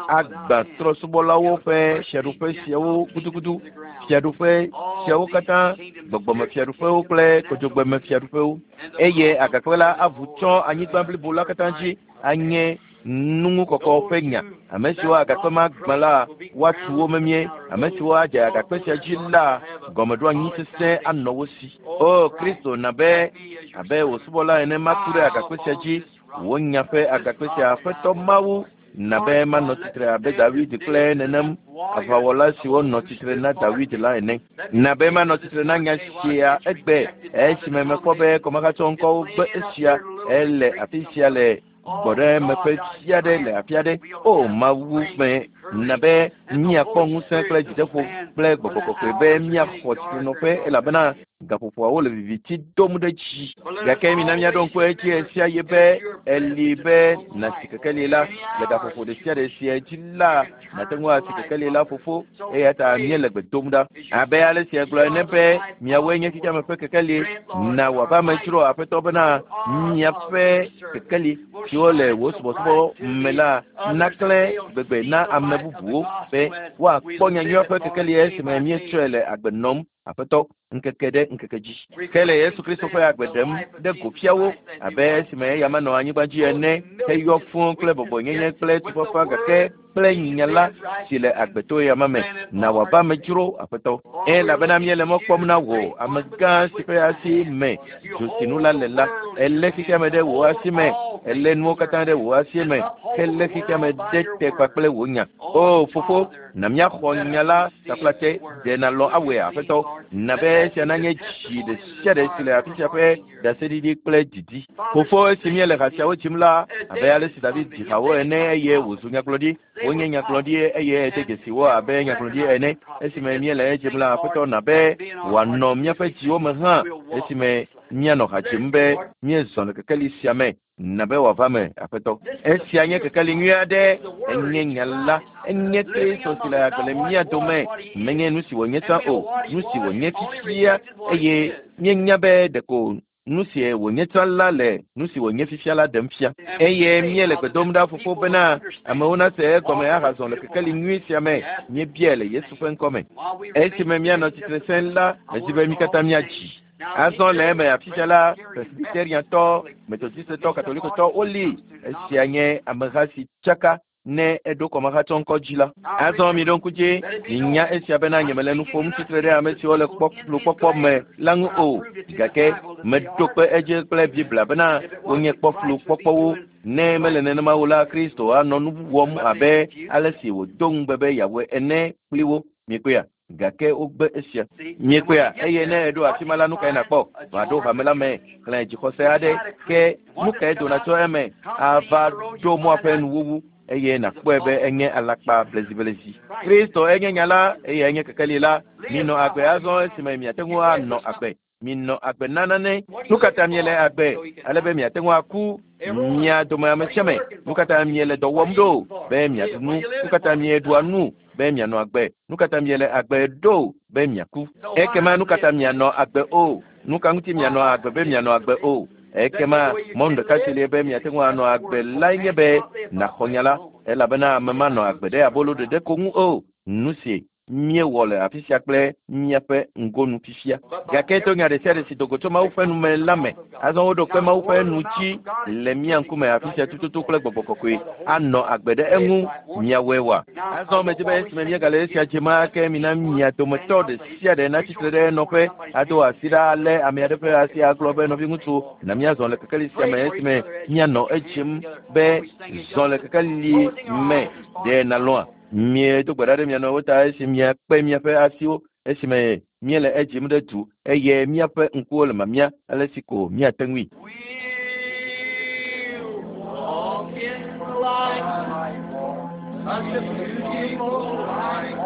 Agbã trɔ̃subɔlawo ƒe fiaɖuƒe siawo gudugudu, fiaɖuƒe siawo katã, gbɔgbɔmefiaɖuƒewo kple kodzogbemfiaɖuƒewo eye agakpe la avu tsɔ anyigba blibo la katã dzi anye nuŋukɔkɔ ƒe nya. Ame siwo agakpe ma gbã la, woatu wo memie. Ame siwo adze agakpe sia dzi la, gɔmeɖoanyi sesẽ anɔ wo si. O Kristo, na be abe wò subɔla ene maku ɖe agakpe sia dzi, wò nya ƒe agakpe sia Aƒetɔ Mawu, na be manɔ tsitre abe David kple nenem aʋawɔla siwo nɔ tsitre na David la ene. Na be manɔ tsitre na nya sia egbe esime mekpɔ be kɔmakatsɔŋkɔwo gbe esia ele afi sia le gbɔɖemeƒe fia ɖe le afi aɖe. O Mawu me Na be míakpɔ ŋusẽ kple dzideƒo kple gbɔgbɔ kɔkɔe be míaxɔ tsitrenɔƒe elabena gaƒoƒoawo le viviti dom ɖe dzi. Gake mina míaɖo ŋku edzi ɣe sia ɣi be eli be nàsi kekeli la le gaƒoƒo ɖe sia ɖe sia dzi la nàte ŋu asi kekeli la fofo eya ta míele gbe dom ɖa. Abe ale si egblɔ ene be miawoe nye xexeame ƒe kekeli na wòava eme dzro Aƒetɔ bena miaƒe kekeli siwo le wò subɔsubɔ me la naklẽ gbegbe na ame bubuwo be woakpɔ nyanyuia ƒe kekeli esime míetsɔe le agbe nɔm Aƒetɔ ŋkeke ɖe ŋkeke dzi. Ke le Yesu Kristo ƒe agbe ɖem ɖe go fia wo abe esime eya menɔ anyigba dzi ene heyɔ fũu kple bɔbɔnyenye kple tufafa gake kple nya la si le agbe to eya me na wòava eme dzro Aƒetɔ. Elabena míele mɔ kpɔm na wò amegã si ƒe asi me dzosinu la le la elé xexeame ɖe wò asi me elé nuwo katã ɖe wò asi me helé xexeame ɖe te kpakple wò nya. O fofo na míaxɔ nya la taflatse ɖe nàlɔ̃ awɔe Aƒetɔ na be esia nanye dzi ɖe sia ɖe si le afi sia ƒe ɖaseɖiɖi kple didi. Fofo esi míele ha siawo dzim la abe ale si David dzi hawo ene eye wòzu nyagblɔɖi wonye nyagblɔɖi eye ede dzesi wo abe nyagblɔɖi ene esime míele edzim la Aƒetɔ na be wòanɔ míaƒe dziwo me hã esime míanɔ ha dzim be míezɔ le kekeli sia me na be wòava me Aƒetɔ. Esia nye kekeli nyui aɖe enye nya la enye Kristo si le agbe le mía dome menye nu si wònye tsã o nu si wònye fifia eye míenya be ɖeko nu si wònye tsã la le nu si wònye fifia la ɖem fia eye míele gbe dom ɖa fofo bena amewo nase egɔme ahazɔ le kekeli nyui sia me míebiae le Yesu ƒe ŋkɔme. Esime míanɔ tsitre sẽ la medi be mí katã míadzi. Azɔ le eme afi sia la presbyteriantɔ, metodistetɔ, katolikotɔ woli esia nye ameha si tsaka ne eɖo kɔmahatsɔŋkɔ dzi la. Azɔ miɖo ŋku dzi minya esia bena nyemele nu ƒom tsitre ɖe ame siwo le kpɔflukpɔkpɔ me la ŋu o gake meɖo kpe edzi kple Biblia bena wonye kpɔflukpɔkpɔwo. Ne mele nenema o la Kristo anɔ nu wɔm abe ale si wòdo ŋugbe be yeawɔe ene kpli wo. Miekpɔea? Gake wogbe esia. Miekpɔea? Eye ne eɖo afi ma la nu kae nàkpɔ? Va ɖo hame la me xlẽ dzixɔse aɖe ke nu kae dona tso eme ava ɖo mɔa ƒe nuwuwu eye nàkpɔe be enye alakpa bleziblezi. Kristo enye nya la eye enye kekeli la. Minɔ agbe azɔ esime miate ŋu anɔ agbe. Minɔ agbe na nane. Nu ka ta miele agbe ale be miate ŋu aku mia dome ame sia ame? Nu ka ta miele dɔ wɔm ɖo be miaɖu nu? Nu ka ta mieɖua nu be mianɔ agbe? Nu ka ta miele agbe ɖo be miaku? Ekema nu ka ta mianɔ agbe o? Nu ka ŋuti mianɔ agbe be mianɔ agbe o? Ekema mɔnu ɖeka si li be miate ŋu anɔ agbe lae nye be nàxɔ nya la elabena ame manɔ agbe ɖe abolo ɖeɖe ko ŋu o. Nu si míewɔ le afi sia kple míaƒe ŋgonu fifia. Gake to nya ɖe sia ɖe si do go tso Mawu ƒe nu me la me. Azɔ woɖo kpe Mawu ƒe nu dzi le mía ŋkume afi sia tututu kple gbɔgbɔ kɔkɔe anɔ agbe ɖe eŋu miawɔe wa. Azɔ medi be esime míegale esia dzem ake mina mia dometɔ ɖe sia ɖe natsitre ɖe enɔƒe ado asi ɖa alé ame aɖe ƒe asi agblɔ be nɔviŋutsu na míazɔ le kekeli sia me esime míanɔ edzim be zɔ le kekeli me ɖe nàlɔ̃a? Miedo gbe ɖa ɖe mia nɔewo ta esi miakpe miaƒe asiwo esime míele edzim ɖe du eye míaƒe ŋkuwo le mamia ale si ko míate ŋui. We walk in the light, such a beautiful light.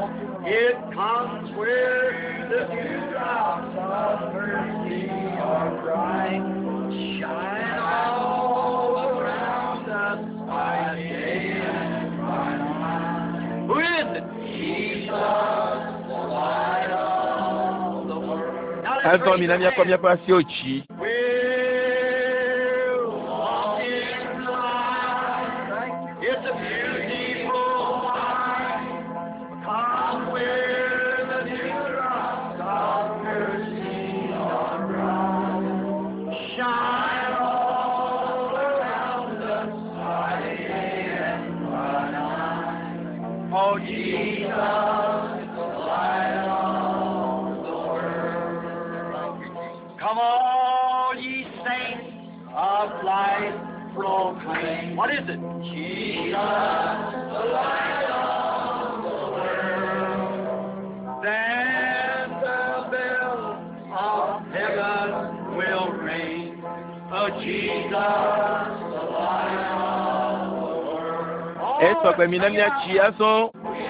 It comes where the dewdrops of mercy are bright. Shine all around us by day and by night. Who is it? Jesus, the light of the world. Now let's Azɔ raise mina your míakɔ hands. míaƒe asiwo dzi. We'll walk in the light. It's a beautiful light. Come where the dewdrops of mercy are bright. Shine all around us by day and by night. Oh, Jesus, the light of the world. Come all ye saints of light proclaim. What is it? Jesus, the light of the world. Then the bell of heaven will ring. Oh, Jesus, the light of the world. Esɔgbe mina míadzi azɔ. We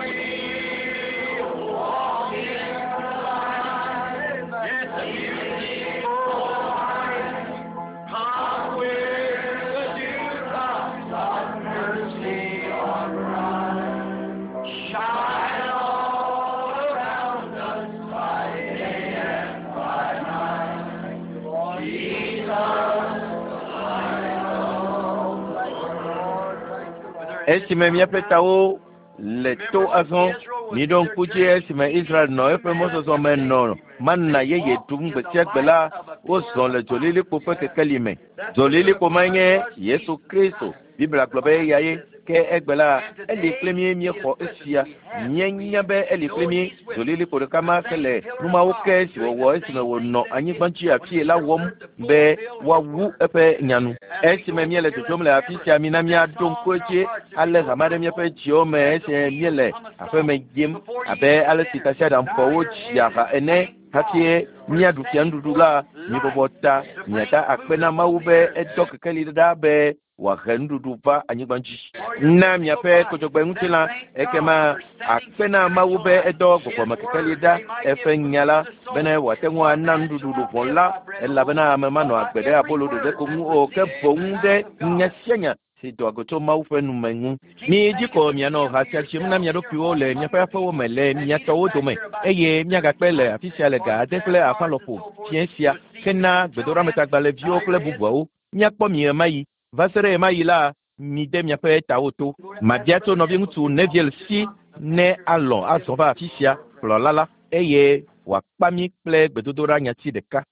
Esime míaƒe tawo le to azɔ, miɖo ŋku dzi esime Israel nɔ eƒe mɔzɔzɔ me nɔ mana yeye ɖum gbe sia gbe la, wozɔ le dzolilikpo ƒe kekeli me. Dzolilikpo ma nye Yesu Kristo. Biblia gblɔ be eya ye. Ke egbe la, eli kple mí míexɔ esia. Míenya be eli kple mí. Dzolilikpo ɖeka ma ke le numawo ke si wòwɔ esime wònɔ anyigba dzi afie la wɔm be woawu eƒe nyanu. Esime míele dzodzom le afi sia, mina míaɖo ŋku edzi ale hame ɖe míaƒe dziwo me esime míele aƒeme yim abe ale si tasiaɖamfɔwo dzia ha ene hafi míaɖu fianuɖuɖu la, mibɔbɔ ta miada akpe na Mawu be edɔ kekeli ɖa be wòahe nuɖuɖu va anyigba dzi. Na miaƒe kodzogbe ŋutilã ekema akpe na Mawu be edɔ gbɔgbɔmekekeli ɖa eƒe nya la bene wòate ŋu ana nuɖuɖu luʋɔ la elabena ame manɔ agbe ɖe abolo ɖeɖe ko ŋu o ke boŋ ɖe nya sia nya si doa go tso Mawu ƒe nume ŋu. Mi dzi ko mianɔ ha sia dzim na mia ɖokuiwo le miaƒe aƒewo me le mia tɔwo dome eye miagakpe le afi sia le ga ade kple afã lɔƒo fiẽ sia hena gbedoɖametagbalẽviwo kple bubuawo. Míakpɔ mi ɣemaɣi. Va se ɖe ɣemaɣi la, mide miaƒe tawo to. Mabia tso nɔviŋutsu Neville si ne alɔ̃ azɔ va afi sia kplɔla la eye wòakpa mí kple gbedodoɖa nyati ɖeka.